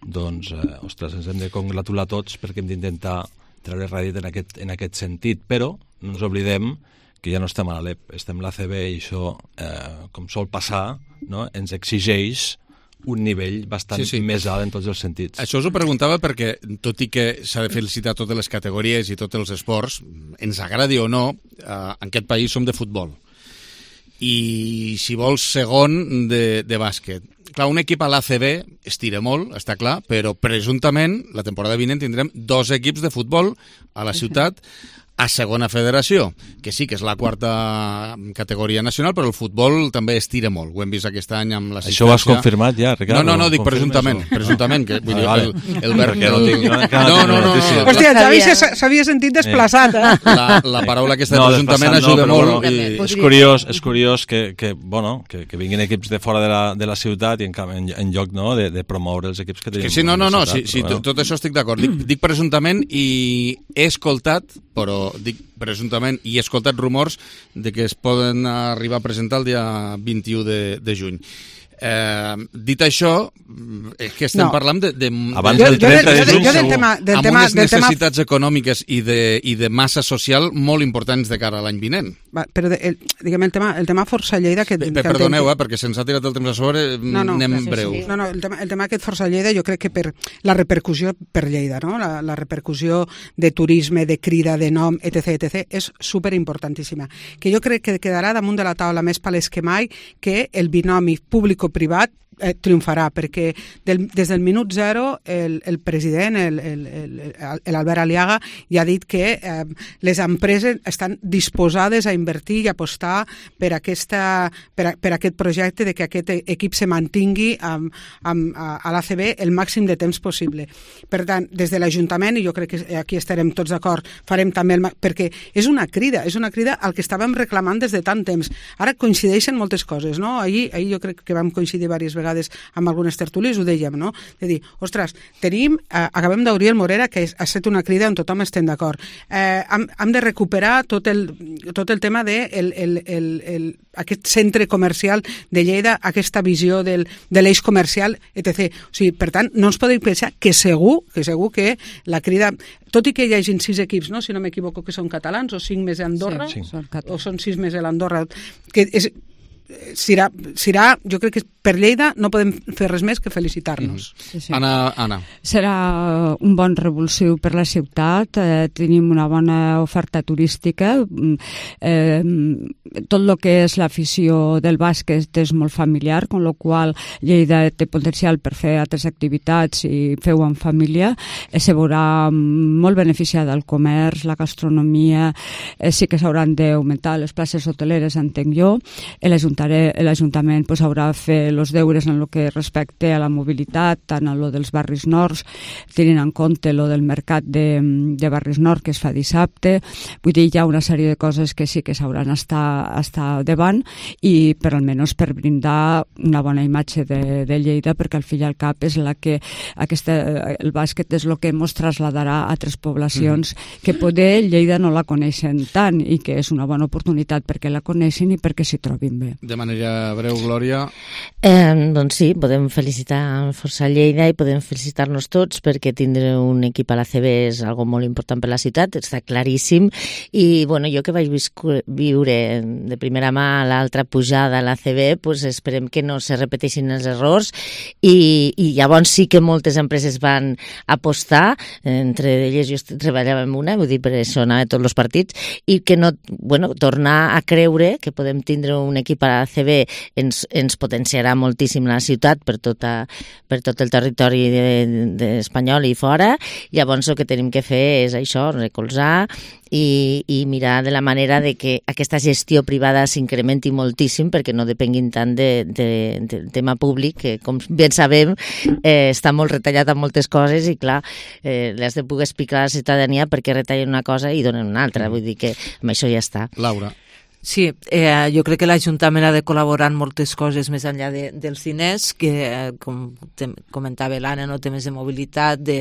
[SPEAKER 3] doncs, eh, ostres, ens hem de congratular tots perquè hem d'intentar treure rèdit en aquest, en aquest sentit, però no ens oblidem que ja no estem a l'Alep, estem a l'A C B i això, eh, com sol passar, no? ens exigeix un nivell bastant sí, sí. més alt en tots els sentits.
[SPEAKER 1] Això us ho preguntava perquè, tot i que s'ha de felicitar totes les categories i tots els esports, ens agradi o no, eh, en aquest país som de futbol. I, si vols, segon de, de bàsquet. Clar, un equip a l'A C B estira molt, està clar, però presumptament la temporada vinent tindrem dos equips de futbol a la ciutat a segona federació, que sí que és la quarta categoria nacional, però el futbol també estira molt. Ho hem vist aquest any amb l'assistència.
[SPEAKER 3] Això ho has confirmat ja, Ricardo?
[SPEAKER 1] No, no, no, dic presumptament, presumptament, que vull dir, el, el, el,
[SPEAKER 3] no,
[SPEAKER 1] el, no, no, no, no.
[SPEAKER 2] Hòstia, el Xavi s'havia sentit desplaçat, eh?
[SPEAKER 1] La, la paraula aquesta de presumptament ajuda
[SPEAKER 3] no,
[SPEAKER 1] molt.
[SPEAKER 3] Bueno, i... És curiós, és curiós que, que, bueno, que, que vinguin equips de fora de la, de la ciutat i en, en, en lloc no, de, de promoure els equips que tenim.
[SPEAKER 1] Que sí, no, no, no, sí, sí, bueno. tot això estic d'acord. Dic, dic presumptament i he escoltat, però dic presumptament, i he escoltat rumors de que es poden arribar a presentar el dia vint-i-u de juny. Eh, dit això, és que estem no. parlant de, de,
[SPEAKER 3] abans del trenta de juny,
[SPEAKER 2] del tema, del
[SPEAKER 1] amb
[SPEAKER 2] tema,
[SPEAKER 1] unes
[SPEAKER 2] del
[SPEAKER 1] necessitats
[SPEAKER 2] tema...
[SPEAKER 1] econòmiques i de, i de massa social molt importants de cara a l'any vinent.
[SPEAKER 2] va, però de, el, diguem, el tema, el tema Força Lleida... Que,
[SPEAKER 1] Pe,
[SPEAKER 2] que
[SPEAKER 1] perdoneu, eh, perquè se'ns ha tirat el temps a sobre,
[SPEAKER 2] no, no,
[SPEAKER 1] anem
[SPEAKER 2] sí,
[SPEAKER 1] breu.
[SPEAKER 2] Sí. No, no, el tema, el tema aquest Força Lleida, jo crec que per la repercussió per Lleida, no? la, la repercussió de turisme, de crida, de nom, etc, etc, és superimportantíssima. Que jo crec que quedarà damunt de la taula més palès que mai que el binomi público-privat eh, triomfarà, perquè del, des del minut zero el, el president, el, el, el, l'Albert Aliaga, ja ha dit que eh, les empreses estan disposades a invertir i apostar per, aquesta, per, a, per aquest projecte de que aquest equip se mantingui amb, amb, a, a l'A C B el màxim de temps possible. Per tant, des de l'Ajuntament, i jo crec que aquí estarem tots d'acord, farem també el... perquè és una crida, és una crida al que estàvem reclamant des de tant temps. Ara coincideixen moltes coses, no? Ahir, ahir jo crec que vam coincidir diverses vegades vegades amb algunes tertúlies, ho dèiem, no? De dir, ostres, tenim, eh, acabem d'obrir el Morera, que ha estat una crida on tothom estem d'acord. Eh, hem, hem de recuperar tot el, tot el tema de el, el, el, el, aquest centre comercial de Lleida, aquesta visió del, de l'eix comercial, etcètera. O sigui, per tant, no ens podem pensar que segur, que segur que la crida, tot i que hi hagin sis equips, no? Si no m'equivoco, que són catalans, o cinc més a Andorra,
[SPEAKER 4] sí, sí.
[SPEAKER 2] o són sis més a l'Andorra, que és... Serà, serà, jo crec que per Lleida no podem fer res més que felicitar-nos.
[SPEAKER 1] Sí, sí. Anna, Anna.
[SPEAKER 4] Serà un bon revulsiu per la ciutat, eh, tenim una bona oferta turística, eh, tot el que és l'afició del bàsquet és molt familiar, amb la qual Lleida té potencial per fer altres activitats i fer-ho en família, eh, se veurà molt beneficiada el comerç, la gastronomia, eh, sí que s'hauran d'augmentar les places hoteleres, entenc jo, l'Ajuntament l'Ajuntament pues, haurà de fer els deures en el que respecte a la mobilitat, tant en lo dels barris nords, tenint en compte lo del mercat de, de barris nord que es fa dissabte. Vull dir, hi ha una sèrie de coses que sí que s'hauran estar, estar davant i per almenys per brindar una bona imatge de, de Lleida, perquè al fi i al cap és la que aquesta, el bàsquet és el que ens trasladarà a altres poblacions mm. que poder Lleida no la coneixen tant i que és una bona oportunitat perquè la coneixin i perquè s'hi trobin bé.
[SPEAKER 1] De manera breu, Glòria.
[SPEAKER 10] Eh, doncs sí, podem felicitar Força Lleida i podem felicitar-nos tots perquè tindre un equip a l'A C B és algo molt important per la ciutat, està claríssim. I bueno, jo que vaig viure de primera mà l'altra pujada a l'A C B, pues esperem que no se repeteixin els errors i, i llavors sí que moltes empreses van apostar, entre elles jo treballava en una, vull dir, per això anava a tots els partits, i que no, bueno, tornar a creure que podem tindre un equip a l'A C B ens, ens potenciarà moltíssim la ciutat per, tota, per tot el territori de, de espanyol i fora. Llavors el que tenim que fer és això, recolzar i, i mirar de la manera de que aquesta gestió privada s'incrementi moltíssim perquè no depenguin tant de, de, del tema públic, que com ben sabem eh, està molt retallat en moltes coses i clar, eh, l'has de poder explicar a la ciutadania perquè retallen una cosa i donen una altra, vull dir que amb això ja està.
[SPEAKER 1] Laura.
[SPEAKER 5] Sí, eh, jo crec que l'Ajuntament ha de col·laborar en moltes coses més enllà de, dels diners, que eh, com te, comentava l'Anna, no, temes de mobilitat, de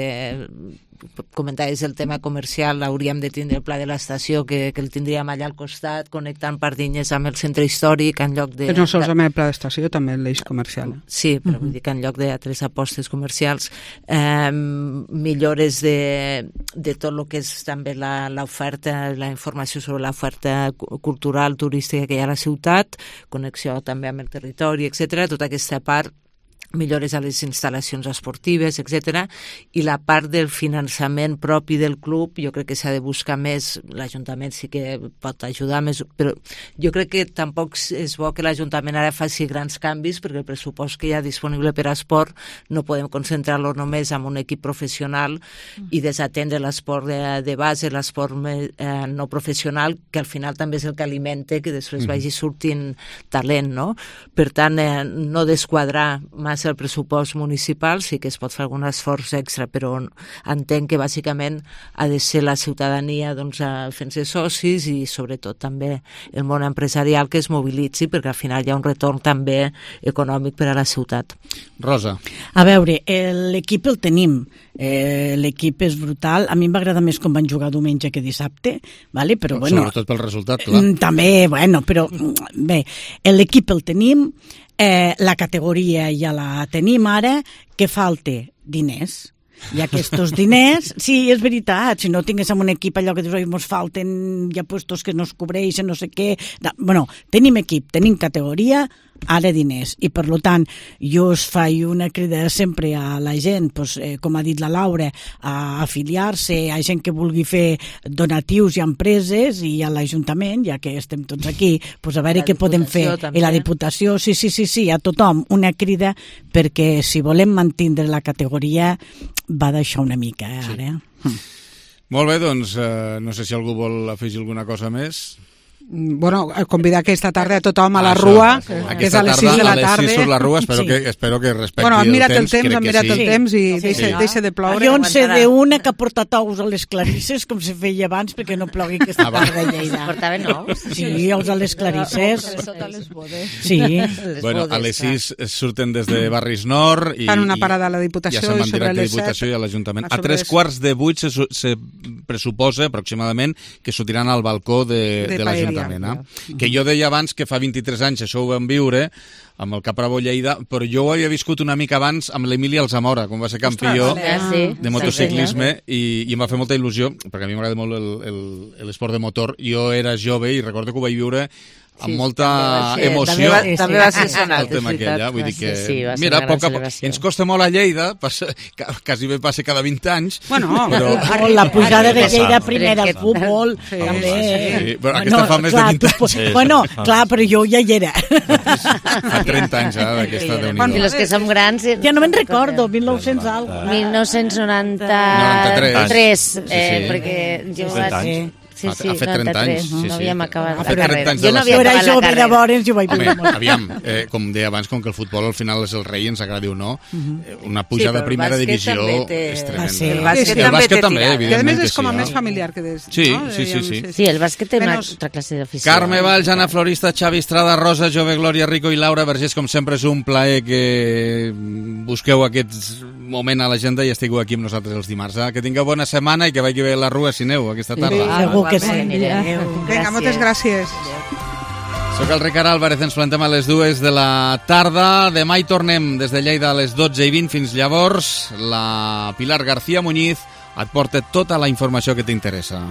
[SPEAKER 5] comentaves el tema comercial, hauríem de tindre el pla de l'estació, que, que el tindríem allà al costat, connectant Pardinyes amb el centre històric, en lloc de...
[SPEAKER 2] No solament el pla d'estació, també l'eix comercial.
[SPEAKER 5] Sí, però uh-huh. vull dir que en lloc d'altres apostes comercials, eh, millores de, de tot el que és també l'oferta, la informació sobre l'oferta cultural, turística que hi ha a la ciutat, connexió també amb el territori, etcètera, tota aquesta part, millores a les instal·lacions esportives, etcètera. I la part del finançament propi del club, jo crec que s'ha de buscar més, l'Ajuntament sí que pot ajudar més, però jo crec que tampoc és bo que l'Ajuntament ara faci grans canvis, perquè el pressupost que hi ha disponible per a esport no podem concentrar-lo només en un equip professional i desatendre l'esport de, de base, l'esport eh, no professional, que al final també és el que alimenta que després vagi sortint talent, no? Per tant, eh, no desquadrar massa el pressupost municipal, sí que es pot fer algun esforç extra, però entenc que bàsicament ha de ser la ciutadania doncs, fent-se socis i sobretot també el món empresarial que es mobilitzi, perquè al final hi ha un retorn també econòmic per a la ciutat.
[SPEAKER 1] Rosa.
[SPEAKER 12] A veure, l'equip el tenim, eh, l'equip és brutal, a mi em va agradar més com van jugar diumenge que dissabte, vale? Però bueno...
[SPEAKER 1] Sobretot pel resultat, clar.
[SPEAKER 12] També, bueno, però bé, l'equip el tenim, Eh, la categoria ja la tenim ara, que falta diners. I aquests diners, sí, és veritat, si no tinguéssim un equip allò que dius, oi, mos falten ja puestos que no es cobreixen, no sé què... Bueno, tenim equip, tenim categoria, ara diners. I, per tant, jo us faig una crida sempre a la gent, pues, eh, com ha dit la Laura, a afiliar-se, a gent que vulgui fer donatius i empreses i a l'Ajuntament, ja que estem tots aquí, pues, a veure què podem fer.
[SPEAKER 5] També.
[SPEAKER 12] I la Diputació, sí, sí, sí, sí, a tothom, una crida, perquè si volem mantindre la categoria va deixar una mica, eh, ara. Sí. Hm.
[SPEAKER 1] Molt bé, doncs, eh, no sé si algú vol afegir alguna cosa més.
[SPEAKER 2] Bueno, convidar aquesta tarda a tothom a la Rua, sí. que és a les sis de la tarda.
[SPEAKER 1] A les sis surt la Rua, espero, sí. que, espero que respecti
[SPEAKER 2] bueno,
[SPEAKER 1] el temps.
[SPEAKER 2] Mira't el temps, hem mirat
[SPEAKER 1] sí.
[SPEAKER 2] el temps i sí, deixa,
[SPEAKER 1] sí.
[SPEAKER 2] deixa de ploure.
[SPEAKER 12] Jo en sé d'una que ha portat ous a les clarisses, com se feia abans, perquè no plogui aquesta ah, tarda a Lleida.
[SPEAKER 5] Portaven ous?
[SPEAKER 12] Sí, ous a les clarisses.
[SPEAKER 4] Sota les bodes.
[SPEAKER 12] Sí.
[SPEAKER 1] Bueno, a les sis surten des de Barris Nord i,
[SPEAKER 2] fan una parada a la Diputació
[SPEAKER 1] i, i
[SPEAKER 2] i sobre les
[SPEAKER 1] set. I a l'Ajuntament. A tres quarts de vuit se, se pressuposa aproximadament que sortiran al balcó de, de, de l'Ajuntament. Eh? Que jo deia abans que fa vint-i-tres anys això ho vam viure amb el Caprabo Lleida, però jo ho havia viscut una mica abans amb l'Emili Alzamora, quan va ser campió
[SPEAKER 5] ah, sí.
[SPEAKER 1] de motociclisme, i, i em va fer molta il·lusió, perquè a mi m'agrada molt l'esport de motor. Jo era jove i recordo que ho vaig viure amb sí, molta
[SPEAKER 5] també
[SPEAKER 1] emoció.
[SPEAKER 5] També va, sí, també va ser sonat,
[SPEAKER 1] el tema aquell, ja. Vull dir que,
[SPEAKER 5] sí, sí,
[SPEAKER 1] mira, poc a poc, ens costa molt a Lleida, passa, quasi bé passa cada vint anys.
[SPEAKER 2] Bueno,
[SPEAKER 1] però...
[SPEAKER 12] oh, la pujada de Lleida primera al futbol,
[SPEAKER 1] sí,
[SPEAKER 12] també.
[SPEAKER 1] Sí, però aquesta no, fa més clar, de vint anys.
[SPEAKER 12] Tu, bueno, clar, però jo ja hi era.
[SPEAKER 1] Fa trenta anys, eh, aquesta de
[SPEAKER 5] I els que som grans...
[SPEAKER 12] Ja no me'n recordo, mil nou-cents algo.
[SPEAKER 5] mil nou-cents noranta-tres, eh, perquè jo vaig... Sí, sí,
[SPEAKER 1] ha fet trenta anys. Sí, sí.
[SPEAKER 5] No havíem acabat
[SPEAKER 1] la carrera.
[SPEAKER 5] Jo no havia acabat la carrera.
[SPEAKER 12] Llavors, jo vaig
[SPEAKER 1] Home, aviam, eh, com deia abans, com que el futbol al final és el rei, ens agradi o no, eh, una pujada sí, a primera divisió
[SPEAKER 5] té...
[SPEAKER 1] és tremenda.
[SPEAKER 5] Ah, sí. El bàsquet,
[SPEAKER 1] sí, el bàsquet també, evidentment.
[SPEAKER 2] Que a més és
[SPEAKER 1] sí,
[SPEAKER 2] com a
[SPEAKER 1] no?
[SPEAKER 2] més familiar que des...
[SPEAKER 1] Sí,
[SPEAKER 2] no?
[SPEAKER 1] sí, sí, sí.
[SPEAKER 5] Sí, el bàsquet té una altra classe d'afició.
[SPEAKER 1] Carme Valls, Anna Florista, Xavi Estrada, Rosa, Jove, Glòria Rico i Laura Vergés, com sempre és un plaer que busqueu aquest moment a l'agenda i estigueu aquí amb nosaltres els dimarts. Eh? Que tingueu bona setmana i que vagi bé la Rua si aneu aquesta tarda.
[SPEAKER 12] Sí, segur que sí.
[SPEAKER 2] Vinga, moltes gràcies.
[SPEAKER 1] Soc el Ricard Álvarez, ens plantem a les dues de la tarda. Demà hi tornem des de Lleida a les dotze i vint. Fins llavors, la Pilar García Muñiz et porta tota la informació que t'interessa.